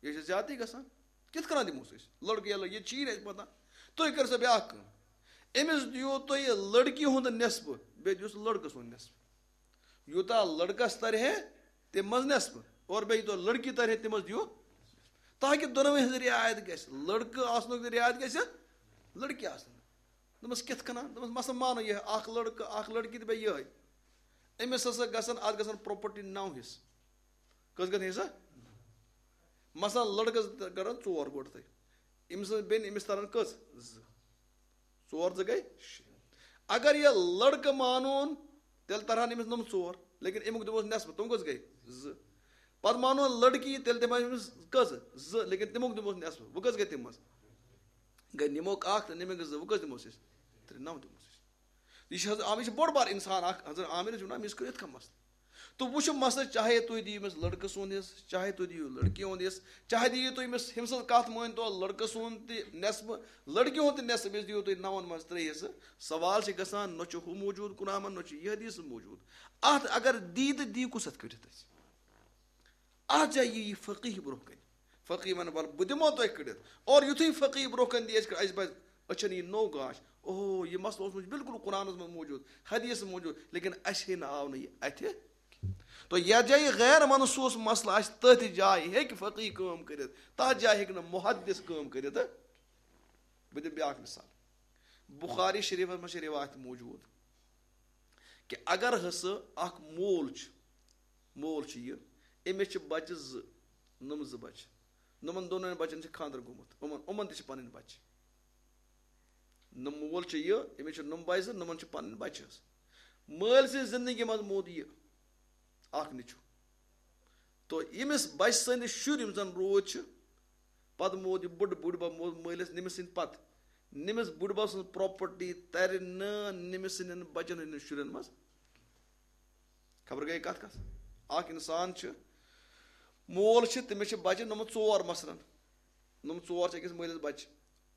یہِ چھِ زیادٕے گژھان۔ کِتھ کٔنۍ دِموس أسۍ؟ لٔڑکہٕ یا لٔڑکی، یہِ چھی نہٕ اَسہِ پَتہ۔ تُہۍ کٔرِو سا بیٛاکھ کٲم۔ أمِس دِیِو تُہۍ لٔڑکی ہُنٛد نٮ۪صفہٕ، بیٚیہِ دِیوس لٔڑکہٕ سُنٛد نٮ۪صفہٕ۔ یوٗتاہ لٔڑکَس تَرِ ہے، تَمہِ منٛز نٮ۪صفہٕ، اور بیٚیہِ یوٗتاہ لٔڑکی تَرِ ہے، تَمہِ منٛز دِیِو۔ تاکہِ دۄنوَے ہٕنٛز رعایت گژھِ، لٔڑکہٕ آسنُک تہِ رعایت گژھِ، لٔڑکی آسنُک۔ دوٚپمَس، کِتھ کٔنۍ؟ دوٚپمَس، مثلاً مانو یہِ اَکھ لٔڑکہٕ، اَکھ لٔڑکی تہٕ بیٚیہِ یِہوٚے۔ أمِس ہسا گژھن، اَتھ گژھن پراپرٹی نَو حِصہٕ۔ کٔژ گژھن حِصہٕ؟ مثلاً لٔڑکَس گژھن ژور گۄڈٕ تۄہہِ۔ أمۍ سٕنٛز بیٚنہِ، أمِس تَرَن کٔژ؟ زٕ۔ ژور زٕ گٔے شےٚ۔ اگر یہِ لٔڑکہٕ مانون، تیٚلہِ تَرٕہَن أمِس نۄم ژور، لیکن اَمیُک دِموس نٮ۪صفہٕ، تِم کٔژ گٔے؟ زٕ۔ پَتہٕ مانون لٔڑکی، تیٚلہِ دِمو أمِس کٔژ؟ زٕ، لیکن تَمیُک دِموس نٮ۪صفہٕ، وۄنۍ کٔژ گٔے تَمہِ منٛز؟ گٔے نِموکھ اَکھ تہٕ نِموکھ زٕ، وۄنۍ کٔژ دِموس أسۍ؟ ترٛےٚ، نَو دِموس أسۍ۔ یہِ چھِ حضرت عامر، یہِ چھِ بوٚڑ بار اِنسان اَکھ، حضرت عامر چھِ وَنان، أمِس کٔرِو یِتھ کٔنۍ مسلہٕ۔ تہٕ وٕچھِو مسلہٕ، چاہے تُہۍ دِیِو أمِس لٔڑکہٕ سُنٛد حِصہٕ، چاہے تُہۍ دِیِو لٔڑکی ہُنٛد حِصہٕ، چاہے دِیِو تُہۍ أمِس، أمۍ سٕنٛز کَتھ مٲنۍ تو، لٔڑکہٕ سُنٛد تہِ نٮ۪صفہٕ، لٔڑکی ہُنٛد تہِ نٮ۪صفہٕ، أمِس دِیِو تُہۍ نَوَن منٛز ترٛےٚ حِصہٕ۔ سوال چھِ گژھان، نہ چھُ ہُہ موٗجوٗد قرآنَس منٛز، نہ چھُ یہِ حدیث موٗجوٗد۔ اَتھ اگر دی تہٕ دی کُس اَتھ کٔڑِتھ اَسہِ؟ اَتھ جایہِ یی یہِ فقیٖہ برونٛہہ کَنہِ۔ فقیٖہ وَنہِ، وَلہٕ بہٕ دِمو تۄہہِ کٔڑِتھ۔ اور یُتھُے فقیٖہ برونٛہہ کَنہِ دی اَسہِ کٔڑِتھ، اَسہِ پَزِ أچھَن یی نوٚو گاش۔ اوہو، یہِ مسلہٕ اوس مےٚ بِلکُل قرآنَس منٛز موٗجوٗد، حدیثَس منٛز موٗجوٗد، لیکن اَسہِ ہے نہٕ آو نہٕ یہِ اَتھِ۔ تو یَتھ جایہِ غیر منصوٗص مسلہٕ آسہِ، تٔتھۍ جایہِ ہیٚکہِ فقیٖہ کٲم کٔرِتھ، تَتھ جایہِ ہیٚکہِ نہٕ محدث کٲم کٔرِتھ۔ بہٕ دِمہٕ بیٛاکھ مثال۔ بخاری شریٖفَس منٛز چھِ رِوایت موٗجوٗد کہِ اگر ہسا اَکھ مول چھُ، مول چھُ یہِ، أمِس چھِ بَچہٕ زٕ، نۄم زٕ بَچہٕ، نۄمَن دۄنوَے بَچَن چھِ خانٛدر گوٚمُت، یِمَن، یِمَن تہِ چھِ پَنٕنۍ بَچہٕ۔ نہ مول چھُ یہِ، أمِس چھِ نۄم بچہِ زٕ، نۄمن چھِ پنٕنۍ بچہِ حظ۔ مٲلۍ سٕنٛزِ زندگی منٛز مود یہِ اکھ نیٚچو۔ تو ییٚمِس بچہِ سٕنٛدِ شُرۍ یِم زن روٗدۍ چھِ، پتہٕ مود یہِ بُڈ-، بُڈبب مود مٲلِس نٔمِس سٕنٛدِ پتہٕ، نٔمِس بُڈبب سٕنٛز property ترِ نہٕ نٔمِس سٕنٛدٮ۪ن بچن ہٕنٛدٮ۪ن شُرٮ۪ن منٛز۔ خبر گٔے کتھ کتھ؟ اکھ انسان چھُ، مول چھُ، تٔمِس چھِ بچہِ نمبر ژور مثلاً، نمبر ژور چھِ أکِس مٲلِس بچہِ،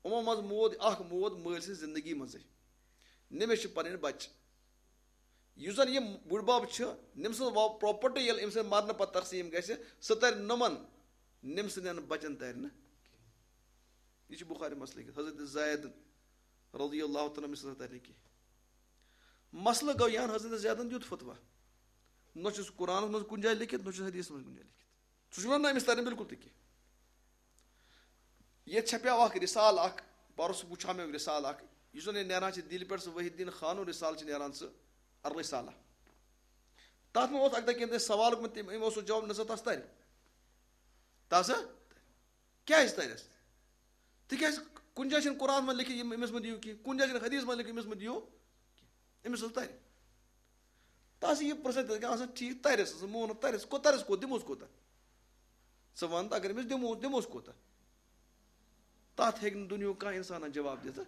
یِمو منٛز مود اکھ مود مٲلۍ سٕنٛز زندگی منٛزٕے، نٔمِس چھِ پنٕنۍ بچہِ۔ یُس زن یہِ بُڈبب چھُ، نٔمۍ سٕنٛز property ییٚلہِ أمۍ سٕنٛدِ مرنہٕ پتہٕ تقسیٖم گژھِ، سۄ ترِ نۄمن، نٔمۍ سٕنٛدٮ۪ن بچن ترِ نہٕ۔ یہِ چھُ بخاری منٛز لیکھِتھ، حضرت زید رضی اللہ تعالیٰ عنہ سٕنٛز ترِ نہٕ کینٛہہ۔ مسلہٕ گوٚو یہِ ہن حضرت زیدن دیُت فتویٰ، نہ چھُس قرآنس منٛز کُنہِ جایہِ لیکھِتھ، نہ چھُس حدیثس منٛز کُنہِ جایہِ لیکھِتھ۔ سُہ چھُ وَنان، نہ، أمِس تَرِ نہٕ بِلکُل تہِ کینٛہہ۔ ییٚتہِ چھپیو اکھ رسالہٕ اکھ، پرُس وٕچھاو مےٚ رسالہٕ اکھ، یُس زَن یہِ نیران چھِ دِلہِ پٮ۪ٹھ، سُہ وحید الدین خانُن رسالہٕ چھِ نیران، سُہ الرسالہ۔ تَتھ منٛز اوس اَکہِ دۄہ کینٛہہ تہِ سوال گوٚمُت، تٔمۍ، أمۍ اوس سُہ جواب، نہ سا تَس تَرِ۔ تَس کیٛازِ تَرٮ۪س؟ تِکیٛازِ کُنہِ جایہِ چھِنہٕ قرآنَس منٛز لیکھِتھ، یِم أمِس مہٕ دِیِو کینٛہہ، کُنہِ جایہِ چھِنہٕ حدیثَس منٛز لیکھِتھ، أمِس مہٕ دِیِو کینٛہہ۔ أمِس حظ تَرِ۔ تَس یہِ پرٛژھان، تَس گژھِ آسان ٹھیٖک، تَرٮ۪س، ژٕ مون نہٕ، تَرٮ۪س، کو-، تَرٮ۪س کوٚت، دِموس کوٗتاہ؟ ژٕ وَن تہٕ، اگر أمِس دِمو، دِموس کوٗتاہ؟ تَتھ ہیٚکہِ نہٕ دُنیاہُک کانٛہہ اِنسانَن جواب دِتھ۔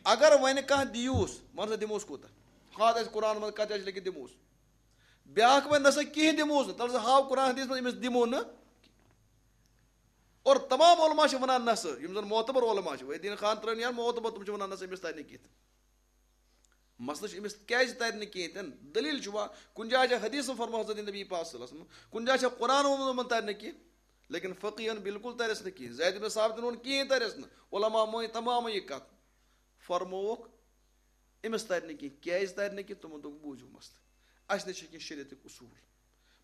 اگر وۄنۍ کانٛہہ دِیوس، وَن سا دِموس کوٗتاہ؟ ہاتھ آسہِ قرآن منٛز، کَتہِ آسہِ لیکھِتھ دِموس؟ بیٛاکھ وَنہِ نہ سا کِہیٖنۍ دِموس نہٕ، تَلہٕ سا ہاو قرآن حدیث منٛز أمِس دِمو نہٕ۔ اور تمام علماء چھِ وَنان نہ سا، یِم زَن معتبر علماء چھِ، وحید الدین خان ترٲوِن یا معتبر، تِم چھِ وَنان نہ سا أمِس تَرِ نہٕ کِہیٖنۍ۔ مسلہٕ چھُ أمِس کیٛازِ تَرِ نہٕ کِہیٖنۍ تہِ نہٕ؟ دٔلیٖل چھُ وۄنۍ، کُنہِ جایہِ چھا حدیث فرموو حضرت نبی پاک صلی اللہ علیہ وسلم، کُنہِ جایہِ چھا قرآن ووٚنمُت تَرِ نہٕ کِہیٖنۍ، لیکن فقیہن بالکل تَرٮ۪س نہٕ کِہیٖنۍ، زید بن ثابتن ووٚن کِہیٖنۍ تَرٮ۪س نہٕ، علماء مٲنۍ تمامٕے یہِ کَتھ۔ فرمووُکھ، أمِس تَرِ نہٕ کِہیٖنۍ، کیٛازِ تَرِ نہٕ کِہیٖنۍ؟ تِمو دوٚپ، بوٗزِو مسلہٕ، اَسہِ نِش چھِ کینٛہہ شریعتٕکۍ اصوٗل،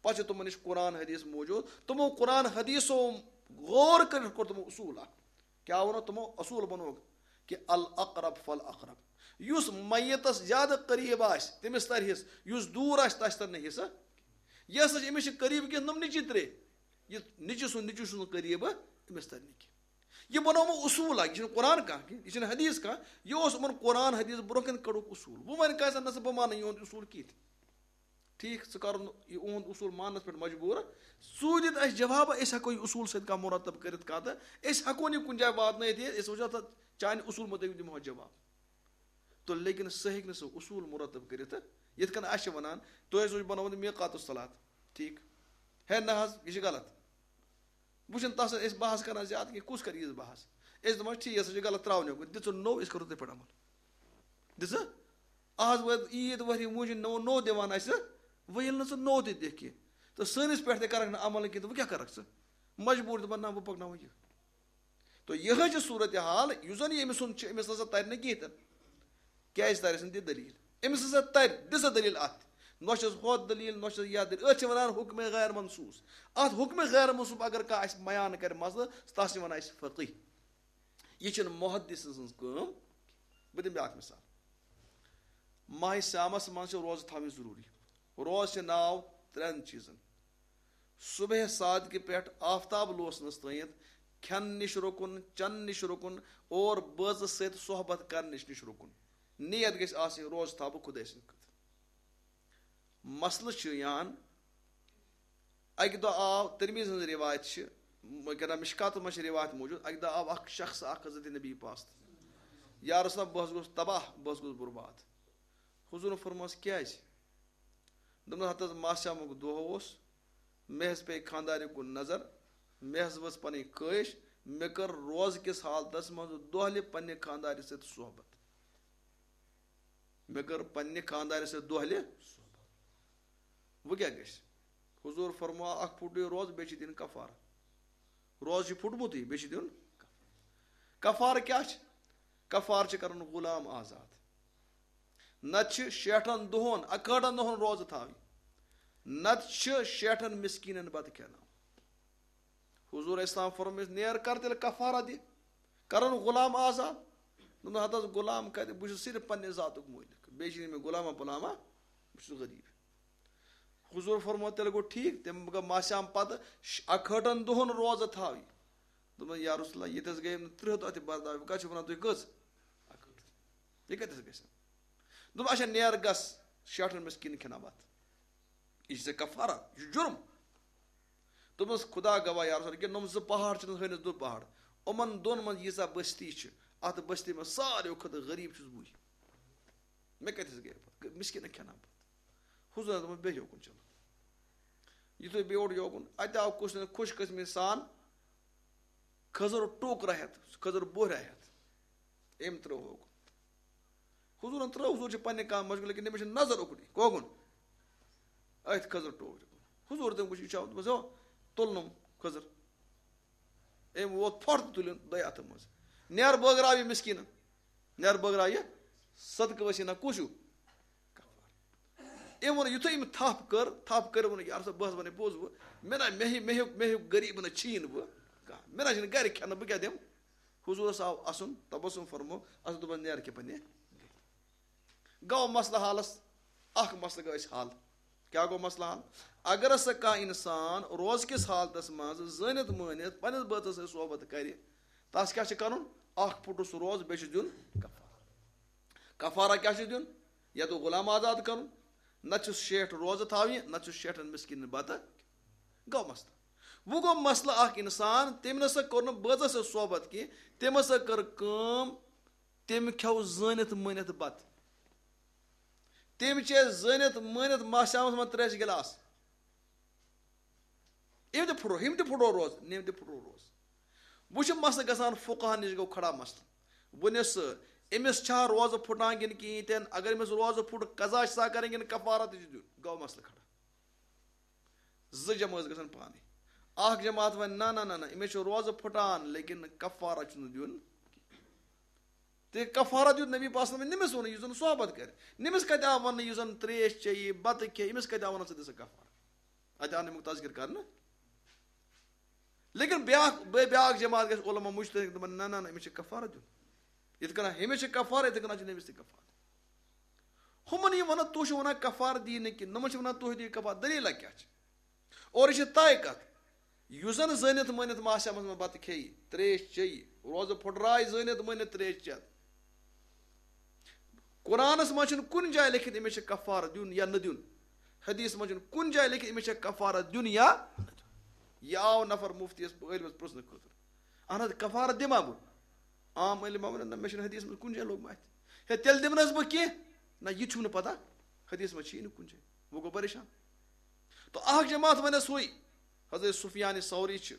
پَتہٕ چھِ تِمن نِش قرآن حدیث موٗجوٗد، تِمو قرآن حدیثو غور کٔرِتھ کوٚر تِمو اصوٗل اکھ۔ کیٛاہ ووٚنو تِمو؟ اصوٗل بنووُکھ کہِ الاقرب فالاقرب، یُس میتس زیادٕ قریب آسہِ، تٔمِس ترِ حصہٕ، یُس دوٗر آسہِ، تس ترِ نہٕ حصہٕ۔ یہِ ہسا چھِ، أمِس چھِ قریب کینٛہہ، نۄم نیٚچی ترٛےٚ، یہِ نیٚچی سُنٛد نیٚچی سُنٛد قریب، أمِس ترِ نہٕ کینٛہہ۔ یہِ بنوومُت اصوٗل اکھ، یہِ چھُنہٕ قرآن کانٛہہ کینٛہہ، یہِ چھُنہٕ حدیث کانٛہہ، یہِ اوس یِمن قرآن حدیث برونٛہہ کَنہِ کَڑُکھ اصوٗل۔ وۄنۍ وَنہِ کانٛہہ زَن، نہ سا، بہٕ مانہٕ یِہُنٛد اصوٗل کِہیٖنۍ۔ ٹھیٖک، ژٕ کَر نہٕ یہِ اُہُنٛد اصوٗل ماننَس پٮ۪ٹھ مجبوٗر۔ ژٕ دِتھ اَسہِ جواب، أسۍ ہٮ۪کو یہِ اصوٗل سۭتۍ کانٛہہ مرتب کٔرِتھ کانٛہہ تہٕ أسۍ ہٮ۪کو نہٕ یہِ کُنہِ جایہِ واتنٲیِتھ، یہِ أسۍ وٕچھو تَتھ چانہِ اصوٗل مُطٲبِق دِمہو جواب۔ تہٕ لیکن سُہ ہٮ۪کہِ نہٕ سُہ اصوٗل مرتب کٔرِتھ۔ یِتھ کٔنۍ اَسہِ چھِ وَنان، تۄہہِ ٲسوٕ بَنومُت میٖقات الصلات، ٹھیٖک؟ ہے نہ حظ، یہِ چھِ غلط۔ وۄنۍ چھِنہٕ تَس أسۍ بحث کَران زیادٕ کینٛہہ، کُس کَرِ ییٖژ بحث؟ أسۍ دَپان، ٹھیٖک، یہِ ہسا چھُ غلط، ترٛاوُن یوکُن، دِژٕن نوٚو، أسۍ کَرو تٔتھۍ پٮ۪ٹھ عمل۔ دِژٕ؟ آز وٲژ عیٖد، ؤہرِ موٗجوٗب نوٚو، نوٚو دِوان اَسہِ، وۄنۍ ییٚلہِ نہٕ ژٕ نوٚو تہِ دِکھ کینٛہہ، تہٕ سٲنِس پٮ۪ٹھ تہِ کَرَکھ نہٕ عمل کینٛہہ، تہٕ وۄنۍ کیٛاہ کَرَکھ ژٕ؟ مجبوٗر دَپان، نہ، بہٕ پَکناوَے یہِ۔ تو یِہوٚے چھِ صوٗرت حال، یُس زَن یہِ أمۍ سُنٛد چھِ، أمِس نہ سا تَرِ نہٕ کِہیٖنۍ تہِ نہٕ۔ کیٛازِ تَرٮ۪س نہٕ؟ دِ دٔلیٖل۔ أمِس ہسا تَرِ، دِ سا دٔلیٖل اَتھ۔ نۄشہِ چھَس ہۄتھ دٔلیٖل، نۄشہِ چھَس یَتھ دٔلیٖل۔ أتھۍ چھِ وَنان حُکمِ غیر منصوٗص۔ اَتھ حُکمِ غیر منصوٗص اگر کانٛہہ اَسہِ بیان کَرِ مسلہٕ، تَس چھِ وَنان أسۍ فقیہ۔ یہِ چھِنہٕ محدث سٕنٛز کٲم۔ بہٕ دِمہٕ بیٛاکھ مِثال۔ ماہِ صیامَس منٛز چھِ روزٕ تھاوٕنۍ ضروٗری۔ روزٕ چھِ ناو ترٛٮ۪ن چیٖزَن۔ صبح صادقہِ پٮ۪ٹھ آفتاب لوسنَس تام کھٮ۪ن نِش رُکُن، چٮ۪ن نِش رُکُن اور بٲژٕ سۭتۍ صحبت کرنٕچ نِش رُکُن۔ نیت گژھِ آسٕنۍ، روزٕ تھاوٕ بہٕ خۄداے سٕنٛدِ خٲطرٕ۔ مسلہٕ چھُ یہِ ہن، اَکہِ دۄہ آو، ترمذی ہٕنٛز رِوایت چھِ، کیٛاہ تام مشکاتَس منٛز چھِ رِوایت موٗجوٗد، اَکہِ دۄہ آو اکھ شخص اکھ حضرت نبی پاس، یا رسول اللہ، بہٕ حظ گوٚوُس تباہ، بہٕ حظ گوٚوُس برباد۔ حضوٗرن فرمووس، کیٛازِ؟ دوٚپنَس، ہتہٕ حظ ماہِ صیامُک دۄہ اوس، مےٚ حظ پیٚیہِ خانٛدارِ کُن نظر، مےٚ حظ ؤژھ پنٕنۍ خٲہِش، مےٚ کٔر روزٕ کِس حالتس منٛز دۄہلہِ پننہِ خانٛدارِ سۭتۍ صحبت۔ مےٚ کٔر پننہِ خانٛدارِ سۭتۍ دۄہلہِ صحبت۔ وۄنۍ کیٛاہ گژھِ؟ حضوٗر فرموو، اکھ پھُٹُے روزٕ، بیٚیہِ چھِ دِنۍ کفارٕ۔ روزٕ چھُ پھُٹمُتٕے، بیٚیہِ چھُ دیُن کفارٕ۔ کفارٕ کیٛاہ چھِ؟ کفارٕ چھِ کرُن غلام آزاد۔ نتہٕ چھِ شیٹھن دۄہن، اکہٲٹھن دۄہن روزٕ تھاوٕنۍ۔ نتہٕ چھِ شیٹھن مسکیٖنن بتہٕ کھیاناوُن۔ حضوٗر اسلام فرمٲوِس، نیر کر تیٚلہِ کفارہ دِ، کرن غلام آزاد۔ دوٚپُن، ہتہٕ حظ غلام کتہِ، بہٕ چھُس صرف پننہِ ذاتُک مٲلِک، بیٚیہِ چھِنہٕ مےٚ غلامہ پلامہ، بہٕ چھُس غریٖب۔ حضوٗر فرموو، تیٚلہِ گوٚو ٹھیٖک، تٔمۍ گوٚو ماہِ صیام پتہٕ ش-، اکہٲٹھن دۄہن روزٕ تھاوٕنۍ۔ دوٚپُن، یا رسول اللہ، ییٚتہِ حظ گٔے نہٕ ترٕٛہ دۄہ تہِ برداش، وۄنۍ کتھ چھِو ونان تُہۍ کٔژ؟ اکہٲٹھ۔ یہِ کَتٮ۪تھ گژھِ؟ دوٚپُن، اچھا، نیر گژھ، شیٹھن مِسکیٖنن کھٮ۪ناو بَتہٕ۔ یہِ چھِ ژےٚ کفارہ، یہِ چھُ جُرم۔ دوٚپمَس، خدا گواہ یا رسول، کہِ نۄم زٕ پہاڑ چھِنہٕ ہٲنِس دُ پہاڑ، یِمَن دۄن منٛز ییٖژاہ بستی چھِ، اَتھ بستی منٛز ساروِیو کھۄتہٕ غریٖب چھُس بٕے۔ مےٚ کَتٮ۪تھ گٔے پَتہٕ؟ مِسکیٖنَن کھٮ۪ناو بَتہٕ۔ حضوٗرَن دوٚپمَس، بیٚہہ یوکُن، چلو۔ یُتھُے بیوٗٹھ یوکُن، اَتہِ آو کُس نہٕ خوش قسمی سان کھٔزٕر ٹوکرا ہٮ۪تھ، کھٔزٕر بوہرا ہٮ۪تھ۔ أمۍ ترٛٲو ہوکُن۔ حضوٗرَن ترٛٲو، حضوٗر چھِ پنٛنہِ کامہِ مشغوٗل، لیکن أمِس چھِ نظر اُکنُے۔ کوکُن؟ أتھۍ کھٔزٕر ٹوکرِ کُن۔ حضوٗر تٔمۍ وٕچھ، یہِ چھُ آمُت، دوٚپمَس، ہو، تُل نوٚم کھٔزٕر۔ أمۍ ووت پھۄٹھ تہٕ تُلِن دۄیہِ اَتھٕ منٛز۔ نیر بٲگراو یہِ مِسکیٖنَن۔ نیر بٲگراو یہِ صدقہٕ وسیٖلہ۔ کُس ہیوٗ؟ کفارہ۔ أمۍ ووٚن، یُتھُے أمۍ تھپھ کٔر، تھپھ کٔر، ووٚن، یارٕ صٲب، بہٕ حظ وَنَے پوٚز، بہٕ، مےٚ نہ، مےٚ ہیوٗ، مےٚ ہیوٗ، مےٚ ہیوٗ غریٖب نہ چھِی نہٕ بہٕ کانٛہہ۔ مےٚ نہ چھِنہٕ گَرِ کھٮ۪نہٕ، بہٕ کیٛاہ دِمہٕ؟ حضوٗرَس آو اَسُن، تبسم فرمو، اَسہِ دوٚپُن، نیر کہِ پنٛنہِ۔ گوٚو مسلہٕ حالَس، اَکھ مسلہٕ گوٚو اَسہِ حل۔ کیٛاہ گوٚو مسلہٕ حل؟ اگر ہسا کانٛہہ اِنسان روزٕ کِس حالتَس منٛز زٲنِتھ مٲنِتھ پنٛنِس بٲژَس سۭتۍ صحبت کَرِ، تَس کیٛاہ چھِ کَرُن؟ اَکھ پھُٹُس روزٕ، بیٚیہِ چھُس دیُن کفارہ۔ کفارہ کیٛاہ چھُ دیُن؟ یا تو غلام آزاد کَرُن، نَتہٕ چھُس شیٹھ روزٕ تھاوٕنۍ، نَتہٕ چھُس شیٹھَن مِسکیٖنَن بَتہٕ۔ گوٚو مسلہٕ۔ وۄنۍ گوٚو مسلہٕ، اَکھ اِنسان، تٔمۍ نہ سا کوٚر نہٕ بٲژَس سۭتۍ صحبت کینٛہہ، تٔمۍ ہسا کٔر کٲم، تٔمۍ کھیوٚو زٲنِتھ مٲنِتھ بَتہٕ۔ تٔمۍ چے زٲنِتھ مٲنِتھ ماہِ صیامَس منٛز ترٛیشہِ گِلاس۔ أمۍ تہِ پھُٹرو، أمۍ تہِ پھُٹرو روزٕ، أمۍ تہِ پھُٹرو روزٕ۔ وۄنۍ چھُ مسلہٕ گژھان، فقہَن نِش گوٚو کھڑا مسلہٕ۔ وۄنۍ یُس أمِس چھا روزٕ پھُٹان کِنہٕ کِہیٖنۍ تہِ نہٕ؟ اگر أمِس روزٕ پھُٹ، قضا چھِ سا کَرٕنۍ کِنہٕ کفارہ تہِ چھِ دیُن؟ گوٚو مسلہٕ کھڑا۔ زٕ جمٲژ گژھن پانَے۔ اَکھ جماعت وَنہِ، نہ، نہ، نہ، نہ، أمِس چھُ روزٕ پھُٹان، لیکن کفارہ چھُنہٕ دیُن۔ تہٕ کفارہ دیُت نبی پاک صلی اللہ علیہ وسلم، نٔمِس ووٚنُے، یُس زَن صحبت کَرِ۔ نٔمِس کَتہِ آو وَننہٕ، یُس زَن ترٛیش چیٚیہِ، بَتہٕ کھیٚیہِ، أمِس کَتہِ آو وَننہٕ، ژٕ دِ سا کفارہ؟ اَتہِ آو نہٕ اَمیُک تذکر کرنہٕ۔ لیکن بیٛاکھ، بے-، بیٛاکھ جماعت گژھِ علماء مجتہد، دَپَن، نہ، نہ، نہ، أمِس چھِ کفارہ دیُن۔ یِتھ کٔنۍ ہُمِس چھِ کفارہ، یِتھ کٔنۍ چھُ نٔمِس تہِ کفارہ۔ ہُمَن یہِ وَنان، تُہۍ چھِو وَنان کفارہ دِیِو نہٕ کِہیٖنۍ، نۄمَن چھِ وَنان، تُہۍ دِیِو کفارہ، دٔلیٖلہ کیٛاہ چھِ؟ اور یہِ چھِ طے کَتھ، یُس زَن زٲنِتھ مٲنِتھ ماہِ صیامَس منٛز بَتہٕ کھیٚیہِ، ترٛیش چیٚیہِ، روزٕ پھُٹرایہِ زٲنِتھ مٲنِتھ ترٛیش چٮ۪تھ۔ قرآنَس منٛز چھُنہٕ کُنہِ جایہِ لیکھِتھ أمِس چھِ کفارہ دیُن یا نہٕ دیُن۔ حدیث منٛز چھُنہٕ کُنہِ جایہِ لیکھِتھ أمِس چھِ کفارہ دیُن یا نہٕ دیُن۔ یہِ آو نفر مُفتیَس، عٲلمَس پرٛژھنہٕ خٲطرٕ۔ اہن حظ، کفارہ دِما بہٕ؟ عام عٲلِم وَنان، نہ، مےٚ چھُنہٕ حدیث منٛز کُنہِ جایہِ لوٚگمُت اَتھِ۔ ہے، تیٚلہِ دِمہٕ نہ حظ بہٕ کینٛہہ؟ نہ، یہِ تہِ چھُم نہٕ پتہ۔ حدیث منٛز چھِی نہٕ کُنہِ جایہِ۔ وۄنۍ گوٚو پریشان۔ تو اَکھ جماعت وَنٮ۪س ہُے، حضرت سفیان ثوری چھِ،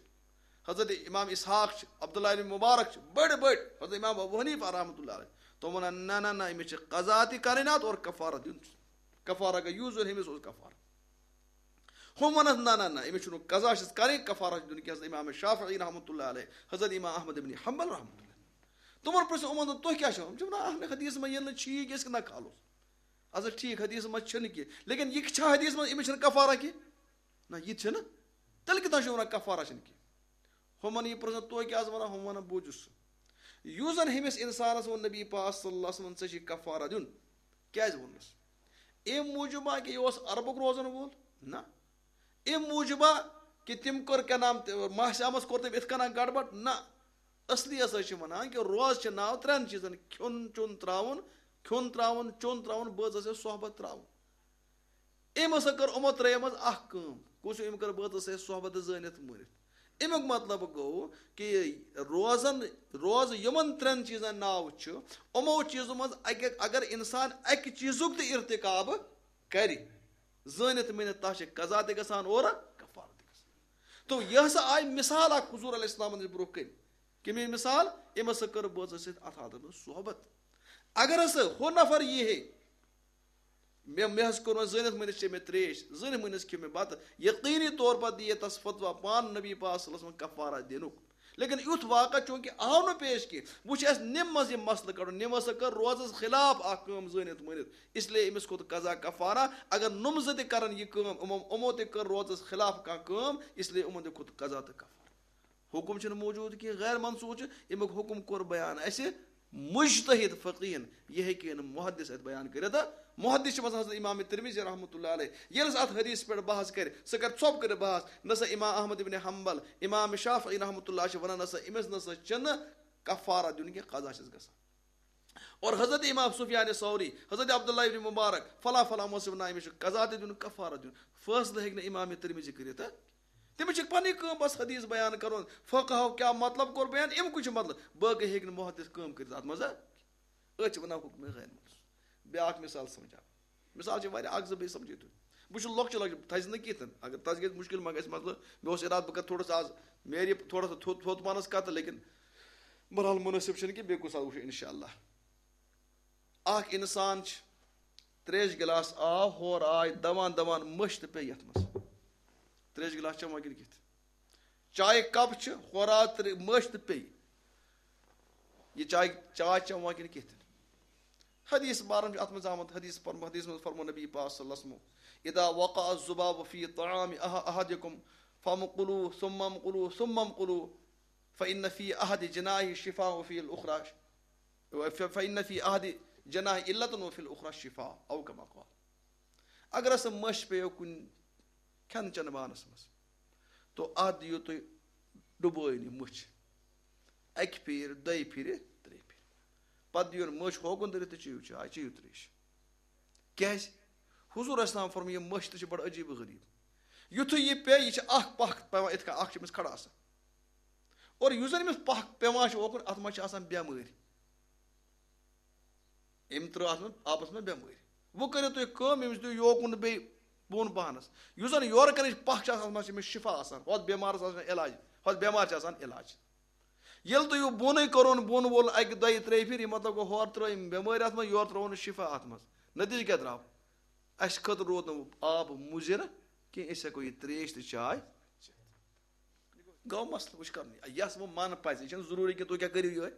حضرت امام اسحاق چھِ، عبداللہ ابن مبارک چھِ، بٔڑۍ بٔڑۍ، حضرت امام ابو حنیفہ رحمۃ اللہ علیہ۔ تِم وَنان، نہ، نہ، نہ، أمِس چھِ قضا تہِ کَرٕنۍ اَتھ اور کفارہ دیُن چھُ۔ کفارہ گٔے یُس زَن أمِس اوس کفارہ۔ ہُم وَنَس، نہ، نہ، نہ، أمِس چھُنہٕ قضا چھِس کَرٕنۍ، کفارہ چھُ دیُن کینٛہہ۔ حضرت امام شافعی رحمۃ اللہ علیہ، حضرت امام احمد ابن حنبل رحمۃ اللہ۔ تِمَن پرٛژھ یِمَن، دوٚپ، تُہۍ کیٛاہ چھِو؟ یِم چھِ وَنان، اَہَن، حدیث منٛز ییٚلہِ نہٕ چھُ یہِ کہِ أسۍ کِتھ کَنۍ کھالوس؟ اَسا ٹھیٖک، حدیث منٛز چھُنہٕ کینٛہہ، لیکن یہِ چھا حدیث منٛز، أمِس چھِنہٕ کفارہ کینٛہہ؟ نہ، یہِ تہِ چھِنہٕ۔ تیٚلہِ کِتھ پٲٹھۍ چھُ وَنان کفارہ چھِنہٕ کینٛہہ؟ ہُمَن یہِ پرٛژھان، تُہۍ کیٛازِ وَنان؟ ہُم وَنان، بوٗزِو سا۔ یُس زَن ہُمِس اِنسانَس ووٚن نبی پاک صلی اللہ علیہ وسلم، ژےٚ چھُے کفارہ دیُن، کیٛازِ ووٚننَس؟ اَمہِ موٗجوٗبا کہِ یہِ اوس عربُک روزَن وول؟ نہ۔ اَمہِ موٗجوٗبا کہِ تٔمۍ کٔر کیٛاہ نام تہِ، ماہِ صیامَس کوٚر تٔمۍ اِتھ کٔنۍ گڑبڑ؟ نہ۔ اصلی ہسا چھِ وَنان کہِ روزٕ چھِ ناو ترٛٮ۪ن چیٖزَن، کھیوٚن چیوٚن ترٛاوُن، کھیوٚن ترٛاوُن، چیوٚن ترٛاوُن، بٲژَس سۭتۍ صحبت ترٛاوُن۔ أمۍ ہسا کٔر یِمو ترٛیٚیو منٛز اَکھ کٲم۔ کُس ہیوٗ؟ أمۍ کٔر بٲژَس سۭتۍ صحبت تہٕ زٲنِتھ مٲنِتھ۔ اَمیُک مطلب گوٚو کہِ روزَن، روزٕ یِمَن ترٛٮ۪ن چیٖزَن ناو چھُ، یِمو چیٖزو منٛز اَکہِ، اگر اِنسان اَکہِ چیٖزُک تہِ ارتکاب کَرِ، زٲنِتھ مٲنِتھ، تَس چھِ قضا تہِ گژھان اورٕ کفارہ تہِ گژھان۔ تو یہِ ہسا آیہِ مثال اَکھ حضوٗر علیہ السلامَن نِش برٛونٛہہ کَنہِ۔ کَمہِ مثال؟ أمۍ ہسا کٔر بٲژَس سۭتۍ اَتھ حالتَس منٛز صحبت۔ اگر ہسا ہُہ نفر یی ہے، مےٚ، مےٚ حظ کوٚر وۄنۍ زٲنِتھ مٲنِتھ چے مےٚ ترٛیش، زٲنِتھ مٲنِتھ کھیوٚو مےٚ بَتہٕ، یقیٖنی طور پر دِیہِ تَس فتویٰ پانہٕ نبی پاک صلی اللہ علیہ وسلم کفارہ دِنُک۔ لیکن یُتھ واقعہ چوٗنٛکہِ آو نہٕ پیش کینٛہہ، وۄنۍ چھُ اَسہِ نِم منٛز یہِ مسلہٕ کَڑُن، نِم ہسا کٔر روزَس خلاف اَکھ کٲم زٲنِتھ مٲنِتھ، اس لیے أمِس کھوٚت قضا کفارہ۔ اگر نُم زٕ تہِ کَرَن یہِ کٲم، یِمو، یِمو تہِ کٔر روزَس خلاف کانٛہہ کٲم، اس لیے یِمَن تہِ کھوٚت قضا تہٕ کفارہ۔ حُکُم چھُنہٕ موجوٗد کینٛہہ، غیر منسوخ چھُ۔ اَمیُک حُکُم کوٚر بیان اَسہِ مُجتہِد فقیٖہَن، یہِ ہیٚکہِ نہٕ محدث اَتہِ بیان کٔرِتھ۔ محدث چھِ مثلاً حضرت امام ترمذی رحمۃ اللہ علیہ، ییٚلہِ سُہ اَتھ حدیث پٮ۪ٹھ بحث کَرِ، سُہ کَرِ ژھۄپہٕ کٔرِتھ بحث، نہ سا امام احمد ابن حنبل، امام شافعی رحمۃ اللہ چھِ وَنان، نہ سا أمِس نہ سا چھِنہٕ کفارہ دیُن کینٛہہ، قضا چھِس گژھان۔ اور حضرت امام سفیان ثوری، حضرت عبداللہ ابن مبارک، فلاں فلاں مذہب نامہِ چھُ قضا تہِ دیُن، کفارہ دیُن۔ فٲصلہٕ ہیٚکہِ نہٕ امام ترمذی کٔرِتھ، ہہ؟ تٔمِس چھِ پنٕنۍ کٲم بس حدیث بیان کرُن، فقہو کیٛاہ مطلب کوٚر بیان، اَمہِ کُے چھُ مطلب، باقٕے ہیٚکہِ نہٕ محدث کٲم کٔرِتھ اتھ منٛز، ہہ؟ أتھۍ چھِ ونان حکم غیر منصوص۔ بیٛاکھ مثال سمجھاو، مثال چھِ واریاہ، اکھ زٕ بیٚیہِ سمجھٲیِو تُہۍ۔ بہٕ چھُس لۄکچہِ لۄکچہِ، تھزِ نہٕ کِہیٖنۍ، اگر تَس گژھِ مُشکل ما گژھِ مسلہٕ، مےٚ اوس ارادٕ بہٕ کرٕ تھوڑا سا آز میرِ تھوڑا سا تھوٚد تھوٚد پانس کتھ، لیکن بہرحال مناسب چھُنہٕ کینٛہہ، بیٚیہِ کُنہِ ساتہٕ وٕچھو انشاءاللہ۔ اکھ انسان چھُ تریش گلاس آو، ہورٕ آے دوان دوان مٔچھ تہٕ پیٚیہِ یتھ منٛز۔ تریش گلاس چٮ۪وان کِنہٕ کِتھ؟ چایہِ کپ چھِ، ہورٕ آو ترِ-، مٔچھ تہٕ پیٚیہِ۔ یہِ چاے، چاے چٮ۪وان کِنہٕ کِتھ؟ حدیث بارن چھُ اتھ منٛز آمُت، حدیث فرمو-، حدیث منٛز فرمو نبی پاک صلی اللہ علیہ وسلم، "اذا وقع الذباب في طعام أح-، أحدكم فامقلوه ثم امقلوه ثم امقلوه، فإن في أحد جناحيه شفاء وفي الأخرى، ف-، فإن في أحد جناحيه علة وفي الأخرى شفاء"، أو كما قال۔ اگر ہسا مٔچھ پیٚیو کُنہِ کھٮ۪ن چٮ۪ن بانس منٛز، تو اتھ دِیِو تُہۍ ڈُبٲیِن یہِ مٔچھ اکہِ پھِرِ، دۄیہِ پھِرِ، ترٛیٚیہِ پھِرِ۔ پتہٕ دِیِن مٔچھ ہوکُن دٔرِتھ تہٕ چیٚیِو چاے، چیٚیِو ترٛیش۔ کیٛازِ؟ حضور اسلام فرموو، یہِ مٔچھ تہِ چھِ بڑٕ عجیٖب و غریٖب۔ یُتھُے یہِ پیٚیہِ، یہِ چھِ اکھ پکھ پٮ۪وان، یِتھ کٔنۍ اکھ چھِ أمِس کھڑا آسان۔ اور یُس زن أمِس پکھ پٮ۪وان چھُ اوکُن، اتھ منٛز چھِ آسان بٮ۪مٲرۍ۔ أمۍ ترٲو اتھ منٛز آبس منٛز بٮ۪مٲرۍ۔ وۄنۍ کٔرِو تُہۍ کٲم، أمِس دِیِو یوکُن بیٚیہِ بۄن پہنس۔ یُس زن یورٕ کنٕچ پکھ چھِ آسان، اتھ منٛز چھِ أمِس شفا آسان، ہۄتھ بٮ۪مارس آسان علاج، ہۄتھ بٮ۪مارِ چھِ آسان علاج۔ ییٚلہِ تُہۍ یہِ بۄنٕے کوٚرُن، بۄن وول اکہِ دۄیہِ ترٛیٚیہِ پھِرِ، یہِ مطلب گوٚو، ہورٕ ترٲو أمۍ بٮ۪مٲرۍ اتھ منٛز، یورٕ ترٛوونس شفا اتھ منٛز۔ نتیٖجہٕ کیٛاہ درٛاو؟ اسہِ خٲطرٕ روٗد نہٕ آب مُضِر کینٛہہ، أسۍ ہٮ۪کو یہِ ترٛیش تہٕ چاے چٮ۪تھ۔ گوٚو مسلہٕ، وٕچھ کرنُے۔ یس وۄنۍ من پزِ، یہِ چھُنہٕ ضروٗری کہِ تُہۍ کیٛاہ کٔرِو یِہوٚے۔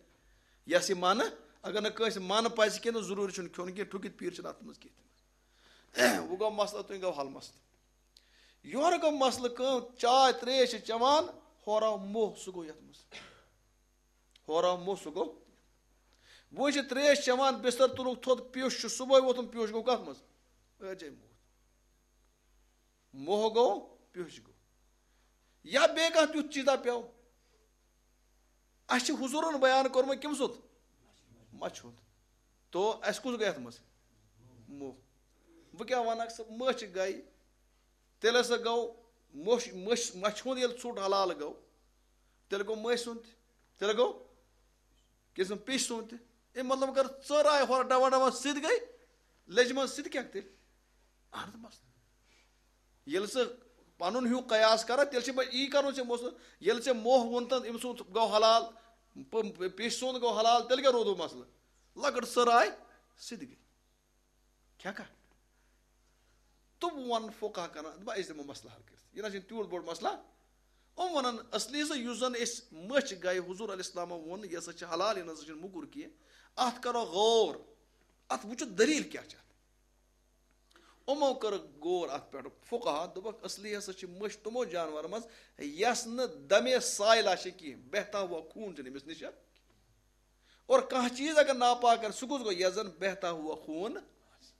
یس یہِ من، اگر نہٕ کٲنٛسہِ من پزِ کینٛہہ، تہٕ ضروٗری چھُنہٕ کھیوٚن کینٛہہ، ٹھُکِتھ پیٖر چھِنہٕ اتھ منٛز کینٛہہ تہِ۔ وۄنۍ گوٚو مسلہٕ، تُہۍ گوٚو حل مسلہٕ۔ یورٕ گوٚو مسلہٕ کٲم، چاے ترٛیش چھِ چٮ۪وان، ہورٕ آو موہ، سُہ گوٚو یتھ منٛز۔ ہورٕ آو موہ، سُہ گوٚو۔ وۄنۍ چھِ ترٛیش چٮ۪وان، بستر تُلُکھ تھوٚد، پیوٚش چھُ صبحٲے ووتھُن، پیوٚش گوٚو کتھ منٛز؟ أجے موت۔ موہ گوٚو، پیوٚش گوٚو۔ یا بیٚیہِ کانٛہہ تیُتھ چیٖزا پیوٚو۔ اَسہِ چھِ حضوٗرن بیان کوٚرمُت کٔمۍ سُنٛد؟ مَچھِ ہُنٛد۔ تو اَسہِ کُس گوٚو یَتھ منٛز؟ موہ۔ بہٕ کیٛاہ وَنکھ، سۄ مٔچھ گٔے، تیٚلہِ ہسا گوٚو موٚش-، مٔچھ، مَچھِ ہُنٛد ییٚلہِ ژھوٚٹ حلال گوٚو، تیٚلہِ گوٚو مٔسۍ سُنٛد تہِ، تیٚلہِ گوٚو کیٛاہ چھِ وَنان، پیٚشہِ سُنٛد تہِ۔ اَمہِ مطلب، اگر ژٔر آیہِ ہورٕ ڈَبَن ڈَبَن، سُہ تہِ گٔے، لیٚجہِ منٛز سُہ تہِ کیٛاہ تیٚلہِ؟ اَہَن حظ، مَسلہٕ۔ ییٚلہِ ژٕ پَنُن ہیوٗ قیاس کَرَکھ، تیٚلہِ چھِ پَتہٕ یی کَرُن ژےٚ مَسلہٕ۔ ییٚلہِ ژےٚ موہ ووٚن تہٕ أمۍ سُنٛد گوٚو حلال، پ-، پ-، پیٚشہِ سُنٛد گوٚو حلال، تیٚلہِ کیٛاہ روٗدُو مَسلہٕ؟ لۄکٕٹ ژٔر آیہِ، سُہ تہِ گٔے۔ کھٮ۪کھا؟ تہٕ وۄنۍ وَنَن فقہ کران، دَپان، أسۍ دِمو مسلہٕ حل کٔرِتھ۔ یہِ نہ چھُنہٕ تیوٗت بوٚڑ مسلہٕ۔ یِم وَنَن، اصلی سا یُس زَن أسۍ مٔچھ گٔے، حضور علیہ السلامَن ووٚن، یہِ ہسا چھِ حلال، یہِ نہ سا چھُنہٕ موٚکُر کینٛہہ۔ اَتھ کرو غور، اَتھ وٕچھو دٔلیٖل کیٛاہ چھِ اَتھ۔ یِمو کٔر غور اَتھ پٮ۪ٹھ، فقہا دوٚپُکھ، اصلی ہسا چھِ مٔچھ تِمو جانوَرو منٛز، یَس نہٕ دمے سائلہ چھِ کینٛہہ، بہتا ہوا خوٗن چھُنہٕ أمِس نِش۔ اور کانٛہہ چیٖز اگر ناپاک آسہِ، سُہ کُس گوٚو؟ یَس زَن بہتا ہوا خوٗن آسہِ۔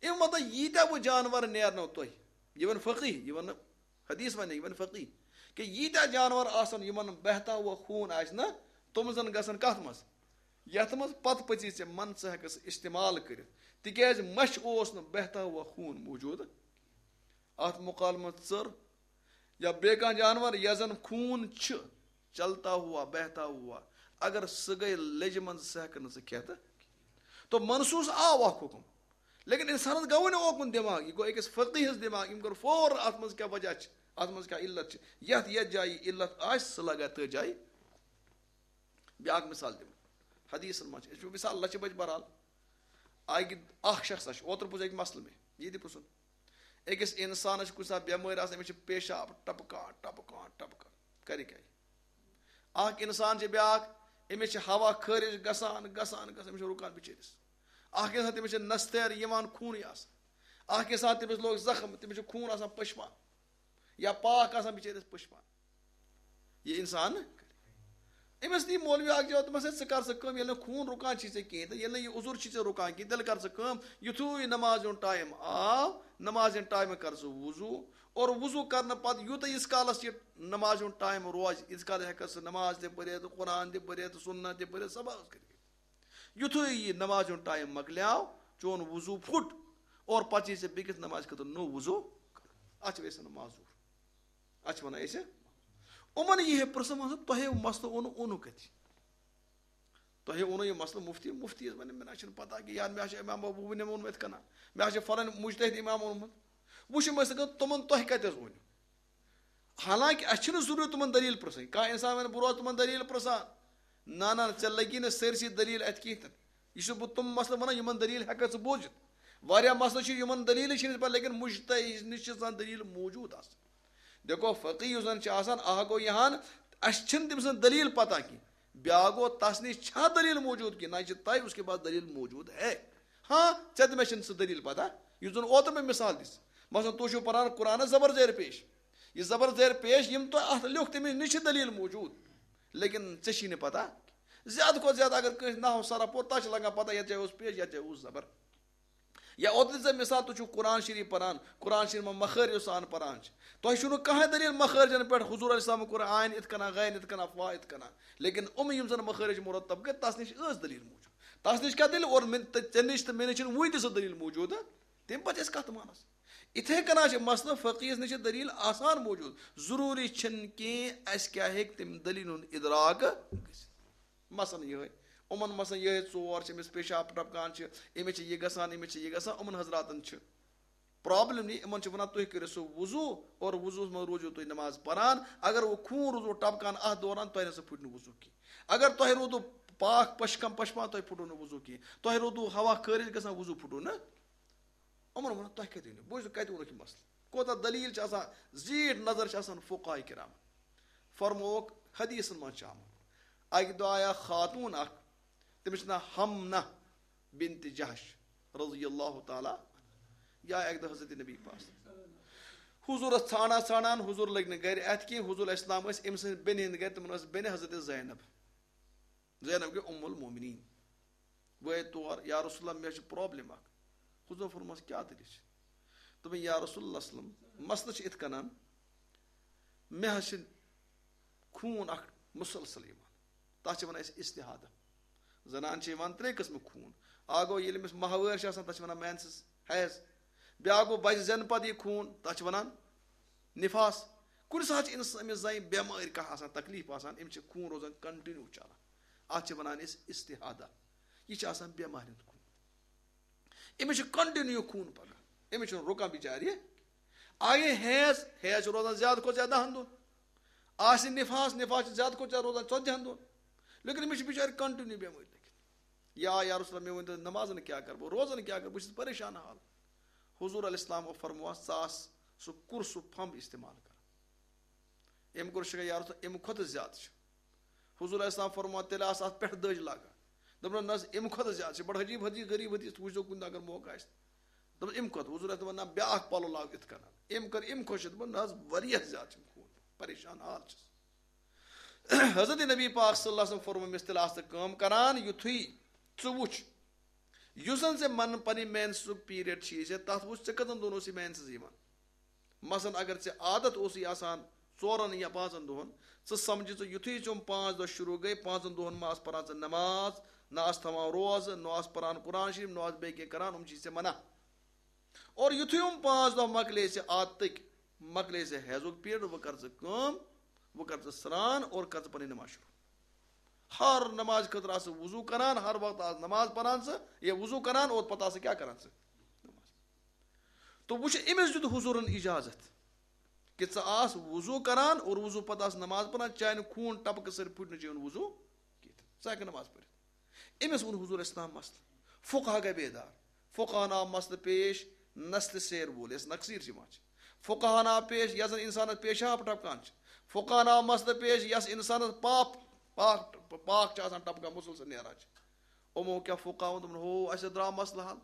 اَمیُک مطلب، ییٖتیٛاہ وۄنۍ جانوَر نیرنو تۄہہِ، یہِ وَنہِ فقیٖح، یہِ وَنہٕ حدیث وَنہِ، یہِ وَنہِ فقیٖح، کہِ ییٖتیٛاہ جانوَر آسَن، یِمَن بہتا ہوا خوٗن آسہِ نہ، تِم زَن گژھن کَتھ منٛز؟ یَتھ منٛز پَتہٕ پٔژی ژےٚ من ژٕ ہٮ۪کَکھ سُہ استعمال کٔرِتھ، تِکیٛازِ مَچھِ اوس نہٕ بہتا ہوا خوٗن موٗجوٗد۔ اَتھ مُقابلہٕ منٛز ژٔر یا بیٚیہِ کانٛہہ جانوَر، یَس زَن خوٗن چھُ، چلتا ہوا، بہتا ہوا، اگر سُہ گٔے لیٚجہِ منٛز، سُہ ہٮ۪کَکھ نہٕ ژٕ کھٮ۪تھ۔ تو منصوص آو اَکھ حُکُم، لیکن اِنسانَس گوٚوٕے نہٕ اوکُن دٮ۪ماغ، یہِ گوٚو أکِس فقیٖہَس دٮ۪ماغ، أمۍ کوٚر فوراً اَتھ منٛز کیٛاہ وجہ چھِ، اَتھ منٛز کیٛاہ علت چھِ، یَتھ، یَتھ جایہِ یہِ علت آسہِ، سُہ لگا تٔتھۍ جایہِ۔ بیٛاکھ مثال دِمہٕ، حدیثَن منٛز چھِ، أسۍ وٕچھو مثال لَچھِ بَجہِ بہرحال۔ اَکہِ، اَکھ شخص چھُ، اوترٕ پرٛوژھ اَکہِ مسلہٕ مےٚ، یہِ تہِ پرٛژھُن۔ أکِس اِنسانَس چھِ کُنہِ ساتہٕ بٮ۪مٲرۍ آسان، أمِس چھِ پیشاب ٹپکان، ٹپکان، ٹپکان۔ کَرِ کیٛاہ؟ اَکھ اِنسان چھِ بیٛاکھ، أمِس چھِ ہوا خٲرِج گژھان، گژھان، گژھان، أمِس چھِ رُکان بِچٲرِس۔ اَکھ اِنسان، تٔمِس چھِ نَستیر یِوان، خوٗنٕے آسان۔ اَکھ اِنسان، تٔمِس لوٚگ زخم، تٔمِس چھُ خوٗن آسان پٔشپان۔ یا پاک آسان بِچٲرِس پٔشپان۔ یہِ اِنسان أمِس نی مولوی اَکھ جواب، دوٚپمَس، "ہے، ژٕ کر سا کٲم، ییٚلہِ نہٕ خوٗن رُکان چھُے ژےٚ کِہیٖنۍ تہٕ ییٚلہِ نہٕ یہِ عُذُر چھُے ژےٚ رُکان کِہیٖنۍ، تیٚلہِ کر ژٕ کٲم، یُتھُے نماز ہُنٛد ٹایم آو، نماز ہِنٛدِ ٹایمہٕ کر ژٕ وضوٗ، اور وضوٗ کرنہٕ پتہٕ یوٗتاہ ییٖتِس کالَس یہِ نماز ہُنٛد ٹایم روزِ، ییٖتِس کالَس ہٮ۪کَکھ ژٕ نماز تہِ پٔرِتھ، قرآن تہِ پٔرِتھ، سُنت تہِ پٔرِتھ، سبق کٔرِتھ۔" یُتھُے یہِ نماز ہُنٛد ٹایم مۄکلیو، چون وضو پھُٹ، اور پتہٕ چھِ ژےٚ بیٚکِس نمازِ خٲطرٕ نوٚو وضو کرُن۔ اتھ چھِ أسۍ ونان معذور۔ اتھ چھِ ونان أسۍ۔ یِمن یی ہے پرٛژھنہٕ، مان ژٕ، تۄہہِ مسلہٕ اوٚنوٕ، اوٚنوٕ کتہِ؟ تۄہہِ اوٚنوٕ یہِ مسلہٕ مفتی؟ مفتی یس ونہِ، مےٚ نہ چھُنہٕ پتہ کہِ یار، مےٚ ہا چھُ امام ابو حنیفہ ووٚنمُت یِتھ کٔنۍ، مےٚ ہا چھُ فلٲنۍ مجتہد امام اوٚنمُت۔ وٕچھ، یِم ٲسۍ دپان، تِمن تۄہہِ کتہِ حظ اوٚنوٕ؟ حالانکہ اسہِ چھُنہٕ ضروٗرت تِمن دٔلیٖل پرٛژھٕنۍ۔ کانٛہہ انسان ونہِ، بہٕ روزٕ تِمن دٔلیٖل پرٛژھان۔ نہ، نہ، ژےٚ لگی نہٕ سٲرسٕے دٔلیٖل اتہِ کِہیٖنۍ تہِ نہٕ۔ یہِ چھُس بہٕ تِم مسلہٕ ونان، یِمن دٔلیٖل ہٮ۪ککھ ژٕ بوٗزِتھ۔ واریاہ مسلہٕ چھِ، یِمن دٔلیٖلٕے چھِنہٕ پتہ، لیکن مجتہد نِش چھِ آسان دٔلیٖل موجود آسان۔ دیکھو، فقیہ یُس زن چھُ آسان، اکھ گوٚو یہِ ہن، اسہِ چھِنہٕ تٔمۍ سٕنٛز دٔلیٖل پتہ کینٛہہ۔ بیٛاکھ گوٚو، تس نِش چھا دٔلیٖل موجود کینٛہہ؟ نہ، یہِ چھِ طے اس کے پاس دٔلیٖل موجود ہے۔ ہاں، ژےٚ تہٕ مےٚ چھِنہٕ سُہ دٔلیٖل پتہ، یُس زن اوترٕ مےٚ مثال دِژ۔ مثلاً، تُہۍ چھِو پران قرآنس زبر زیر پیش۔ یہِ زبر زیر پیش، یِم تۄہہِ اتھ لیوٚکھ، تٔمِس نِش چھِ دٔلیٖل موجود، لیکن ژےٚ چھی نہٕ پتہ۔ زیادٕ کھۄتہٕ زیادٕ اگر کٲنٛسہِ نحو صرف پوٚر، تَس چھِ لگان پتہ، یَتھ جایہِ اوس پیش، یَتھ جایہِ اوس زبر۔ یا اوترٕ دِژ مےٚ مثال، تُہۍ چھِو قرآن شریٖف پران، قرآن شریٖف منٛز مخٲرجو سان پران چھِ۔ تۄہہِ چھُو نہٕ کٕہٕنۍ دٔلیٖل مخٲرجن پٮ۪ٹھ، حضور علیہ السلام کوٚر عین یِتھ کٔنۍ، غین یِتھ کٔنۍ، فا یِتھ کٔنۍ۔ لیکن یِم یِم زن مخٲرج مرتب کٔرۍ، تَس نِش ٲس دٔلیٖل موجود۔ تَس نِش کیٛاہ دٔلیٖل؟ اور مےٚ تہٕ ژےٚ نِش تہٕ مےٚ نِش چھِنہٕ وُنہِ تہِ سۄ دٔلیٖل موجود۔ تَمہِ پتہٕ چھِ أسۍ کتھ مانس۔ یِتھے کٔنۍ چھِ مسلہٕ فقیہس نِش چھِ دٔلیٖل آسان موجود۔ ضروٗری چھِنہٕ کینٛہہ اَسہِ کیٛاہ ہیٚکہِ تَمہِ دٔلیٖلہِ ہُنٛد اِدراک گٔژھِتھ۔ مثلاً یِہوٚے، یِمن مثلاً یِہوٚے ژور چھِ، أمِس پیشاب ٹپکان چھِ، أمِس چھِ یہِ گژھان، أمِس چھِ یہِ گژھان، یِمن حضراتن چھِ پرابلم یہِ، یِمن چھِ ونان، تُہۍ کٔرِو سُہ وضو اور وضوٗہس منٛز روٗزِو تُہۍ نماز پران۔ اگر وۄنۍ خوٗن روٗدوٕ ٹپکان اتھ دوران، تۄہہِ نہ سا پھُٹہِ نہٕ وضو کینٛہہ۔ اگر تۄہہِ روٗدوٕ پاک پشکم پشپان، تۄہہِ پھُٹوٕ نہٕ وضو کینٛہہ۔ تۄہہِ روٗدوٕ ہوا خٲرج گژھان، وضو پھُٹوٕ نہٕ۔ یِمن ووٚنُکھ، تۄہہِ کتہِ أنِو؟ بوٗزِو، کتہِ ووٚنُکھ یہِ مسلہٕ؟ کوٗتاہ دلیٖل چھِ آسان، زیٖٹھ نظر چھِ آسان فقہاء کرامن۔ فرمووُکھ، حدیثن منٛز چھِ آمُت، اکہِ دۄہ آیا خاتوٗن اکھ، تٔمِس چھُ ناو حمنہ بنت جحش رضی اللہ تعالیٰ عنہا۔ یہِ آیہِ اکہِ دۄہ حضرت نبی پاک۔ حضوٗرس ژھانڈان ژھانڈان، حضوٗر لٔگۍ نہٕ گرِ اتھِ کینٛہہ۔ حضوٗر علیہ السلام ٲسۍ أمۍ سٕنٛزِ بیٚنہِ ہٕنٛدِ گرِ، تِمن ٲس بیٚنہِ حضرت زینب۔ زینب گٔے ام المومنین۔ بہٕ آیہِ تور، یا رسول اللہ، مےٚ چھِ پرابلم اکھ۔ حضور فرموس، کیٛاہ دٔلیٖل چھِ؟ دوٚپُن، یا رسول اللہ صلی اللہ علیہ وسلم، مسلہٕ چھِ یِتھ کٔنۍ، مےٚ حظ چھِ خوٗن اکھ مسلسل یِوان، تتھ چھِ ونان أسۍ استحادہ۔ زنان چھِ یِوان ترٛےٚ قٕسمہٕ خوٗن۔ اکھ گوٚو ییٚلہِ أمِس ماہوٲرۍ چھِ آسان، تتھ چھِ ونان مینسز، حیض۔ بیٛاکھ گوٚو بچہِ زٮ۪نہٕ پتہٕ یہِ خوٗن، تتھ چھِ ونان نفاس۔ کُنہِ ساتہٕ چھِ أمِس، أمِس زنہِ بٮ۪مٲرۍ کانٛہہ آسان، تکلیٖف آسان، أمِس چھِ خوٗن روزان continue چلان۔ اتھ چھِ ونان أسۍ استحادہ۔ یہِ چھِ آسان بٮ۪مارِ ہُنٛد خوٗن۔ أمِس چھُ continue خوٗن پکان، أمِس چھُنہٕ رُکان بِچارِ۔ آیہِ حیض، حیض چھُ روزان زیادٕ کھۄتہٕ زیادٕ دَہَن دۄہَن۔ آسہِ نِفاس، نِفاس چھُ زیادٕ کھۄتہٕ زیادٕ روزان ژَتجِہَن دۄہَن۔ لیکن أمِس چھِ بِچارِ continue بٮ۪مٲرۍ لٔگِتھ۔ یا، یا رسول اللہ، مےٚ ؤنۍ تو، نمازَن کیٛاہ کَرٕ بہٕ، روزَن کیٛاہ کَرٕ بہٕ، بہٕ چھَس پریشان حال۔ حضور علیہ السلام فرمووس، ژٕ آس سُہ کُرسُک پھمب استعمال کَران۔ أمۍ کوٚر شِکایت، یا رسول، اَمہِ کھۄتہٕ زیادٕ چھُ۔ حضور علیہ السلام فرمووان، تیٚلہِ آسہٕ اَتھ پٮ۪ٹھٕ دٔج لاگان۔ دوٚپُن، نہ حظ، اَمہِ کھۄتہٕ زیادٕ چھِ بَڑٕ عجیٖب حدیٖث، غریٖب حدیٖث، تُہۍ وٕچھزیو کُنہِ دۄہ اگر موقع آسہِ۔ دوٚپُن، اَمہِ کھۄتہٕ؟ حضور علیہ السلام، نہ، بیٛاکھ پَلو لاگ یِتھ کٔنۍ۔ أمۍ کٔر اَمہِ کھۄتہٕ شدت، دوٚپُن، نہ حظ، واریاہ زیادٕ چھِ خوٗن، پریشان حال چھُس۔ حضرت نبی پاک صلی اللہ علیہ وسلم فرموو أمِس، تیٚلہِ آسہٕ ژٕ کٲم کران، یُتھُے ژٕ وٕچھ، یُس زَن ژےٚ من پنٕنۍ مینسُک پیٖریڈ چھِ، ژےٚ تَتھ وٕچھ، ژےٚ کٔژَن دۄہَن اوس یہِ مینسٕز یِوان۔ مثلاً اگر ژےٚ عادت اوسُے آسان ژورن یا پانٛژن دۄہن، ژٕ سمجھ ژٕ یُتھُے ژےٚ یِم پانٛژھ دۄہ شروع گٔے، پانٛژن دۄہن ما آس پران ژٕ نماز، نہ آس تھاوان روزٕ، نہ آس پران قرآن شریف، نہ آس بیٚیہِ کینٛہہ کران، یِم چھی ژےٚ منع۔ اور یُتھُے یِم پانٛژھ دۄہ مۄکلے ژےٚ عادتٕکۍ، مۄکلے ژےٚ حیضُک پیٖریڈ، وۄنۍ کر ژٕ کٲم، وۄنۍ کر ژٕ سرٛان اور کر ژٕ پنٕنۍ نماز شروع۔ ہر نماز خٲطرٕ آس ژٕ وضوٗ کران، ہر وقتہٕ آس نماز پران ژٕ، یا وضوٗ کران اور پتہٕ آس ژٕ کیٛاہ کران ژٕ؟ نماز۔ تو وٕچھ، أمِس دیُت حضوٗرن اجازت کہِ ژٕ آس وضوٗ کران اور وضوٗ پتہٕ آس نماز پران، چانہِ خوٗن ٹپکہٕ سۭتۍ پھُٹہِ نہٕ چون وضوٗ کینٛہہ۔ ژٕ ہٮ۪کھ نماز پٔرِتھ۔ أمِس ووٚن حضوٗر اسلام مسلہٕ۔ فقہا گٔے بیدار۔ فقہن آو مسلہٕ پیش، نسلہِ سیر وول، یَس نقصیر چھِ یِوان چھِ۔ فقہن آو پیش، یَس زَن اِنسانَس پیشاب ٹپکان چھِ۔ فقہن آو مسلہٕ پیش، یَس اِنسانَس پاپ، پاک، پاک چھِ آسان ٹپکان، مسلسل نیران چھِ۔ یِمو کیٛاہ فقہاوَن دوٚپُن، ہو، اَسہِ درٛاو مسلہٕ حل۔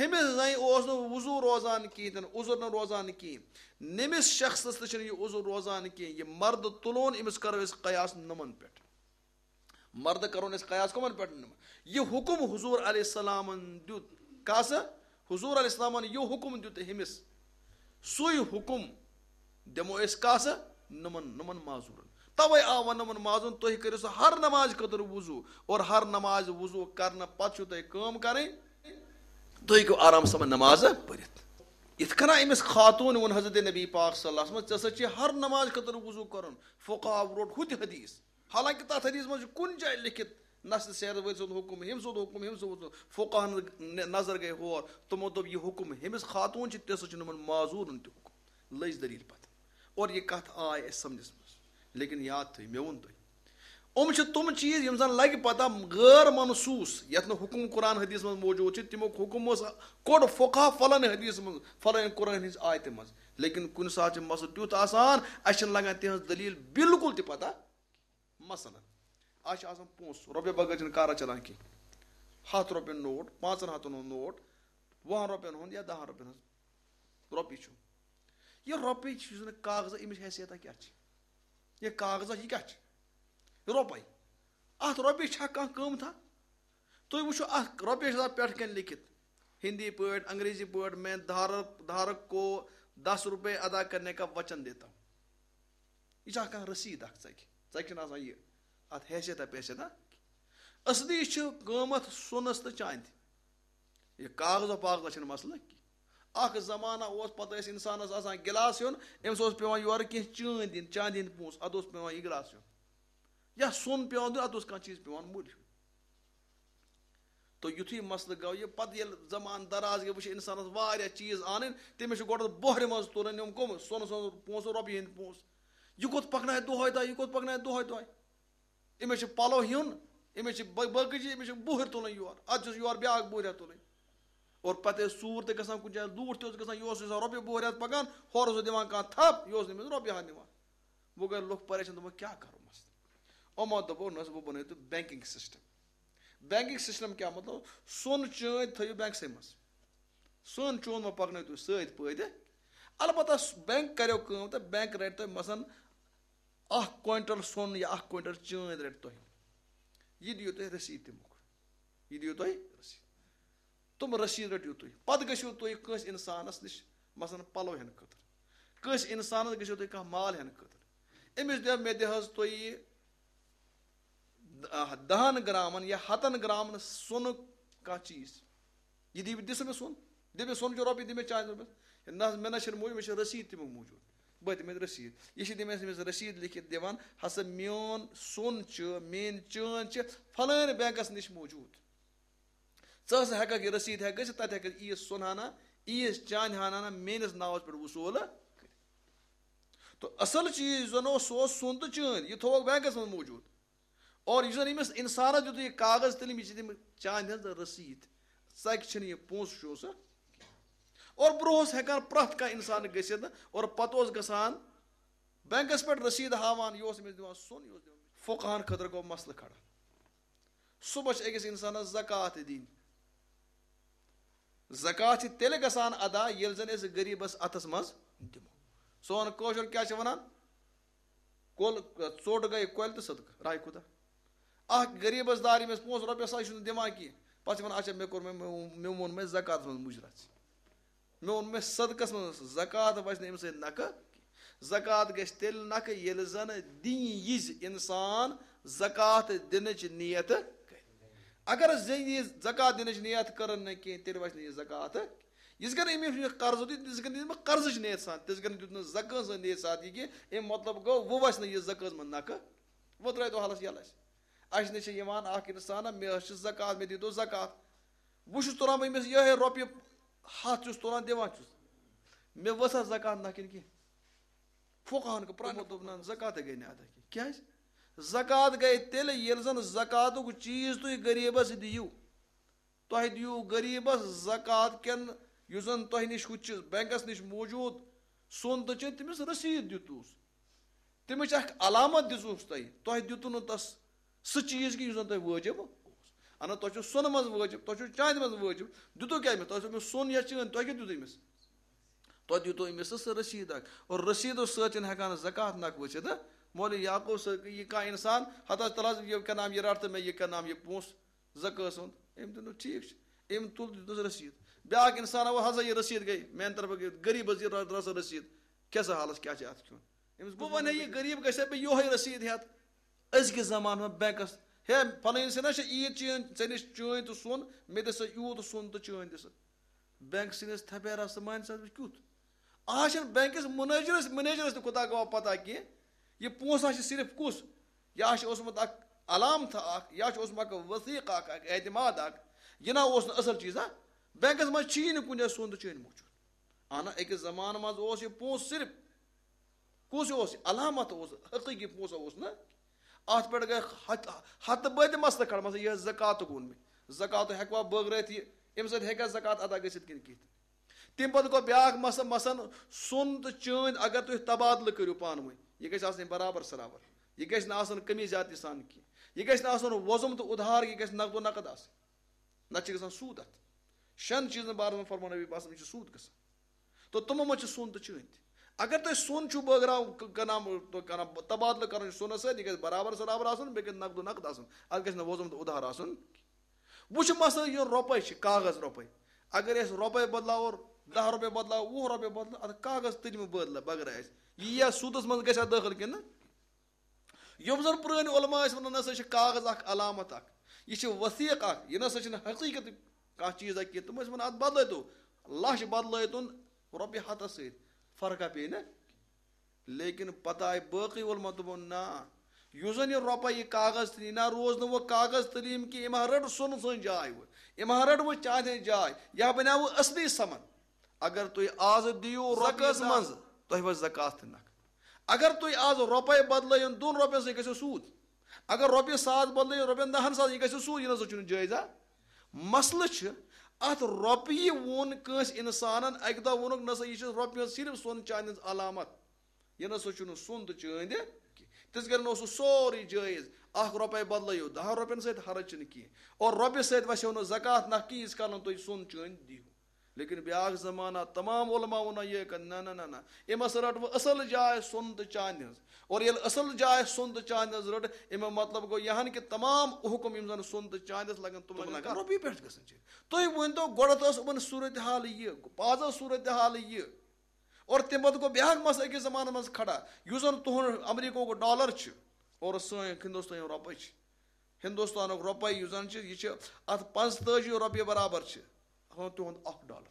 ہُمِس زَنہِ اوس نہٕ وضوٗ روزان کِہیٖنۍ تہِ نہٕ، عذر نہٕ روزان کِہیٖنۍ۔ نٔمِس شخصَس تہِ چھُنہٕ یہِ عذر روزان کِہیٖنۍ۔ یہِ مردٕ تُلون، أمِس کَرو أسۍ قیاس نُمَن پٮ۪ٹھ۔ مردٕ کرون أسۍ قیاس کمن پٮ۪ٹھ نِمو؟ یہِ حکم حضور علیہ السلامن دیُت۔ کس؟ حضور علیہ السلامن یہِ حکم دیُت ہُمِس، سُے حکم دِمو أسۍ کس؟ نُمن، نُمن معذورن۔ توے آو وننہٕ یِمن مازن، تُہۍ کٔرِو سا ہر نماز خٲطرٕ وضو، اور ہر نماز وضو کرنہٕ پتہٕ چھُو تۄہہِ کٲم کرٕنۍ، تُہۍ ہیٚکِو آرام سان نماز پٔرِتھ۔ یِتھ کٔنۍ أمِس خاتوٗن ووٚن حضرت نبی پاک صلی اللہ علیہ وسلم، "ژےٚ سا چھِ ہر نماز خٲطرٕ وضو کرُن"، فقہاو روٚٹ ہُہ تہِ حدیث، حالانکہ تتھ حدیث منٛز چھُ کُنہِ جایہِ لیکھِتھ، نہ چھِ سیر وٲلۍ سُنٛد حُکم، ہُمۍ سُنٛد حُکم، ہُمۍ سُنٛد حُکم۔ فقہن نظر گٔے ہور، تِمو دوٚپ، "یہِ حُکم ہُمِس خاتوٗن چھِ، تہِ سا چھُ یِمن معذوٗرن تہِ حُکم۔" لٔج دٔلیٖل پتہٕ۔ اور یہِ کتھ آے اَسہِ سمجھس منٛز، لیکن یاد تھٲیِو، مےٚ ووٚن تۄہہِ، یِم چھِ تِم چیٖز یِم زن لگہِ پتہ غٲر منصوص، یتھ نہٕ حُکم قرآن حدیث منٛز موجود چھِ، تمیُک حُکم اوس، کوٚڑ فقہا فلٲنۍ حدیث منٛز، فلٲنۍ قرآن ہٕنٛز آیتہِ منٛز۔ لیکن کُنہِ ساتہٕ چھِ مسلہٕ تیُتھ آسان، اَسہِ چھِنہٕ لگان تِہنٛز دٔلیٖل بالکل تہِ پتہ۔ مثلاً، اَسہِ چھِ آسان پونٛسہٕ، رۄپیہِ بغٲر چھِنہٕ کارا چلان کینٛہہ۔ ہَتھ رۄپیَن نوٹ، پانٛژَن ہَتَن ہُنٛد نوٹ، وُہَن رۄپیَن ہُنٛد یا دَہَن رۄپیَن ہٕنٛز رۄپیہِ چھُ۔ یہِ رۄپیہِ چھِ، یُس زَن کاغذ، أمِس حیثیتہ کیٛاہ چھِ؟ یہِ کاغذہ، یہِ کیٛاہ چھِ؟ رۄپَے۔ اَتھ رۄپیہِ چھا کانٛہہ قۭمتھا؟ تُہۍ وٕچھِو، اَتھ رۄپیہِ چھِ آسان پٮ۪ٹھ کَنۍ لیکھِتھ، ہِندی پٲٹھۍ، انگریزی پٲٹھۍ، "میں دھارک، دھارک کو دس روپے ادا کرنے کا وچن دیتا ہوں۔" یہِ چھا کانٛہہ رسیٖد اکھ ژَکہِ؟ ژَکہِ چھِنہٕ آسان یہِ، اَتھ حیثیتہ پیثیتہ۔ اصلی چھِ قۭمتھ سۄنَس تہٕ چاندِ۔ یہِ کاغذو پاغذو چھِنہٕ مسلہٕ کینٛہہ۔ اکھ زمانہ اوس، پتہٕ ٲسۍ انسانس آسان گِلاس ہیوٚن، أمِس اوس پٮ۪وان یورٕ کینٛہہ چٲنٛدۍ دِنۍ، چاندِ ہِنٛدۍ پونٛسہٕ، اَدٕ اوس پٮ۪وان یہِ گِلاس ہیوٚن۔ یا سۄن پٮ۪وان دیُن، اَدٕ اوس کانٛہہ چیٖز پٮ۪وان مٔلۍ ہیوٚن۔ تہٕ یُتھُے مسلہٕ گوٚو یہِ، پتہٕ ییٚلہِ زمانہٕ دراز گٔے، وٕچھ انسانس واریاہ چیٖز اَنٕنۍ، تٔمِس چھُ گۄڈٕ بۄہرِ منٛز تُلٕنۍ یِم کٕم؟ سۄنہٕ سۄنہٕ پونٛسہٕ، رۄپیہِ ہٕنٛدۍ پونٛسہٕ۔ یہِ کوٚت پَکنایہِ دۄہَے دۄہَے، یہِ کوٚت پَکنایہِ دۄہَے دۄہَے؟ أمِس چھِ پَلو ہیوٚن، أمِس چھِ بہ-، باقٕے چیٖز، أمِس چھِ بۄہرِ تُلٕنۍ یورٕ، اَدٕ چھُس یورٕ بیٛاکھ بۄہرِ تُلٕنۍ۔ اور پَتہٕ ٲسۍ ژوٗر تہِ گژھان کُنہِ جایہِ، لوٗٹھ تہِ اوس گژھان، یہِ اوس آسان رۄپیہِ بۄہرِ ہَتھ پَکان، ہورٕ اوس دِوان کانٛہہ تھَپھ، یہِ اوس نہٕ أمِس رۄپیہِ ہَتھ نِوان۔ وۄنۍ گٔے لُکھ پریشان، دوٚپُکھ، "کیٛاہ کَرو مَسلہٕ؟" یِمو دوٚپُکھ، "نہ حظ، وۄنۍ بَنٲیِو تُہۍ بینکنگ سسٹم۔" بینکنگ سسٹم کیٛاہ مطلب؟ سۄن چٲنٛدۍ تھٲیِو بینکسٕے منٛز۔ سۄن چون مہ پَکنٲیِو تُہۍ سۭتۍ پٲدٕ۔ البتہ س-، بینک کَریو کٲم تہٕ بینک رَٹہِ تۄہہِ مثلاً اَکھ کوینٹل سۄن یا اَکھ کوینٹل چٲنٛدۍ رَٹہِ تۄہہِ۔ یہِ دِیِو تُہۍ رٔسیٖد تَمیُک۔ یہِ دِیِو تُہۍ رٔسیٖد۔ تِم رٔسیٖد رٔٹِو تُہۍ۔ پَتہٕ گٔژھِو تُہۍ کٲنٛسہِ اِنسانَس نِش، مثلاً پَلو ہٮ۪نہٕ خٲطرٕ۔ کٲنٛسہِ اِنسانَس گٔژھِو تُہۍ کانٛہہ مال ہٮ۪نہٕ خٲطرٕ۔ أمِس دِیو، مےٚ دِ حظ تُہۍ یہِ، آ، دَہَن گرامَن یا ہَتَن گرامَن سۄنُک کانٛہہ چیٖز۔ یہِ دِ، دِ سا مےٚ سۄن۔ دِ مےٚ سۄن چہِ رۄپیہِ، دِ مےٚ چانہِ رۄپیہِ۔ ہے نہ حظ، مےٚ نہ چھِنہٕ موٗجوٗد، مےٚ چھِ رٔسیٖد تِمو موٗجوٗد۔ بہٕ تہِ مےٚ رٔسیٖد۔ یہِ چھِ تٔمِس، أمِس رٔسیٖد لیکھِتھ دِوان، ہسا میون سۄن چھُ، میٲنۍ چٲنۍ چھِ فلٲنۍ بینکَس نِش موٗجوٗد۔ ژٕ ہسا ہٮ۪ککھ یہِ رٔسیٖد ہٮ۪کھ گٔژھِتھ، تَتہِ ہٮ۪ککھ ییٖژ سۄن ہنا، ییٖژ چانہِ ہنا میٲنِس ناوَس پٮ۪ٹھ وصوٗل کٔرِتھ۔ تہٕ اصل چیٖز یُس زن اوس، سُہ اوس سۄن تہٕ چٲنۍ، یہِ تھووُکھ بینکس منٛز موٗجوٗد۔ اور یُس زن أمِس انسانس دیُت یہِ کاغذ تِلہٕ، یہِ چھِ تٔمِس چانہِ ہٕنٛز رٔسیٖد، ژکہِ چھِنہٕ یہِ پونٛسہٕ چھُ سُہ۔ اور برونٛہہ اوس ہٮ۪کان پرٛٮ۪تھ کانٛہہ انسان گٔژھِتھ، اور پتہٕ اوس گژھان بینکس پٮ۪ٹھ رٔسیٖد ہاوان، یہِ اوس أمِس دِوان سۄن، یہِ اوس دِوان۔ فقہن خٲطرٕ گوٚو مسلہٕ کھڑا۔ صبح چھِ أکِس انسانس زکوٰۃ دِنۍ۔ زکوٰۃ چھِ تیٚلہِ گژھان ادا، ییٚلہِ زن أسۍ غریٖبس اتھس منٛز دِمو۔ سون کٲشُر کیٛاہ چھِ ونان؟ کۄل، ژوٚٹ گٔے کۄلہِ تہٕ صدقہٕ، راے خدا۔ اکھ غریٖبس دار ییٚمِس پونٛسہٕ رۄپیہِ ساس چھُنہٕ دِوان کینٛہہ، پتہٕ چھِ ونان، "اچھا، مےٚ کوٚر، مےٚ، مےٚ، مےٚ ووٚن مےٚ زکوٰتس منٛز مُجرا ژٕ۔" مےٚ ووٚن، مےٚ صدقس منٛز، زکوٰۃ وَسہِ نہٕ اَمہِ سۭتۍ نکھٕ۔ زکوٰۃ گژھِ تیٚلہِ نکھٕ، ییٚلہِ زن دِنۍ یِژھ انسان زکوٰۃ دِنٕچ نیت کرِ۔ اگر زِ-، یہِ زکوٰۃ دِنٕچ نیت کٔرٕن نہٕ کینٛہہ، تیٚلہِ وَسہِ نہٕ یہِ زکوٰۃ۔ یِتھ کٔنۍ أمۍ یہِ قرض دیُت، تِتھ کٔنۍ دیُت أمۍ قرضٕچ نیت سان، تِتھ کٔنۍ دیُت نہٕ زکٲژ نیت سان یہِ کینٛہہ۔ اَمہِ مطلب گوٚو، وۄنۍ وَسہِ نہٕ یہِ زکٲژ منٛز نکھٕ۔ وۄنۍ ترٛٲوِتو حالس یَلہٕ اَسہِ۔ اَسہِ نِش چھِ یِوان اَکھ اِنسان، مےٚ حظ چھِ زکوٰۃ، مےٚ دیٖتو زکوٰۃ۔ بہٕ چھُس تُلان، بہٕ أمِس یِہوٚے رۄپیہِ ہَتھ چھُس تُلان، دِوان چھُس۔ مےٚ ؤژھا زکوٰۃ نہ کِنہٕ کینٛہہ؟ فقہن کٔر پرٛٮ۪تھ دوٚپ، نہ، زکوٰتٕے گٔے نہٕ ادا کینٛہہ۔ کیٛازِ؟ زکوٰۃ گٔے تیٚلہِ، ییٚلہِ زن زکوٰتُک چیٖز تُہۍ غریٖبس دِیِو۔ تۄہہِ دِیِو غریٖبس زکوٰۃ کٮ۪ن، یُس زن تۄہہِ نِش ہُتہِ چھُ، بینکس نِش موٗجوٗد سۄن تہٕ چٲنۍ، تٔمِس رٔسیٖد دیُتوُس۔ تٔمِس چھِ اکھ علامت دِژمٕژ تۄہہِ، تۄہہِ دیُتوُ نہٕ تس سُہ چیٖز کہِ یُس زن تۄہہِ وٲجِب اوس۔ اَنا، تۄہہِ چھُو سۄنہٕ منٛز وٲجِب، تۄہہِ چھُو چاندِ منٛز وٲجِب، دیُتوُ کیٛاہ أمِس؟ تۄہہِ اوس أمِس سۄن یا چٲندۍ، تۄہہِ کیٛاہ دیُت أمِس؟ تۄہہِ دیُتوُ أمِس سُہ رٔسیٖد اکھ، اور رٔسیٖدو سۭتۍ چھِنہٕ ہٮ۪کان زکوٰۃ نکھٕ ؤسِتھ۔ مولوی یعقوب صٲب، یہِ کانٛہہ اِنسان، ہتہٕ حظ تَلہٕ حظ یہِ کیٛاہ نام، یہِ رَٹ تہٕ مےٚ یہِ کیٛاہ نام، یہِ پونٛسہٕ زکٲژ ہُنٛد۔ أمۍ دوٚپ، "ٹھیٖک چھُ۔" أمۍ تُل، دیُتنَس رٔسیٖد۔ بیٛاکھ اِنسان آو، "ہسا یہِ رٔسیٖد گٔے میٛانہِ طرفہٕ، گٔے غریٖبَس یہِ رَ-، رَژھ رٔسیٖد، کھےٚ سا حالَس کیٛاہ چھِ اَتھ کھیوٚن؟" أمِس بہٕ وَنہٕ ہے، یہِ غریٖب گژھِ ہا مےٚ یِہوٚے رٔسیٖد ہٮ۪تھ أزکِس زمانَس منٛز بٮ۪نٛکَس۔ ہے، فلٲنۍ سٕنٛز ہا چھِ عیٖد چٲنۍ، ژےٚ نِش چٲنۍ تہٕ سۄن، مےٚ دِ سا یوٗت سۄن تہٕ چٲنۍ دِ سا۔ بٮ۪نٛک سٕنٛدِس تھپیرَس تہٕ مانہِ سا کیُتھ؟ آز چھِنہٕ بٮ۪نٛکَس منیجرَس، منیجرَس تہِ خۄدا گواہ پَتہ کینٛہہ، یہِ پونٛسہٕ ہا چھِ صرف کُس؟ یہِ ہا چھِ اوسمُت اَکھ علامتھا اَکھ، یہِ ہا چھِ اوسمُت اَکھ وثیٖق اَکھ، اَکھ اعتماد اَکھ۔ یہِ نہ اوس نہٕ اَصٕل چیٖزا۔ بٮ۪نٛکَس منٛز چھی نہٕ کُنہِ جایہِ سۄن تہٕ چٲنۍ موٗجوٗد۔ اہنہ، أکِس زمانہٕ منٛز اوس یہِ پونٛسہٕ صرف، کُس اوس یہِ؟ علامت اوس، حقیٖقی پونٛسہٕ اوس نہٕ۔ اَتھ پٮ۪ٹھ گٔے ہَتھ، ہَتہٕ بٔدۍ مسلہٕ کھڑا، مثلاً یہِ زکاتُک ووٚن مےٚ، زکات ہٮ۪کوا بٲگرٲیِتھ یہِ؟ اَمہِ سۭتۍ ہیٚکیٛاہ زکات ادا گٔژھِتھ کِنہٕ کِہیٖنۍ؟ تَمہِ پَتہٕ گوٚو بیٛاکھ مسلہٕ، مثلاً سۄن تہٕ چٲنۍ اگر تُہۍ تبادلہٕ کٔرِو پانہٕ ؤنۍ، یہِ گژھِ آسٕنۍ برابر سرابر، یہِ گژھِ نہٕ آسُن کمی زیادتی سان کینٛہہ، یہِ گژھِ نہٕ آسُن وۄزُم تہٕ اُدھار، یہِ گژھِ نقد و نقد آسٕنۍ، نَتہٕ چھِ گژھان سوٗد اَتھ۔ شٮ۪ن چیٖزَن بارَس منٛز فرموو نبی پاک صلی اللہ علیہ وسلم، یہِ چھُ سوٗد گژھان۔ تو تِمو منٛز چھِ سۄن تہٕ چٲنۍ تہِ۔ اگر تۄہہِ سۄن چھُو بٲگراوُن، ک-، کَنام-، تو کَنام-، تبادلہٕ کَرُن چھُ سۄنَس سۭتۍ، یہِ گژھِ برابر سرابر آسُن، بیٚیہِ گژھِ نقد و نقد آسُن، اَتھ گژھِ نہٕ وۄزُم تہٕ اُدھار آسُن۔ وۄنۍ چھُ مسلہٕ یہِ رۄپَے چھِ، کاغذ رۄپَے۔ اگر أسۍ رۄپَے بدلاوو، دَہ رۄپیہِ بدلاوو، وُہ رۄپیہِ بدلاوو، اَتھ کاغذ تُلمہٕ بدلہٕ بغٲر آسہِ، یہِ یِیہِ سوٗدَس منٛز، گژھِ اَتھ دٲخِل کِنہٕ نہ؟ یِم زَن پرٛٲنۍ علماء ٲسۍ وَنان، نہ سا چھِ کاغذ اَکھ علامت اَکھ، یہِ چھِ وثیٖق اَکھ، یہِ نہ سا چھِنہٕ حقیٖقت کانٛہہ چیٖز اَکھ کینٛہہ۔ تِم ٲسۍ وَنان، اَتھ بدلٲیتو، لَچھ بدلٲیتون رۄپیہِ ہَتَس سۭتۍ، فرقہ پیٚیہِ نہٕ۔ لیکن پتہٕ آے باقٕے علماء، دوٚپُن، نہ، یُس زَن یہِ رۄپَے، یہِ کاغذ تُلہِ، یہِ نہ روز نہٕ وۄنۍ کاغذ تُلہِ، یِم کہِ أمۍ ہا رٔٹ سۄنہٕ سٕنٛز جاے وۄنۍ، أمۍ ہا رٔٹ وۄنۍ چاندِ ہٕنٛز جاے، یہِ ہا بنیٛاو وۄنۍ اصلی سَمَن۔ اگر تُہۍ آز دِیِو رۄپیہِ زکٲژ دَہ، منٛز، تۄہہِ وَسہِ زکات تہِ نَکھ۔ اگر تُہۍ آز رۄپَے بدلٲیِو دۄن رۄپیَن سۭتۍ، گژھیو سوٗد۔ اگر رۄپیہِ ساس بدلٲیِو رۄپیَن دَہَن ساس، یہِ گژھیو سوٗد، یہِ نہ سا چھُنہٕ جٲیزہ۔ مسلہٕ چھُ، اَتھ رۄپیہِ ووٚن کٲنٛسہِ اِنسانَن، اَکہِ دۄہ ووٚنُکھ، نہ سا، یہِ چھِ رۄپیہِ ہٕنٛز صرف سۄن چاندِ ہٕنٛز علامت۔ یہِ نہ سا چھُنہٕ سۄن تہٕ چٲندِ کینٛہہ۔ تِژھ گرِ نہ اوس سُہ سورُے جٲیز۔ اَکھ رۄپَے بدلٲیِو دَہَن رۄپیَن سۭتۍ، حرج چھُنہٕ کینٛہہ۔ اور رۄپیہِ سۭتۍ وَسیو نہٕ زکات نَکھ کینٛہہ، ییٖتِس کالَن تُہۍ سۄن چٲندِ دِیِو۔ لیکن بیٛاکھ زمانہ، تمام علماء ووٚن، یہِ کَتھ، نہ، نہ، نہ، نہ۔ أمۍ ہسا رٔٹ وۄنۍ اَصٕل جاے سۄن تہٕ چاندِ ہٕنٛز۔ اور ییٚلہِ اَصٕل جاے سۄن تہٕ چاندِ ہٕنٛز رٔٹ، اَمیُک مطلب گوٚو یہِ ہن کہِ تمام حُکُم یِم زَن سۄن تہٕ چاندِ ٲسۍ لَگان، تِم تِم لَگان لَگان۔ رۄپیہِ پٮ۪ٹھ گژھان چھِ۔ تُہۍ ؤنۍ تو گۄڈٕ ٲس یِمَن صوٗرت حال یہِ، پازا صوٗرت حال یہِ۔ اور تَمہِ پَتہٕ گوٚو بیٛاکھ مسلہٕ أکِس زمانَس منٛز کھڑا، یُس زَن تُہُنٛد امریکہُک ڈالر چھُ اور سٲنۍ ہِندُستٲنۍ رۄپَے چھِ۔ ہِندُستانُک رۄپَے یُس زَن چھِ، یہِ چھِ اَتھ پانٛژتٲجی رۄپیہِ برابر چھِ، ہُہ تُہُنٛد اَکھ ڈالر۔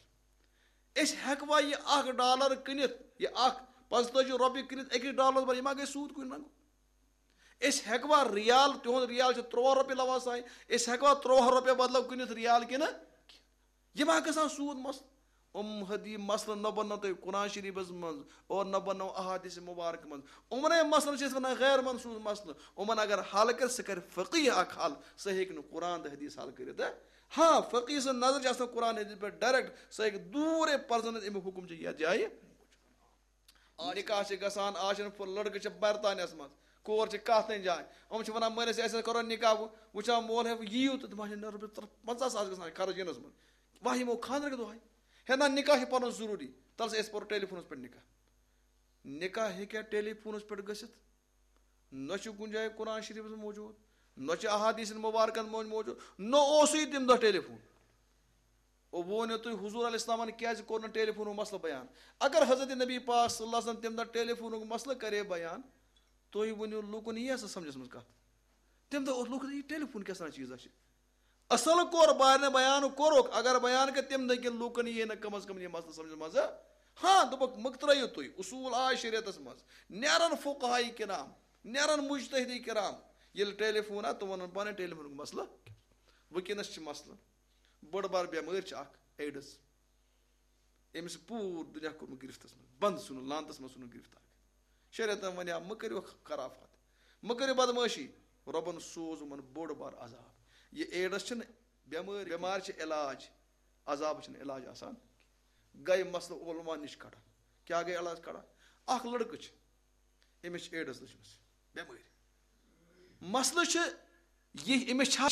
أسۍ ہٮ۪کوا یہِ اَکھ ڈالر کٕنِتھ، یہِ اَکھ پانٛژتٲجی رۄپیہِ کٕنِتھ أکِس ڈالرَس بدلہٕ؟ یہِ ما گژھِ سوٗد کُنہِ رنٛگہٕ؟ أسۍ ہٮ۪کوا ریال، تِہُنٛد ریال چھِ تُرٛواہ رۄپیہِ لَوان ساے، أسۍ ہٮ۪کوا تُرٛواہ رۄپیہِ بدلہٕ کٕنِتھ ریال کِنہٕ؟ یہِ ما گژھان سوٗد مسلہٕ؟ یِم حدی مسلہٕ نہ بننو تۄہہِ قرآن شریٖفس منٛز اور نہ بننو احادیث مبارک منٛز۔ یِمنٕے مسلن چھِ أسۍ ونان غیر منصوص مسلہٕ۔ یِمن اگر حل کرِ، سُہ کرِ فقیہ اکھ حل، سُہ ہیٚکہِ نہٕ قرآن تہٕ حدیث حل کٔرِتھ۔ ہاں، فقیہ سٕنٛز نظر چھِ آسان قرآن حدیث پٮ۪ٹھ ڈائریکٹ، سُہ ہیٚکہِ دوٗرے پرزنٲوِتھ اَمیُک حُکم چھُ یتھ جایہِ۔ آ، نکاح چھِ گژھان، آز چھِنہٕ پھُ-، لڑکہٕ چھِ برطانیہس منٛز، کور چھِ کتھ تانۍ جاے۔ یِم چھِ ونان، مٲلِس اَسہِ حظ کرو نکاح، وۄنۍ وٕچھان مول ہے، وۄنۍ یِیِو تہٕ تِم حظ چھِ نہ رۄپیَس ترٛ-، پنٛژاہ ساس گژھان خرٕچ یِنَس منٛز۔ وۄنۍ یِمو خانٛدرٕ کہِ دۄہَے۔ ہے نہ، نکاح چھِ پَرُن ضروٗری۔ تَلہٕ سا أسۍ پَرو ٹیلی فونَس پٮ۪ٹھ نکاح۔ نکاح ہیٚکیٛاہ ٹیلی فونَس پٮ۪ٹھ گٔژھِتھ؟ نہ چھُ کُنہِ جایہِ قرآن شریٖفَس منٛز موجوٗد، نہ چھُ احادیث مبارکَن منٛز موجوٗد، نہ اوسُے تَمہِ دۄہ ٹیلی فون۔ وۄنۍ ؤنِو تُہۍ، حضور علیہ السلامَن کیٛازِ کوٚر نہٕ ٹیلی فونُک مسلہٕ بیان؟ اگر حضرت نبی پاک صلی اللہ علیہ وسلم تَمہِ دۄہ ٹیلی فونُک مسلہٕ کرے بیان، تُہۍ ؤنِو، لوٗکَن یی ہا سا سمجھَس منٛز کَتھ؟ تَمہِ دۄہ اوس لوٗکَن یہِ ٹیلی فون کیٛاہ سا چیٖزا چھِ؟ اَصٕل کوٚر بارنہٕ بیان کوٚرُکھ، اگر بیان کَرِ تَمہِ دۄہ کِنہٕ لوٗکَن یی ہے نہٕ کم از کم یہِ مسلہٕ سمجھَس منٛز۔ ہاں، دوٚپُکھ، مُکترٲیِو تُہۍ، اصوٗل آے شریعتَس منٛز، نیرَن فقہاء کرام، نیرَن مجتہدی کرام، ییٚلہِ ٹیلی فون آو، تِم وَنَن پانَے ٹیلی فونُک مسلہٕ۔ وٕنکیٚنَس چھِ مسلہٕ، بٔڑ بار بٮ۪مٲرۍ چھِ اَکھ ایڈٕس۔ أمِس چھِ پوٗرٕ دُنیا کوٚرمُت گِرفتَس منٛز، بنٛد ژھٕنُن، لعنتَس منٛز ژھٕنُن گِرفت اَکھ۔ شریعتَن وَنیٛاو، مہٕ کٔرِو خرافات، مہٕ کٔرِو بدمٲشی۔ رۄبَن سوز یِمَن بوٚڑ بار عذاب۔ یہِ ایڈٕس چھِنہٕ بٮ۪مٲرۍ، بٮ۪مارِ چھِ علاج، عذابَس چھِنہٕ علاج آسان۔ گٔے مسلہٕ علماء نِش کھڑا۔ کیٛاہ گٔے علاج کھڑا؟ اَکھ لٔڑکہٕ چھِ، أمِس چھِ ایڈٕس لٔجمٕژ بٮ۪مٲرۍ۔ مسلہٕ چھِ یہِ، أمِس چھا، چھا